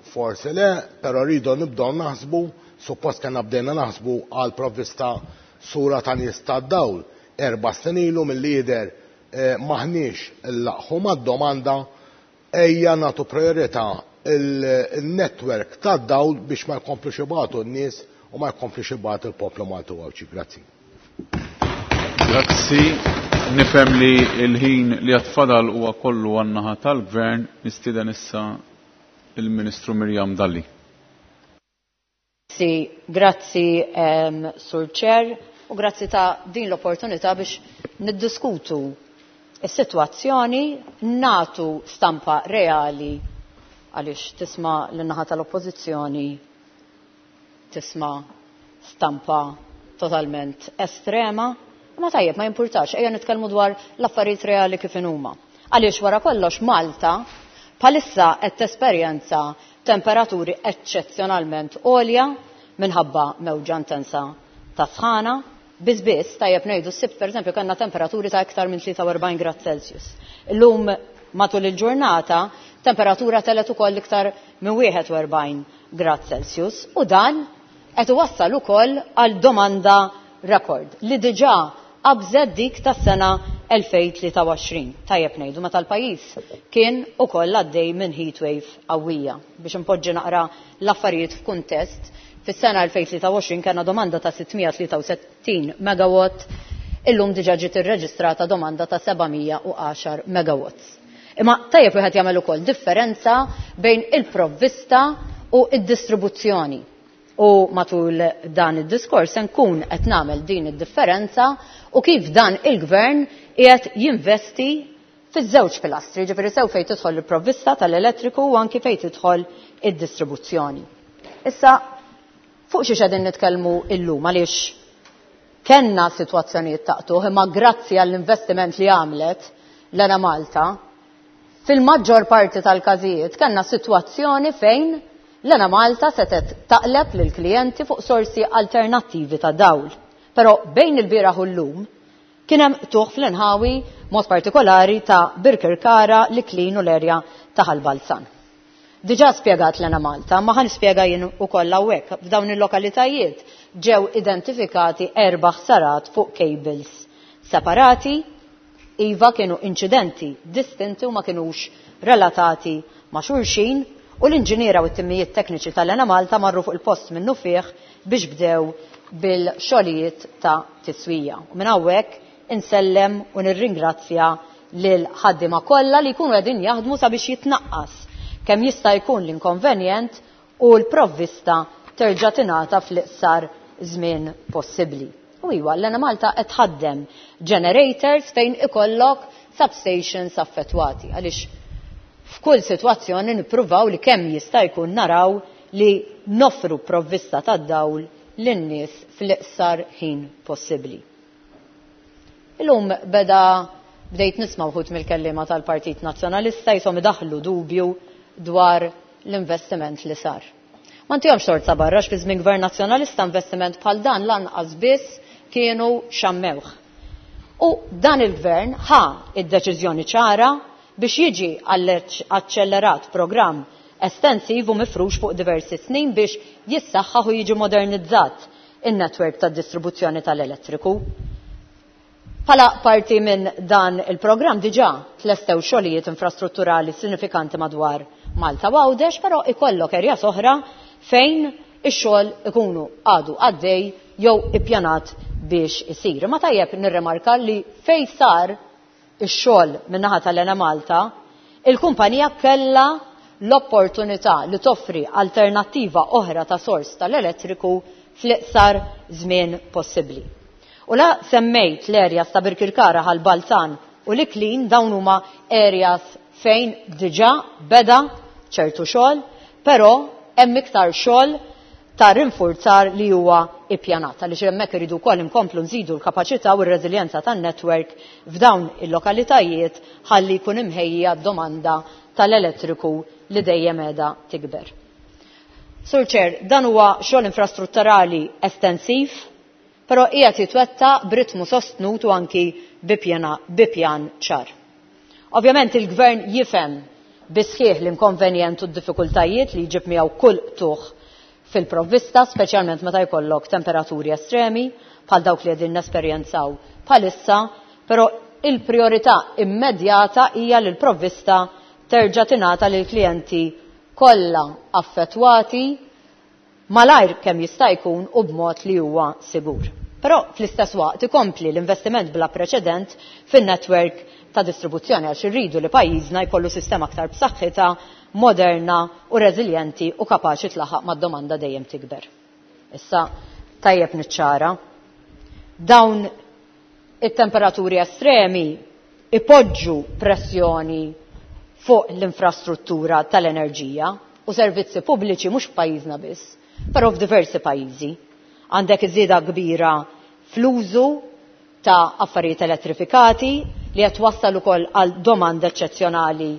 [SPEAKER 3] forsi le, però rridu nibdew naħsbu, suppost kellna bdejna naħsbu għal provvista sura ta' nies tad-dawl erba' snin ilu mill-lider maħniex illaqħu mad-domanda, ejja nagħtu priorità il-network tad-dawl biex ma jkomplux ibatu n-nies u ma jkomplux ibatu l-poplu Malti u Għawdxi. Grazzi.
[SPEAKER 1] Grazzi. Nifhem li l-ħin li għatfadal huwa kollu għan-naħa tal-Gvern, nistieden issa il-Ministru Miriam Dalli.
[SPEAKER 18] Grazzi, grazzi um, Sur Chair, u grazzi ta' din l-opportunità biex niddiskutu is-sitwazzjoni, natu stampa reali għaliex tisma' l-naħa tal-oppożizzjoni tisma' stampa totalment estrema. Ma tajjeb, ma jimpurtax, ejja nitkellmu dwar l-affarijiet reali kif inhuma. Għaliex wara kollox Malta bħalissa qed tesperjenza temperaturi eċċezzjonalment għolja minħabba mewġa intensa ta' sħana. Biss biss, tajjeb ngħidu s-Sibt pereżempju kellna temperaturi ta' iktar minn tlieta u erbgħin grad Celsius. Illum matul il-ġurnata temperatura telet ukoll iktar minn wieħed u erbgħin grad Celsius u dan qed iwassal ukoll għal domanda rekord li diġà qabżet dik tas-sena elfejn tlieta u għoxrin. Tajjeb ngħidu meta l-pajjiż kien ukoll għaddej minn heatwave qawwija. Biex impoġġi naqra l-affarijiet f'kuntest, fis-sena elfejn tlieta u għoxrin kellna domanda ta' sittmija tlieta u sittin megawatt, illum diġà ġiet irreġistrata domanda ta' sebgħamija u għaxar megawatts. Imma tajjeb wieħed jagħmel ukoll differenza bejn il-provvista u id-distribuzzjoni. U matul dan id-diskors se nkun qed nagħmel din id-differenza u kif dan il-gvern qiegħed jinvesti fiż-żewġ pilastri, ġifieri sew fejn tidħol il-provvista tal-elettriku u anki fejn tidħol id-distribuzzjoni. Issa fuq xi qegħdin nitkellmu illum għaliex kellna sitwazzjonijiet taqtuħ, imma grazzi għall-investiment li għamlet l-Enemalta, fil-maġġor parti tal-każijiet kellna sitwazzjoni fejn l-Enemalta setet taqleb lill-klijenti fuq sorsi alternattivi ta' dawl. Però bejn il-bieraħ u llum kien hemm qtugħ fl-inħawi mod partikolari ta' Birkirkara, l-Iklin u l-erja ta' Ħal Balzan. Diġà spjegat l-Enemalta, ma ħa nispjega jien ukoll hawnhekk. F'dawn il-lokalitajiet ġew identifikati erba' ħsarat fuq cables separati, iva kienu inċidenti distinti u ma kinux relatati ma' xulxin, u l-inġiniera u t-timijiet tekniċi tal-Enemalta marru fuq il-post minnu fih biex bdew bil-xogħlijiet ta' tiswija. U minn hawnhekk insellem u nirringrazzja lil ħaddiema kollha li jkunu qegħdin jaħdmu sabiex jitnaqqas kemm jista' jkun l-inkonvenjent u l-provvista terġa' tingħata fl-iqsar żmien possibbli. U iwa, l-Enemalta qed tħaddem generators fejn ikollok substations affettwati, għaliex f'kull sitwazzjoni nippruvaw li kemm jista' jkun naraw li noffru provvista tad-dawl lin-nies fl-iqsar ħin possibbli. Illum beda bdejt nisma' wħud mill-kelliema tal-Partit Nazzjonalista jisom idaħħlu dubju dwar l-investiment li sar. Ma ntihomx tort sa barra fi żmien Gvern Nazzjonalista investiment bħal dan lanqas biss kienu xammewh. U dan il-gvern ħa id-deċiżjoni ċara biex jiġi aċċellerat programm estensiv u mifrux fuq diversi snin biex jissaħħaħ u jiġi modernizzat in-netwerk tad-distribuzzjoni tal-elettriku. Bħala parti minn dan il-programm diġà tlestew xogħlijiet infrastrutturali sinifikanti madwar Malta u Għawdex, però ikollok erjas oħra fejn ix-xogħol ikunu għadu għaddej jew ippjanat biex isir. Ma tajjeb nirremarka li fejn sar ix-xogħol min-naħa tal-Enemalta, il-kumpanija kellha l-opportunità li toffri alternattiva oħra ta' sors tal-elettriku fl-iqsar żmien possibbli. U la semmejt l-areas ta' Birkirkara, Ħal Balzan u l-Iklin, dawn huma areas fejn diġà beda ċertu xogħol, però hemm iktar xogħol ta' rinforzar li huwa ippjanat, għaliex hemmhekk iridu wkoll inkomplu nżidu l-kapaċità u r-reżiljenza tan-netwerk f'dawn il-lokalitajiet ħalli jkun imħejja d-domanda tal-elettriku li dejjem qiegħda tikber. Sur Chair, dan huwa xogħol infrastrutturali estensiv, però qiegħed jitwettaq b'ritmu sostnut u anki bi pjan ċar. Ovvjament il-Gvern jifhem bisħieħ l-inkonvenjent u d-diffikultajiet li jġib miegħu kull qtugħ fil-provvista, speċjalment meta jkollok temperaturi estremi bħal dawk li qegħdin nesperjenzaw bħalissa, però il-priorità immedjata hija li l-provvista terġa' tingħata lil klijenti kollha affettwati malajr kemm jista' jkun u b'mod li huwa sigur. Però fl-istess waqt ikompli l-investiment bla preċedent fin-netwerk ta' distribuzzjoni għax irridu li pajjiżna jkollu sistema aktar b'saħħitha, moderna u reżiljenti u kapaċi tlaħaq mad-domanda dejjem tikber. Issa tajjeb niċċara, dawn it-temperaturi estremi ipoġġu pressjoni fuq l-infrastruttura tal-enerġija u servizzi pubbliċi mhux f'pajjiżna biss, però f'diversi pajjiżi. Għandek iż-żieda kbira fl-użu ta' affarijiet elettrifikati li qed wassal ukoll għal domanda eċċezzjonali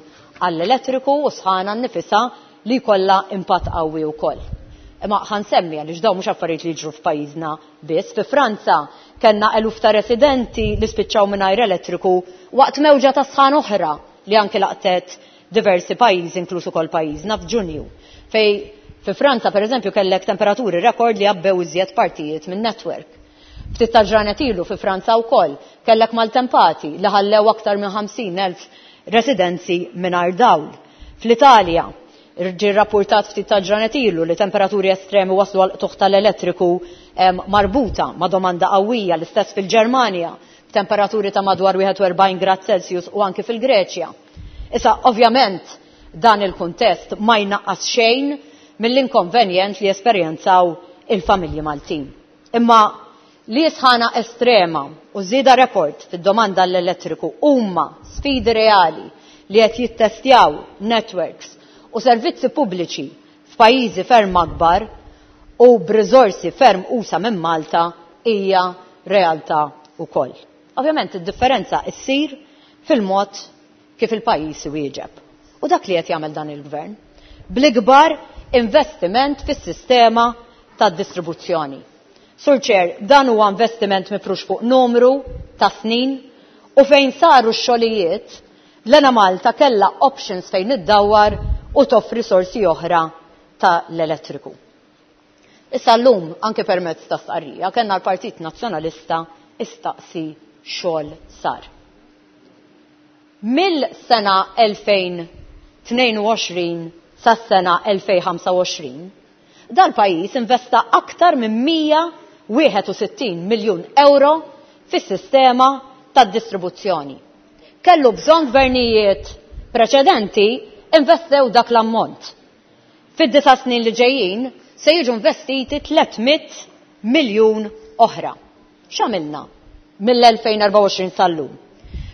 [SPEAKER 18] għall-elettriku u sħana nnifisha li jkollha impatt qawwi wkoll. Imma ħansemmi għaliex dawn mhux affarijiet li jiġru f'pajjiżna biss. Fi Franza kellna eluf ta' residenti li spiċċaw mingħajr elettriku waqt mewġa ta' sħan oħra li anke laqtet diversi pajjiżi inkluż ukoll pajjiżna f'Ġunju. Fej fi Franza pereżempju kellek temperaturi rekord li għabbew iżjed partijiet minn netwerk. Ftit ta' ġranet ilu fi Franza wkoll kellek maltempati li ħallew aktar minn ħamsin elf residenzi mingħajr dawl. Fl-Italja ġie rrapportat ftit ta' ġranet ilu li temperaturi estremi waslu għal qtugħ tal-elettriku marbuta ma' domanda qawwija, l-istess fil-Ġermanja b'temperaturi ta' madwar wieħed u erbgħin grad Celsius u anki fil-Greċja. Issa ovvjament dan il-kuntest ma jnaqqas xejn mill-inkonvenjent li esperjenzaw il-familji Maltin. Imma li sħana estrema u żieda rekord fid-domanda l-elettriku huma sfidi reali li qed jittestjaw networks u servizzi pubbliċi f'pajjiżi ferm akbar u b'riżorsi ferm usa minn Malta hija realtà wkoll. Ovvjament id-differenza ssir fil-mod kif il-pajjiż iwieġeb. U dak li qed jagħmel dan il-gvern bl-ikbar investiment fis-sistema tad-distribuzzjoni. Sur Chair, dan huwa investiment mifrux fuq numru ta' snin u fejn saru x-xogħlijiet l-Enemalta kellha options fejn iddawwar u toffri sorsi oħra tal-elettriku. Issa llum anke permezz ta' stqarrija kellna l-Partit Nazzjonalista istaqsi xogħol sar. Mill-sena elfejn tnejn u għoxrin sas-sena elfejn ħamsa u għoxrin, dal-pajjiż investa aktar minn mija wieħed u sittin miljun euro fis-sistema tad-distribuzzjoni. Kellu bżonn gvernijiet preċedenti investew dak l-ammont. Fid-disa' snin li ġejjin se jiġu investiti tliet mitt miljun oħra. X'għamilna mill-elfejn erbgħa u għoxrin sal-lum?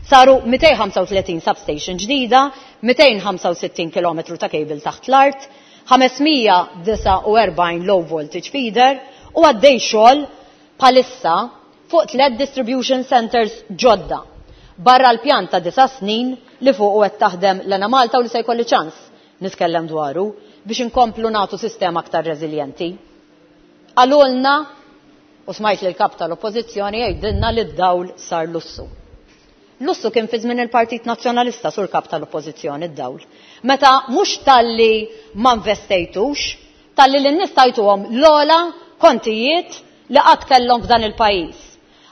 [SPEAKER 18] Saru mitejn ħamsa u tletin substation ġdida, mitejn ħamsa u sittin kilometru ta' cable taħt l-art, ħamesmija disa' u erbgħin low voltage feeder u għaddej xogħol bħalissa fuq tliet distribution centers ġodda. Barra l-pjan ta' disa' snin li fuq u qed taħdem l-Enemalta u li se jkolli ċans nitkellem dwaru biex inkomplu nagħtu sistema aktar reżiljenti. Qalulna, u smajt li l-kap tal-oppożizzjoni jgħidilna li d-dawl sar lussu. Lussu kien fi żmien il-Partit Nazzjonalista sur kap tal-oppożizzjoni d-dawl. Meta mhux talli ma investejtux, talli lin-nies tajtuhom l-ogħla kontijiet li qatt kellhom f'dan il-pajjiż.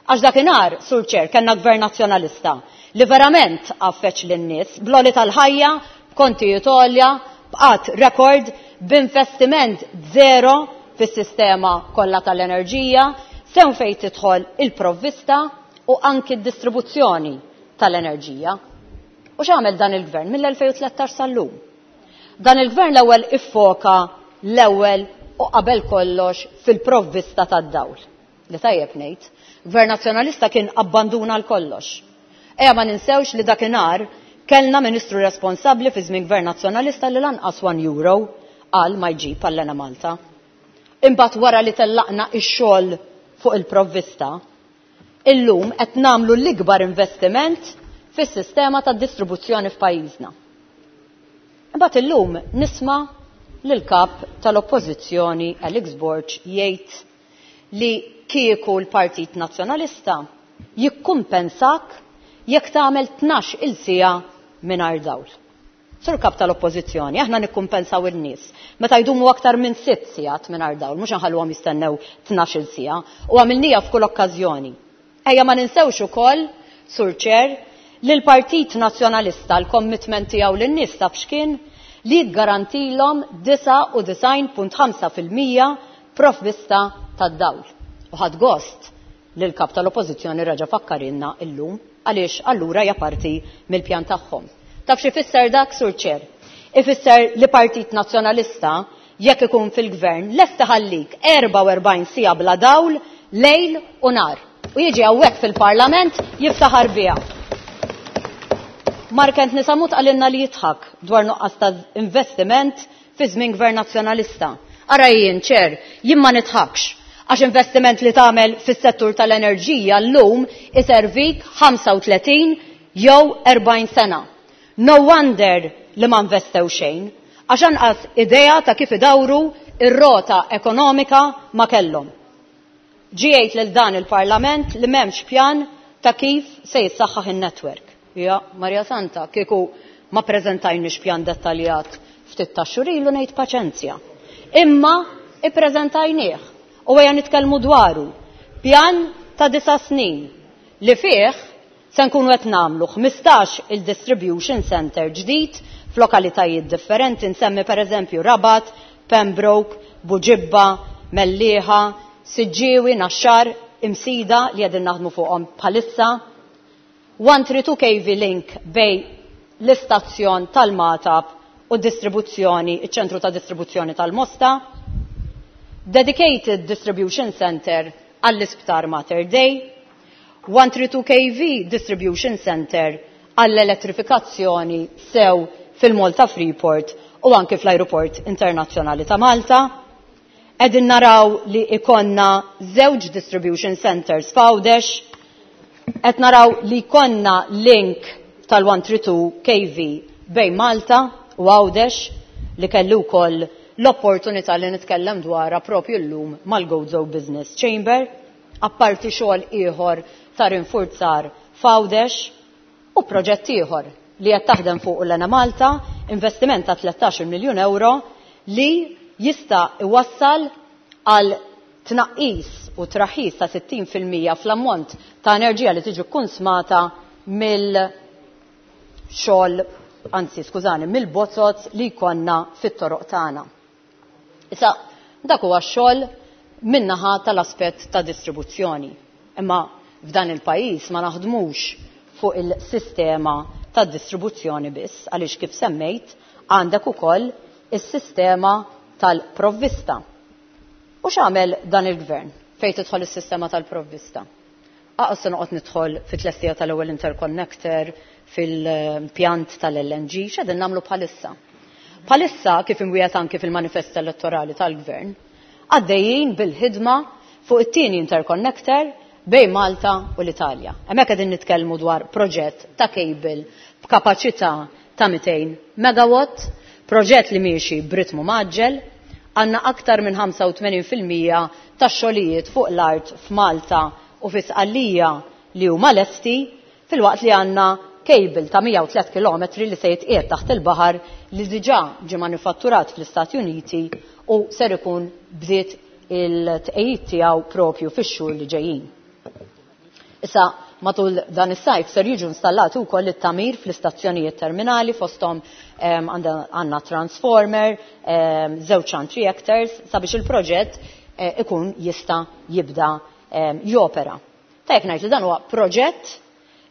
[SPEAKER 18] Għax dakinhar, Sur Chair, kellna gvern nazzjonalista li verament għaffeċ lin-nies bl-għoli tal-ħajja, b'kontijiet għolja, b'qatt rekord, b'investiment zero fis-sistema kollha tal-enerġija, sew fejn tidħol il-provvista u anki d-distribuzzjoni tal-enerġija. U x'għamel dan il-gvern mill-elfejn u tlettax sal-lum? Dan il-gvern l-ewwel iffoka l-ewwel u qabel kollox fil-provvista tad-dawl. Li tajjeb ngħid, gvern nazzjonalista kien abbanduna l-kollox. Ejja ma ninsewx li dakinhar kellna ministru responsabbli fi żmien gvern nazzjonalista li lanqas one euro qal ma jġib għall-Enemalta. Imbagħad wara li tellaqna ix-xogħol fuq il-provvista, illum qed nagħmlu l-ikbar investiment fis-sistema tad-distribuzzjoni f'pajjiżna. Imbagħad illum nisma' lill-kap tal-Oppożizzjoni Alex Borg jgħid li kieku l-Partit Nazzjonalista jikkumpensak jekk tagħmel tnax il siegħa mingħajr dawl. Sur kap tal-Oppożizzjoni, aħna nikkumpensaw in-nies meta jdumu aktar minn sitt sigħat mingħajr dawl, mhux inħalluhom jistennew tnax il siegħa, u għamilnija f'kull okkażjoni. Ejja ma ninsewx ukoll, Sur Chair, li l-Partit Nazzjonalista l-commitment tiegħu lin-nies taf x'kien li jiggarantilhom disa' u disgħin punt ħamsa fil-mija provvista tad-dawl. U ħadd gost li l-kap tal-Oppożizzjoni reġa' fakkarilna illum għaliex allura hija parti mill-pjan tagħhom. Taf xi fisser dak, Sur Chair? Ifisser li Partit Nazzjonalista jekk ikun fil-gvern lest iħallik erbgħa u erbgħin siegħa bla dawl lejl u nar. U jiġi hawnhekk fil-Parlament jiftaħar biha. Mark Anthony Sammut qalilna li jidħak dwar nuqqas ta' investiment fi żmien gvern nazzjonalista. Ara jien, Chair, jien ma nidħakx għax investiment li tagħmel fis-settur tal-enerġija llum iservik ħamsa u tletin jew erbgħin sena. No wonder li ma investew xejn, għax anqas idea ta' kif idawru ir-rota ekonomika ma kellhom. Ġiejt lil dan il-Parlament li m'hemmx pjan ta' kif se jissaħħaħ in-netwerk. Ja, Maria Santa, kieku ma preżentajniex pjan dettaljat ftit ta' xhur ilu ngħid paċenzja. Imma ippreżentajnieh u ejja nitkellmu dwaru. Pjan ta' disa' snin li fih se nkunu qed nagħmlu ħmistax il-distribution center ġdid f'lokalitajiet differenti, nsemmi pereżempju Rabat, Pembroke, Buġibba, Mellieħa, Siġġiewi, Naxxar, Imsida li qegħdin naħdmu fuqhom bħalissa. one three two K V link bej l-istazzjon tal-Magħtab u distribuzzjoni, iċ-ċentru ta' distribuzzjoni tal-Mosta, Dedicated Distribution Center għall-Isptar Mater Dei, one three two K V Distribution Center għall-elettrifikazzjoni sew fil-Malta Freeport u anke fl-Aeroport Internazzjonali ta' Malta. Qegħdin naraw li ikonna żewġ distribution centers f'Għawdex, qed naraw li jkollna link tal-one three two K V bejn Malta u Għawdex li kellu wkoll l-opportunità li nitkellem dwarha propju llum mal-Gozo Business Chamber, apparti xogħol ieħor ta' rinforzar f'Għawdex u proġett ieħor li qed taħdem fuq l-Enemalta, investiment ta' tlettax-il miljun euro li jista' iwassal għal tnaqqis u traħħis ta' sittin fil-mija fl-ammont ta' enerġija li tiġi kkunsmata mill-xogħol, anzi skużani, mill-bozoz li jkollna fit-toroq tagħna. Issa, dak huwa x-xogħol min-naħa tal-aspett ta' distribuzzjoni. Imma f'dan il-pajjiż ma naħdmux fuq il-sistema ta' distribuzzjoni biss, għaliex kif semmejt għandek ukoll is-sistema tal-provvista. U x'għamel dan il-gvern fejn tidħol is-sistema tal-provvista? Aqas se noqgħod nidħol fit-tlestija tal-ewwel interconnector, fil-pjant tal-L N G, x'qegħdin nagħmlu bħalissa? Bħalissa, kif imwiegħed anki fil-manifest elettorali tal-gvern, għaddejjin bil-ħidma fuq it-tieni interconnector bejn Malta u l-Italja. Hemmhekk qegħdin nitkellmu dwar proġett ta' cable b'kapaċità ta' mitejn megawatt, proġett li miexi b'ritmu maġġel, għandna aktar minn ħamsa u tmenin fil-mija tax-xogħlijiet fuq l-art f'Malta u fi Sqallija li huma lesti, filwaqt li għandna cable ta' mija u tliet kilometri li se jitqiegħed taħt il-baħar li diġà ġie manifatturat fl-Istati Uniti u ser ikun bdiet il-tqejjid tiegħu propju fix-xhur li ġejjin. Issa, matul dan is-sajf ser jiġu installati wkoll it-tamir fl-istazzjonijiet terminali fosthom, ehm, għandna transformer, ehm, żewġ shunt reactors sabiex il-proġett, eh, ikun jista' jibda, ehm, jopera. Tajjeb ngħid li dan huwa proġett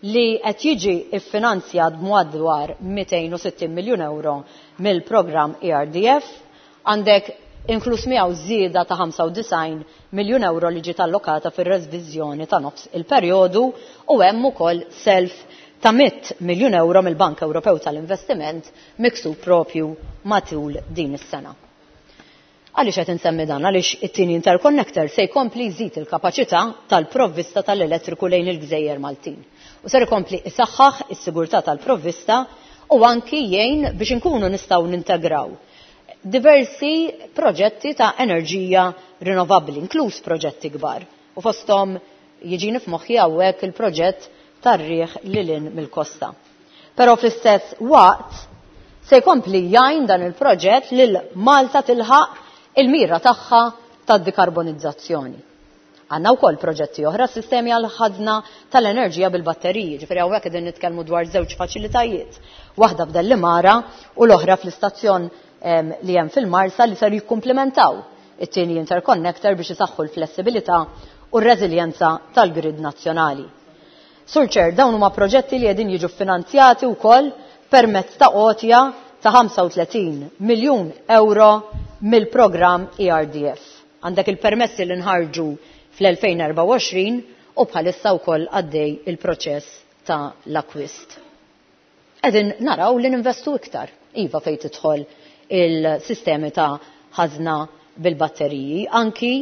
[SPEAKER 18] li qed jiġi ffinanzjat b'madwar mitejn u sittin miljun euro mill-programm E R D F, għandek inkluż miegħu żieda ta' ħamsa u disgħin miljun euro li ġiet allokata fir-reviżjoni ta' nofs il-perjodu u hemm ukoll self ta' mitt miljun euro mill-Bank Ewropew tal-Investiment miksub propju matul din is-sena. Għaliex qed insemmi dan? Għaliex it-tieni interconnector se jkompli jżid il-kapaċità tal-provvista tal-elettriku lejn il-Gżejjer Maltin. U ser ikompli isaħħaħ is-sigurtà tal-provvista u anki jgħin biex inkunu nistgħu nintegraw diversi proġetti ta' enerġija rinnovabbli, inkluż proġetti kbar. U fosthom jiġini f'moħħi hawnhekk il-proġett tar-riħ lil hinn mill-kosta. Però fl-istess waqt se jkompli jgħin dan il-proġett lil Malta tilħaq il-mira tagħha tad-dekarbonizzazzjoni. Għandna wkoll proġetti oħra, sistemi għal ħadna tal-enerġija bil-batteriji, ġifieri hawnhekk qegħdin nitkellmu dwar żewġ faċilitajiet, waħda f'Dellimara u l-oħra fl-istazzjon, em, li hemm fil-Marsa li ser jikkumplementaw it-tieni interconnector biex isaħħu l-flessibilità u r-reżiljenza tal-grid nazzjonali. Sur Chair, dawn huma proġetti li qegħdin jiġu finanzjati wkoll permezz ta' għotja ta' ħamsa u tletin miljun euro mill-programm E R D F. Għandek il-permessi li nħarġu fl-elfejn erbgħa u għoxrin u bħalissa wkoll għaddej il-proċess ta' l-akwist. Qegħdin naraw li ninvestu iktar, iva fejn tidħol il-sistemi ta' ħażna bil-batteriji, anki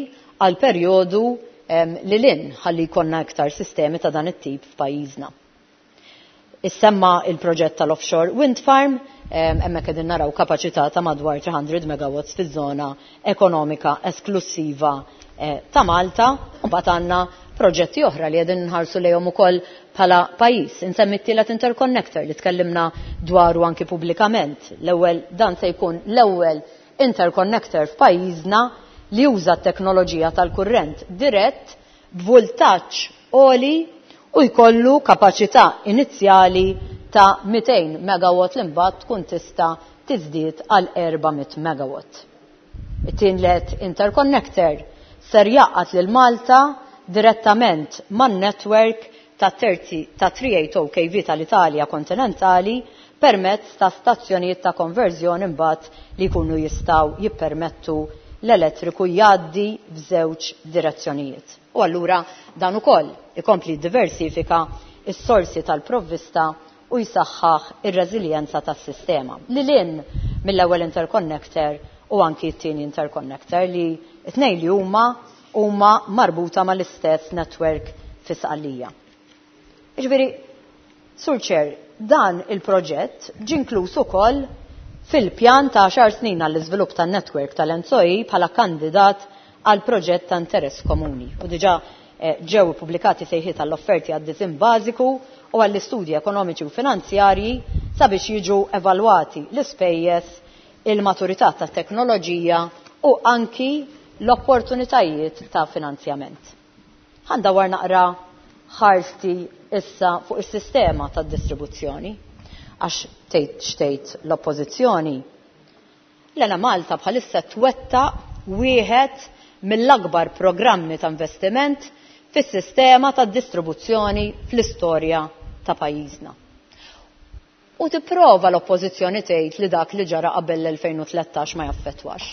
[SPEAKER 18] għal perjodu, em, li lin ħalli jkollna iktar sistemi ta' dan it-tip f'pajjiżna. Issemma il-proġett tal-offshore wind farm, em, hemmhekk qegħdin naraw kapaċità ta' madwar three hundred megawatts fiż-żona ekonomika esklusiva, eh, ta' Malta, u mbagħad għandna proġetti oħra li qegħdin nħarsu lejhom ukoll bħala pajjiż. Insemmi t-tielet interconnector li tkellimna dwaru anki pubblikament. L-ewwel dan se jkun l-ewwel interconnector f'pajjiżna li juża t-teknoloġija tal-kurrent dirett b'vultaġġ għoli u jkollu kapaċità inizjali ta' mitejn megawatt li mbagħad tkun tista' tiżdied għal erba' mitt megawatt. It-tielet interconnector ser jaqgħad lil Malta direttament man-network ta' terzi ta' three eight oh K V tal-Italja kontinentali permezz ta' stazzjonijiet ta' konverżjoni mbagħad li jkunu jistgħu jippermettu l-elettriku jgħaddi f'żewġ direzzjonijiet. U allura dan ukoll ikompli diversifika s-sorsi tal-provvista u jsaħħaħ ir-reżiljenza tas-sistema. Lil hinn mill-ewwel interconnector u anki t-tieni interconnector li t-tnejn li huma huma marbuta mal-istess network fi Sqallija. Jiġifieri, Sur Chair, dan il-proġett ġie inkluż ukoll fil-pjan ta' għaxar snin għall-iżvilupp tan-network tal-E N S O E bħala kandidat għal proġett ta' interess komuni. U diġà, eh, ġew ippubblikati sejħiet għall-offerti għad-disin bażiku u għall-istudji ekonomiċi u finanzjarji sabiex jiġu evalwati l-ispejjeż, il-maturità tat-teknoloġija u anki l-opportunitajiet ta' finanzjament. Ħandawar naqra ħarsti issa fuq is-sistema tad-distribuzzjoni, għax tgħid xtejt l-oppożizzjoni. L-Enemalta bħalissa twettaq wieħed mill-akbar programmi ta' investiment fis-sistema tad-distribuzzjoni fl-istorja ta' pajjiżna. U tipprova l-oppożizzjoni tgħid li dak li ġara qabel l-elfejn u tlettax ma jaffettwax.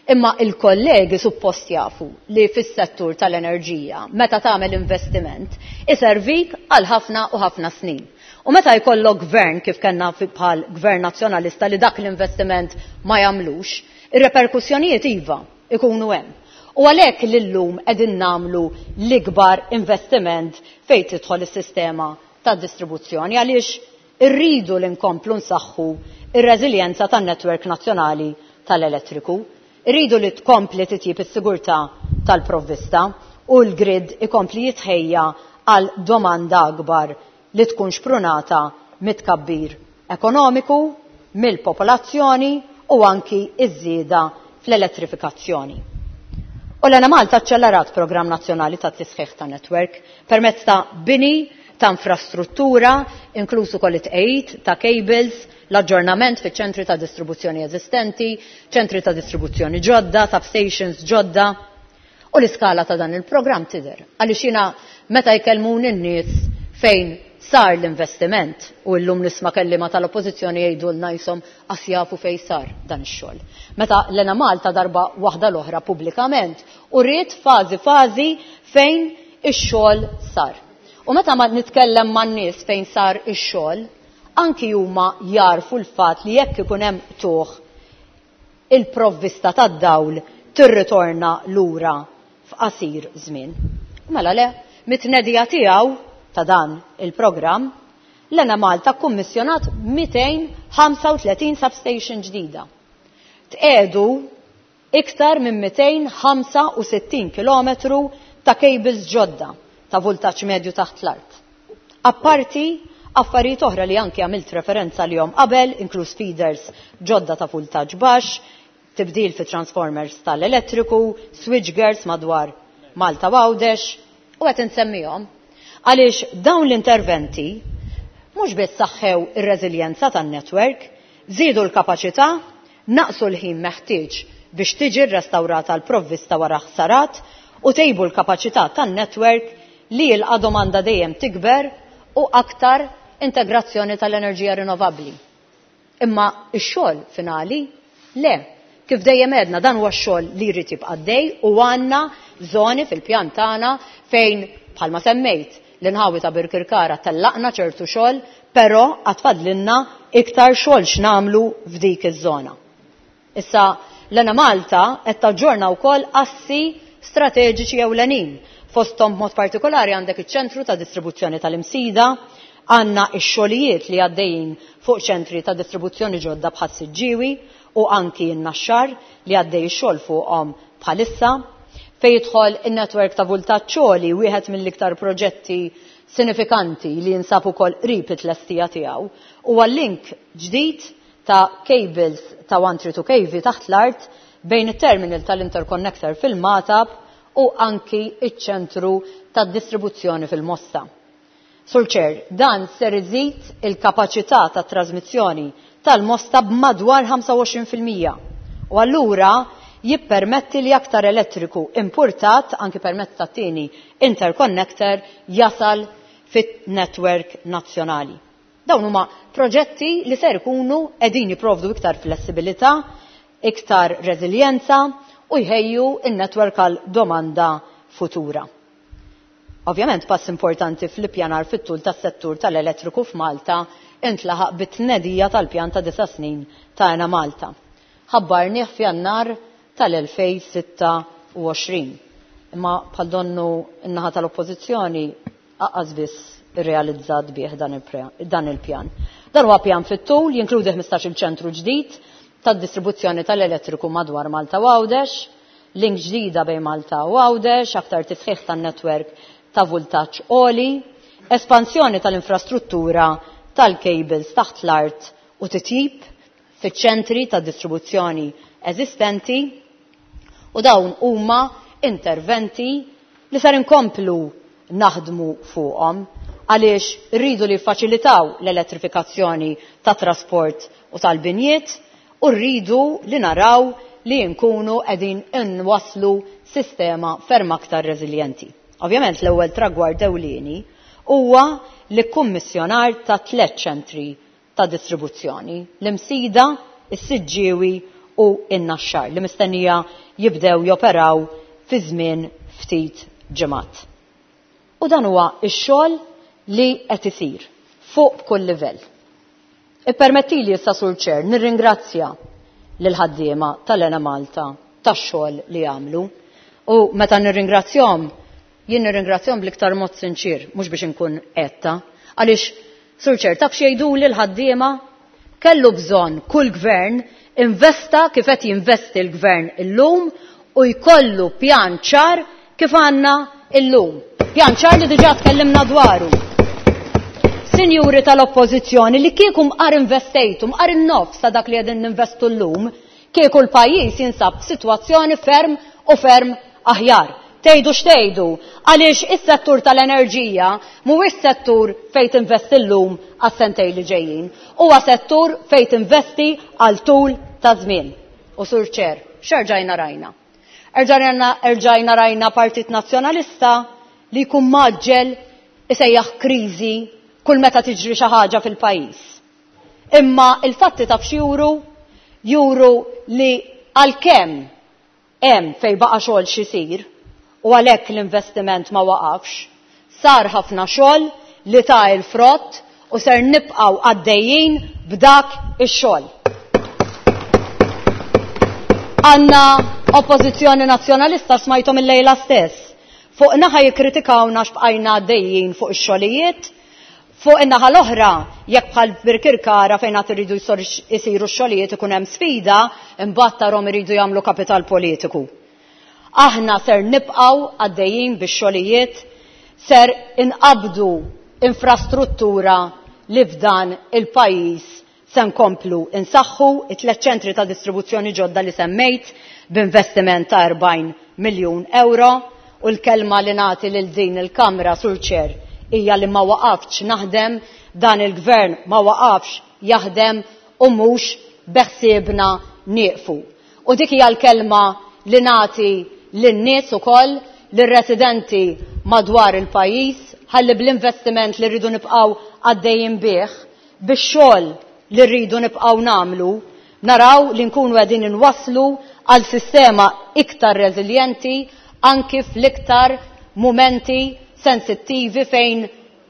[SPEAKER 18] Imma il-kollegi suppost jafu li fis-settur tal-enerġija meta tagħmel investiment iservik għal ħafna u ħafna snin. U meta jkollok gvern kif kellna bħal gvern nazzjonalista li dak l-investiment ma jagħmlux, ir-reperkussjonijiet iva ikunu hemm. U għalhekk lillum qegħdin nagħmlu l-ikbar investiment fejn tidħol is-sistema tad-distribuzzjoni, għaliex irridu li nkomplu nsaħħu ir-reżiljenza tan-netwerk nazzjonali tal-elettriku. Irridu li tkompli titjib is-sigurtà tal-provvista u l-grid ikompli jitħejja għal domanda akbar li tkun xprunata mit-tkabbir ekonomiku, mill-popolazzjoni u anki iż-żieda fl-elettrifikazzjoni. U l-Enemalta aċċellerat programm nazzjonali ta' tisħiħ ta' netwerk permezz ta' bini ta' infrastruttura, inklusu ukoll it-tqegħid ta' cables, l-aġġornament fiċ ċentri ta' distribuzzjoni eżistenti, ċentri ta' distribuzzjoni ġodda, substations ġodda. U l-iskala ta' dan il-programm tidher. Għaliex jiena meta jkellmuni n-nies fejn sar l-investiment u llum nisma' kelliema tal-Oppożizzjoni jgħidulna jisom qas jafu fejn sar dan ix-xogħol. Meta l-Enemalta darba waħda l-oħra pubblikament u rrid fażi fażi fejn ix-xogħol sar. U meta ma nitkellem man-nies fejn sar ix-xogħol, anki huma jarfu l-fatt li jekk ikun hemm tuħ il-provvista tad-dawl tirritorna lura f'qasir żmien. Mela le, mit-tnedija tiegħu ta' dan il-programm, l-Enemalta kkummissjonat mitejn ħamsa u tletin substation ġdida. Tqegħdu iktar minn mitejn ħamsa u sittin kilometru ta' cables ġodda ta' vultaġġ medju taħt l-art. Apparti affarijiet oħra li anki għamilt referenza li jom qabel, inkluż feeders ġodda ta' vultaġġ baxx, tibdil fi transformers tal-elettriku, switchgears madwar Malta Għawdex, u qed insemmihom għaliex dawn l-interventi mhux biss saħħew ir-reżiljenza tan-netwerk, żiedu l-kapaċità, naqsu l-ħin meħtieġ biex tiġi rrestawrata l-provvista wara ħsarat u tejbu l-kapaċità tan-netwerk li jilqa' domanda dejjem tikber u aktar integrazzjoni tal-enerġija rinnovabbli. Imma x-xogħol finali le, kif dejjem għedna dan huwa x-xogħol li jrid jibqa' għaddej u għandna żoni fil-pjan tagħna fejn bħalma semmejt l-inħawi ta' Birkirkara tellaqna ċertu xogħol, però għad fadlilna iktar xogħol x'nagħmlu f'dik iż-żona. Issa l-Enemalta qed taġġorna wkoll assi strateġiċi ewlenin. Fosthom b'mod partikolari għandek iċ-ċentru ta' distribuzzjoni tal-Imsida, għandna x-xogħlijiet li għaddejjin fuq ċentri ta' distribuzzjoni ġodda bħal Siġġiewi u anki n-Naxxar li għaddej ix-xogħol fuqhom bħalissa. Fejn jidħol in-netwerk ta' vultaġġ għoli, wieħed mill-iktar proġetti sinifikanti li jinsab ukoll qrib it-tlestija tiegħu, huwa link ġdid ta' cables ta' one three two K V taħt l-art bejn it-terminal tal-interconnector fil-Magħtab u anki iċ-ċentru tad-distribuzzjoni fil-Mosta. Sur Chair, dan ser iżid il-kapaċità ta' trasmissjoni tal-Mosta b'madwar ħamsa u għoxrin fil-mija u allura jippermetti li aktar elettriku importat anki permezz ta' tieni interconnector jasal fit-netwerk nazzjonali. Dawn huma proġetti li ser ikunu qegħdin jipprovdu iktar flessibilità, iktar reżiljenza u jħejju n-netwerk għal domanda futura. Ovvjament pass importanti fl-ippjanar fit-tul tas-settur tal-elettriku f'Malta intlaħaq bit-tnedija tal-pjan ta' disa' snin ta' Enemalta. Ħabbarnieh f'Jannar tal-elfejn sitta u għoxrin. Imma bħal donnu n-naħa tal-Oppożizzjoni aqqas biss irrealizzat bih dan il-pjan. Dan huwa pjan fit-tul jinkludi ħmistax-il ċentru ġdid tad-distribuzzjoni tal-elettriku madwar Malta u Għawdex, link ġdida bejn Malta u Għawdex, aktar tisħiħ tan-netwerk ta' vultaġġ għoli, espansjoni tal-infrastruttura tal-cables taħt l-art u titjib fiċ-ċentri ta' distribuzzjoni eżistenti, u dawn huma interventi li ser inkomplu naħdmu fuqhom għaliex rridu li jiffaċilitaw l-elettrifikazzjoni ta' trasport u tal-binjiet u rridu li naraw li nkunu qegħdin inwasslu sistema ferm aktar reżiljenti. Ovvjament l-ewwel tragward ewlieni huwa li kummissjonar ta' tliet ċentri ta' distribuzzjoni, l-Imsida, is-Siġġiewi u in-Naxxar li mistennija jibdew joperaw fi żmien ftit ġimgħat. U dan huwa x-xogħol li qed isir fuq kull livell. Ippermettili issa, Sur Chair, nirringrazzja lil ħaddiema tal-Enemalta tax-xogħol li għamlu. U meta nirringrazzjahom, jien nirringrazzjahom bl-iktar mod sinċir, mhux biex inkun etta, għaliex, Sur Chair, taf x'jgħiduli l-ħaddiema? Kellu bżonn kull gvern investa kif qed jinvesti l-gvern illum u jkollu pjan ċar kif għandna illum. Pjan ċar li diġà tkellimna dwaru. Sinjuri tal-Oppożizzjoni, li kieku mqar investejtu, mqar in-nofs ta' dak li qegħdin ninvestu llum, kieku l-pajjiż jinsab f'sitwazzjoni ferm u ferm aħjar. Tgħidu x'tgħidu, għaliex is-settur tal-enerġija mhuwiex settur fejn tinvesti llum għas-sentejn li ġejjin, huwa settur fejn tinvesti għal tul ta' żmien. U Sur Chair, x'erġajna rajna? Erġajna, erġajna rajna Partit Nazzjonalista li jkun maġġel isejjaħ kriżi kull meta tiġri xi ħaġa fil-pajjiż. Imma il-fatti taf x'juru? Juru li għalkemm hemm fejn baqa' xogħol x'isir u għalhekk l-investiment ma waqafx, sar ħafna xogħol li ta' il-frott u ser nibqgħu għaddejjin b'dak ix-xogħol. Għandna Oppożizzjoni Nazzjonalista smajthom il-lejla stess. Fuq naħa jikkritikawna x'bqajna għaddejjin fuq ix-xogħlijiet, fuq in-naħa l-oħra, jekk bħal Birkirkara fejn għad iridu jsiru x-xogħlijiet ikun hemm sfida, imbagħad tarhom iridu jagħmlu kapital politiku. Aħna ser nibqgħu għaddejjin bix-xogħlijiet, ser inqabdu infrastruttura li f'dan il-pajjiż se nkomplu insaħħu it-tliet ċentri ta' distribuzzjoni ġodda li semmejt b'investiment ta' erbgħin miljun euro, u l-kelma li nagħti lil din il-Kamra, Sur Chair, hija li ma waqafx naħdem, dan il-gvern ma waqafx jaħdem u mhux beħsiebna nieqfu. U dik hija l-kelma li nagħti lin-nies ukoll, lir-residenti madwar il-pajjiż, ħalli bl-investiment li rridu nibqgħu għaddejjin bih, bix-xogħol li rridu nibqgħu nagħmlu, naraw li nkunu qegħdin inwasslu għal sistema iktar reżiljenti anki fl-iktar mumenti sensittivi fejn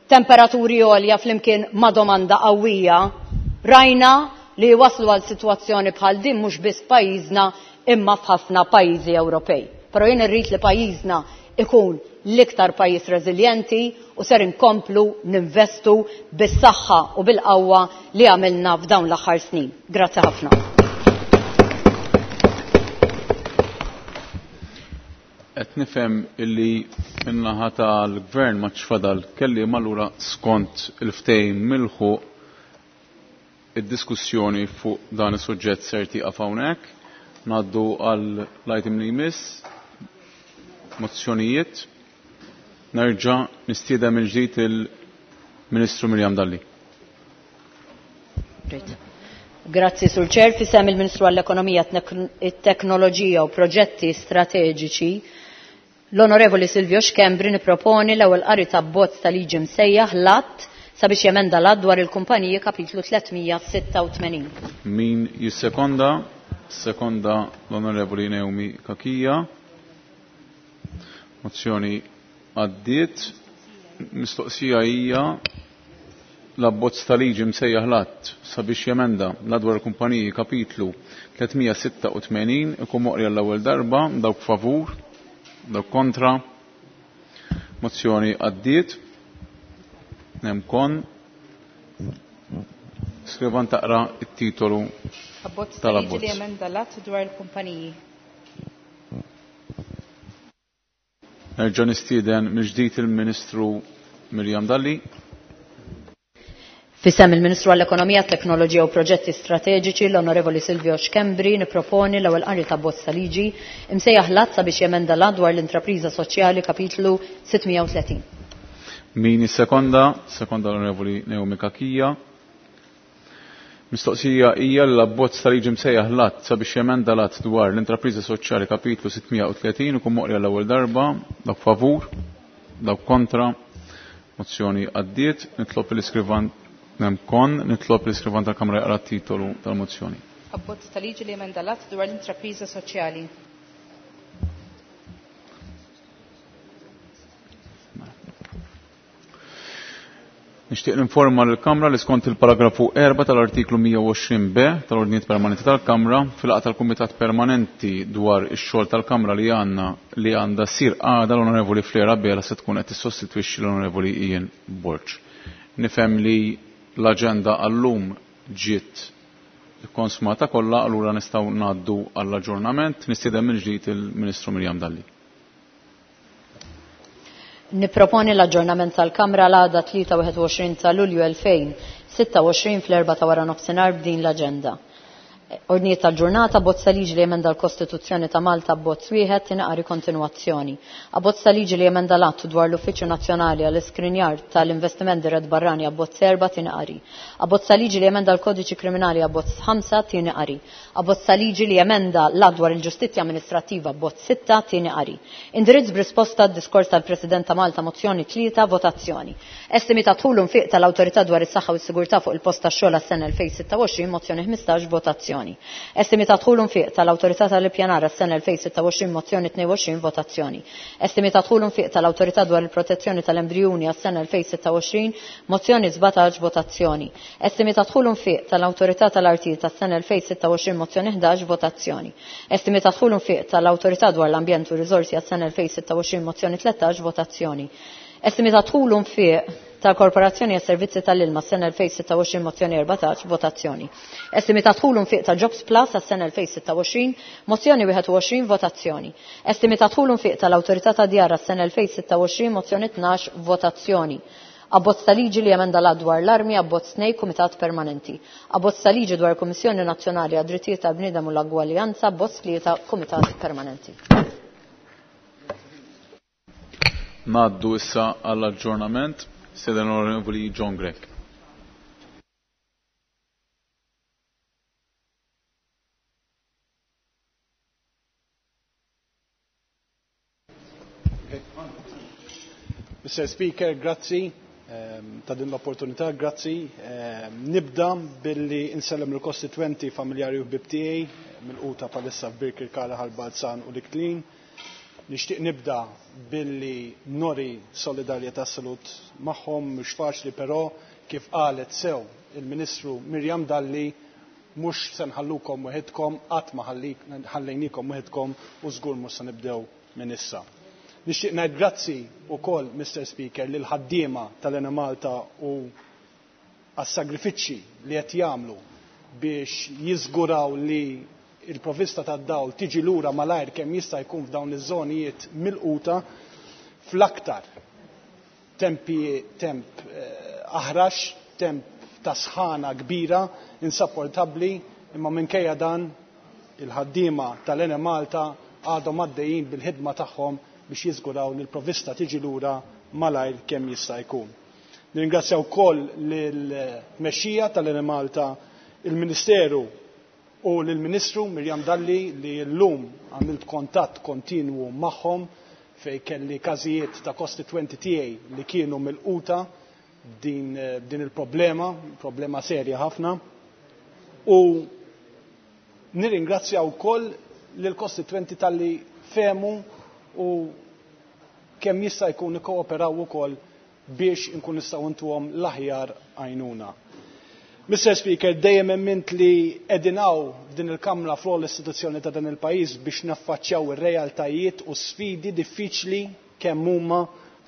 [SPEAKER 18] temperaturi għolja flimkien ma' domanda qawwija. Rajna li waslu għal sitwazzjoni bħal din mhux biss pajjiżna imma f'ħafna pajjiżi Ewropej. Però jien irrid li pajjiżna ikun l-iktar pajjiż reżiljenti u ser inkomplu ninvestu bis-saħħa u bil-qawwa li għamilna f'dawn l-aħħar snin. Grazzi ħafna.
[SPEAKER 1] Qed nifhem illi min-naħa tal-gvern ma fadal kelliem, allura skont il-ftehim milħuq id-diskussjoni fuq dan is-suġġett ser tieqaf hawnhekk. Ngħaddu għal l-item li jmiss, mozzjonijiet. Nerġa' nistieden mill-ġdid il-Ministru Miriam Dalli.
[SPEAKER 18] Grazzi, Sur Chair. Fisem il-Ministru għall-Ekonomija, it-Teknoloġija u Proġetti Strateġiċi, l-Onorevoli Silvio Schembri niproponi l-ewwel qari ta' abbozz ta' liġi msejjaħ l-att sabiex jemenda l-att dwar il-kumpaniji kapitlu tliet mija sitta u tmenin.
[SPEAKER 1] Min jissekonda? Sekonda l-Onorevoli Naomi Cachia. Mozzjoni għaddiet. Mistoqsija hija l-abbozz ta' liġi msejjaħ l-att sabiex jemenda l-att dwar il-kumpaniji kapitlu tliet mija sitta u tmenin ikun moqri għall-ewwel darba. Dawk favur, dawk kontra. Mozzjoni għaddiet. Nemkon. Skrivan taqra it-titolu
[SPEAKER 2] Abbozz ta' liġi li
[SPEAKER 1] tal-abbozz.
[SPEAKER 2] jemenda l-att dwar il-kumpaniji.
[SPEAKER 1] Nerġa' nistieden mill-ġdid il-Ministru Miriam Dalli.
[SPEAKER 18] Fisem il-Ministru għall-Ekonomija, Teknoloġija u Proġetti Strateġiċi, l-Onorevoli Silvio Schembri, niproponi l-ewwel qari ta' bozz ta' liġi imsejjaħ l-att sabiex jemenda l-att dwar l-intrapriża soċjali kapitlu sitt mija u tletin.
[SPEAKER 1] Min is-sekonda? Sekonda l-Onorevoli Naomi Cachia. Mistoqsija hija l-abbozz ta' liġi msejjaħ l-att sabiex jemenda l-att dwar l-intrapriża soċjali kapitlu sitt mija u tletin ikun moqri għall-ewwel darba. Dawk favur, dawk kontra. Mozzjoni għaddiet. Nitlob l-iskrivan Nemkon, nitlob l-iskrivan tal-Kamra jaqra t-titolu tal-mozzjoni.
[SPEAKER 2] Abbozz ta' liġi li jemenda l-att dwar l-intrapriża soċjali.
[SPEAKER 1] Nixtieq ninforma lill-Kamra li skont il-paragrafu erba' tal-artiklu mija u għoxrin B tal-Ordnijiet Permanenti tal-Kamra fil-laqgħa tal-Kumitat Permanenti dwar ix-xogħol tal-Kamra li għandna li għandha ssir għada l-Onorevoli Flair Abela se tkun qed tissostitwixxi l-Onorevoli Ian Borg. Nifhem li l-aġenda għallum ġiet konsumata kollha, allura nistgħu ngħaddu għall-aġġornament. Nistieden mill-ġdid il-Ministru Miriam Dalli.
[SPEAKER 18] Niproponi l-aġġornament tal-Kamra l-għada tlieta wieħed u għoxrin ta' Lulju elfejn sitta u għoxrin fl-erba' ta' wara nofsinhar b'din l-aġenda. Ordnijiet tal-ġurnata, abbozz ta' liġi li jemenda l-Kostituzzjoni ta' Malta abbozz wieħed tinqari kontinwazzjoni. Abbozz ta' liġi li jemenda l-att dwar l-Uffiċċju Nazzjonali għall-Iskrinjar tal-Investiment Dirett Barrani abbozz erba' tinqari. Abbozz ta' liġi li jemenda l-Kodiċi Kriminali abbozz ħamsa tinqari. Abbozz ta' liġi li jemenda l-att dwar il-Ġustizzja Amministrattiva abbozz sitta tinqari. Indirizz b'risposta għad-diskors tal-President ta' Malta mozzjoni tlieta votazzjoni. Estimi ta' dħul u nfiq tal-Awtorità dwar is-Saħħa u s-Sigurtà fuq il-post tax-xogħol għas-sena elfejn sitta u għoxrin mozzjoni ħmistax votazzjoni. Estimi ta' dħul u nfiq tal-Awtorità tal-Ippjanar għas-sena elfejn sitta u għoxrin mozzjoni tnejn u għoxrin votazzjoni. Estimi ta' dħul u nfiq tal-Awtorità dwar il-Protezzjoni tal-Embrijuni għas-sena elfejn sitta u għoxrin mozzjoni sbatax votazzjoni. Estimi ta' dħul u nfiq tal-Awtorità tal-Artijiet għas-sena elfejn sitta u għoxrin mozzjoni ħdax votazzjoni. Estimi ta' dħul u nfiq tal-Awtorità dwar l-Ambjent u Riżorsi għas-sena elfejn sitta u għoxrin mozzjoni tlettax votazzjoni. Estimi ta' dħul u nfiq tal-Korporazzjoni għas-Servizzi tal-Ilma s-sena elfejn sitta u għoxrin mozzjoni erbatax votazzjoni. Estimi ta' dħul u nfiq ta' Jobs Plus għas-sena elfejn sitta u għoxrin mozzjoni wieħed u għoxrin votazzjoni. Estimi ta' dħul u nfiq tal-Awtorità ta' Djar għas-sena elfejn sitta u għoxrin mozzjoni tnax votazzjoni. Abbozz ta' liġi li jemenda l-att dwar l-armi abbozz tnejn Kumitat Permanenti. Abbozz ta' liġi dwar Kummissjoni Nazzjonali għad-Drittijiet tal-Bniedem u l-Ugwaljanza abbozz tlieta Kumitat Permanenti.
[SPEAKER 1] Ngħaddu issa għall-aġġornament. Seden l-Onorevoli John Grech.
[SPEAKER 19] Mister Speaker, grazzi ehm, ta' din l-opportunità, grazzi. Ehm, nibda billi insellem l-kostituenti familjari u ħbieb tiegħi mill-quta palissa f'Birkirkara, Ħal Balzan u Liklin. Nixtieq nibda billi nori solidarjetà salut magħhom, mhux faċli però kif qalet sew il-Ministru Miriam Dalli mhux se nħallukom weħidkom, qatt ma ħallejnikom weħidkom u żgur mhux se nibdew minn issa. Nixtieq ngħid grazzi wkoll, Mister Speaker, lil ħaddiema tal-Enemalta u għas-sagrifiċċji li qed jagħmlu biex jiżguraw li il-provvista tad-dawl tiġi lura malajr kemm jista' jkun f'dawn iż-żonijiet milquta fl-aktar tempi temp aħrax, temp ta' sħana kbira, insapportabbli, imma minkejja dan il-ħaddiema tal-Enemalta għadhom għaddejjin bil-ħidma tagħhom biex jiżguraw li l-provvista tiġi lura malajr kemm jista' jkun. Nirringrazzja wkoll lill-tmexxija tal-Enemalta, il-Ministeru u lill-Ministru Miriam Dalli li llum għamilt kontatt kontinwu magħhom fej kelli każijiet ta' kostitwenti tiegħi li kienu milquta din, din il-problema, problema serja ħafna. U nirringrazzja wkoll lill-kostitwenti talli fehmu u kemm jista' jkun ikkooperaw ukoll biex inkun nistgħu ntuhom l-aħjar għajnuna. Mister Speaker, dejjem emmint li qegħdin hawn f'din il-Kamra fl istituzzjoni ta' dan il-pajjiż biex naffaċċjaw ir-realtajiet u sfidi diffiċli kemm huma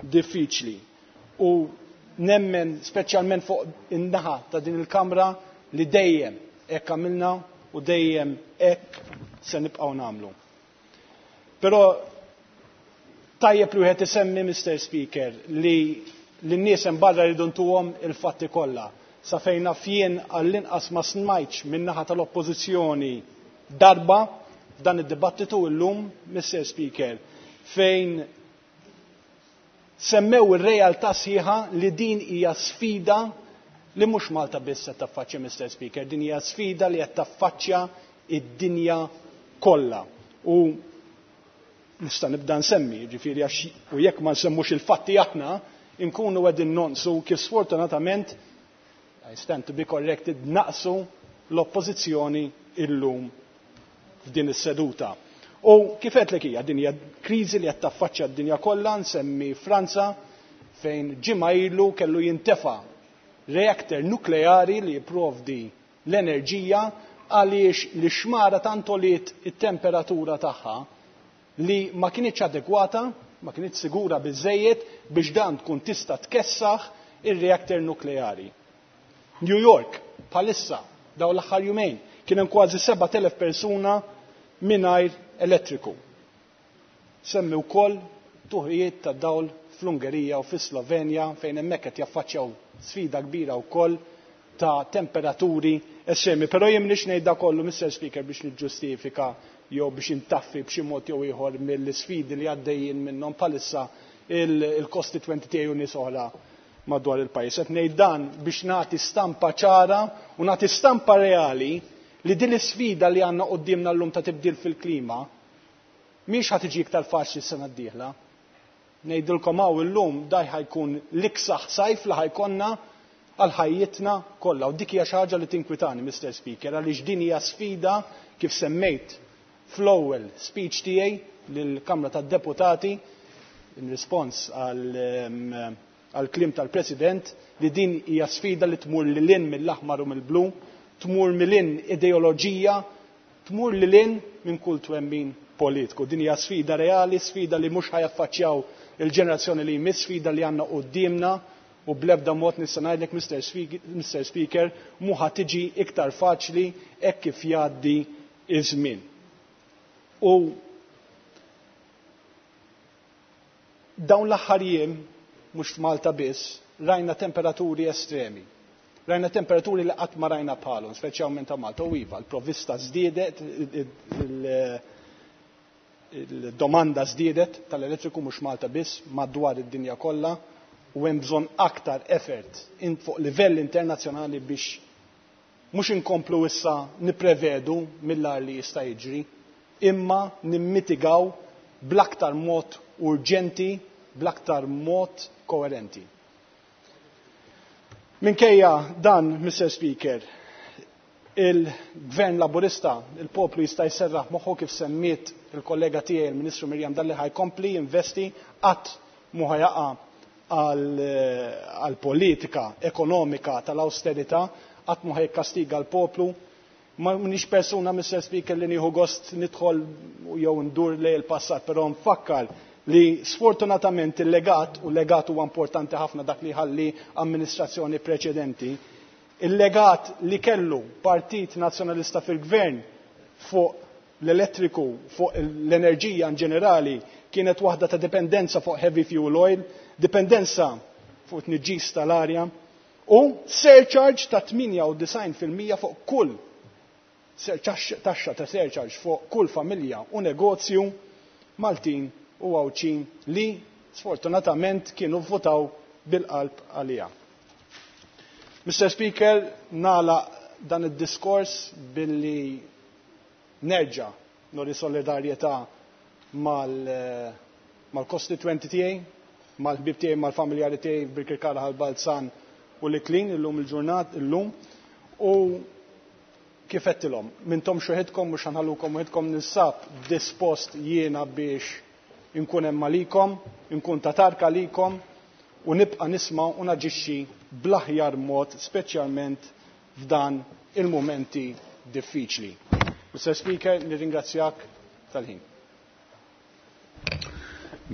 [SPEAKER 19] diffiċli. U nemmen speċjalment fuq in-naħa ta' din il-Kamra li dejjem hekk għamilna u dejjem hekk se nibqgħu nagħmlu. Però tajjeb li wieħed isemmi, Mister Speaker, li lin-nies hemm barra jridu ntuhom il-fatti kollha. Sa fejn naf jien għall-inqas ma smajtx min-naħa tal-Oppożizzjoni darba f'dan id-dibattitu llum, Mister Speaker, fejn semmew ir-realtà sħiħa li din hija sfida li mhux Malta biss qed taffaċċja, Mister Speaker, din hija sfida li qed taffaċċja id-dinja kollha. U nista' nibda nsemmi, jiġifieri għax u jekk ma nsemmux il-fatti aħna, inkunu qegħdin nonqsu kif sfortunatament, I stand to be corrected, naqsu l-oppożizzjoni illum f'din is-seduta. U kif għedtlek hija din hija kriżi li qed taffaċċja d-dinja kollha, nsemmi Franza fejn ġimgħa ilu kellu jintefa' reactor nukleari li jipprovdi l-enerġija għaliex l-ixmara tant għoliet it-temperatura tagħha li ma kinitx adegwata, ma kinitx sigura biżżejjed biex dan tkun tista' tkessaħ ir-reactor nukleari. New York, bħalissa, dawn l-aħħar jumejn, kien hemm kważi sebat elef persuna mingħajr elettriku. Semmi wkoll tuħijiet ta' dawl fl-Ungerija u fis-Slovenja fejn hemmhekk qed jaffaċċjaw sfida kbira wkoll ta' temperaturi estremi. Però jien m'iniex ngħid da kollu, Mister Speaker, biex niġġustifika jew biex intaffi b'xi mod jew ieħor mill-isfidi li għaddejjin minnhom bħalissa il-kostitwenti tiegħi u nies oħra madwar il-pajjiż. Qed ngħid dan biex nagħti stampa ċara u nagħti stampa reali li din l-isfida li għandna quddiemna llum ta' tibdil fil-klima mhix ħa tiġi iktar faċli s-sena d-dieħla. Ngħidilkom hawn illum daj ħajkun l-iksaħ sajf li ħajkonna għal ħajjitna kollha. U dik hija xi ħaġa li tinkwitani, Mister Speaker, għaliex din hija sfida kif semmejt fl-ewwel speech tiegħi lill-Kamra tad-Deputati in rispons għal kliem tal-President, li din hija sfida li tmur lil hinn mill-aħmar u mill-blu, tmur lil hinn ideoloġija, tmur lil hinn minn kull twemmin politiku. Din hija sfida reali, sfida li mhux ħajaffaċċjaw il-ġenerazzjoni li jmiss, sfida li għandna quddiemna u bl-ebda mod nista' ngħidlek, Mister Speaker, mhu ħa tiġi iktar faċli hekk kif jgħaddi iż-żmien. U dawn l-aħħar jiem, mhux f'Malta biss, rajna temperaturi estremi. Rajna temperaturi li qatt ma rajna bħalhom, speċjalment ta' Malta. U iva, l-provvista żdiedet, il-domanda żdiedet tal-elettriku mhux Malta biss, madwar id-dinja kollha, u hemm bżonn aktar effort fuq livell internazzjonali biex mhux inkomplu issa nipprevedu mill-ar li jista' jiġri, imma nimmitigaw bl-aktar mod urġenti, bl-aktar mod koerenti. Minkejja dan, Mister Speaker, il-Gvern Laburista, il-poplu jista' jserraħ moħħu kif semmiet il-kollega tiegħi il-Ministru Miriam Dalli ħa jkompli jinvesti, qatt mhu ħa jaqa' għal politika ekonomika tal-austerità, qatt mhu ħa jikkastiga l-poplu. Ma m'iniex persuna, Mister Speaker, li nieħu gost nidħol jew ndur lejn il-passat, però nfakkar li sfortunatament il-legat, u l-legat huwa importanti ħafna dak li ħalli amministrazzjoni preċedenti, il-legat li kellu Partit Nazzjonalista fil-Gvern fuq l-elettriku, fuq l-enerġija in ġenerali, kienet waħda ta' dipendenza fuq heavy fuel oil, dipendenza fuq tniġġis tal-arja, u surcharge ta' tmienja u disgħin fil-mija fuq kull taxxa ta' surcharge fuq kull familja u negozju Maltin u Għawdxin li sfortunatament kienu votaw bil-qalb għalija. Mister Speaker, nagħlaq dan id-diskors billi nerġa' nuri solidarjetà mal-kostitwenti tiegħi, mal-ħbieb tiegħi, mal-familjari tiegħi Birkirkara, Ħal Balzan u l-Iklin illum il-ġurnat illum, u kif għedtilhom, m'intomx waħedkom, mhux ħa nħallukom waħedkom, ninsab dispost jiena biex inkun hemm għalikom, inkun ta' tarka għalikom u nibqa' nisma' u naġixxi bl-aħjar mod, speċjalment f'dan il-mumenti diffiċli. Mister Speaker, nirringrazzjak tal-ħin.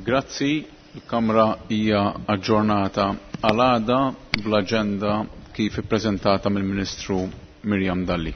[SPEAKER 1] Grazzi, il-Kamra hija aġġornata għal għada bl-aġenda kif ippreżentata mill-Ministru Miriam Dalli.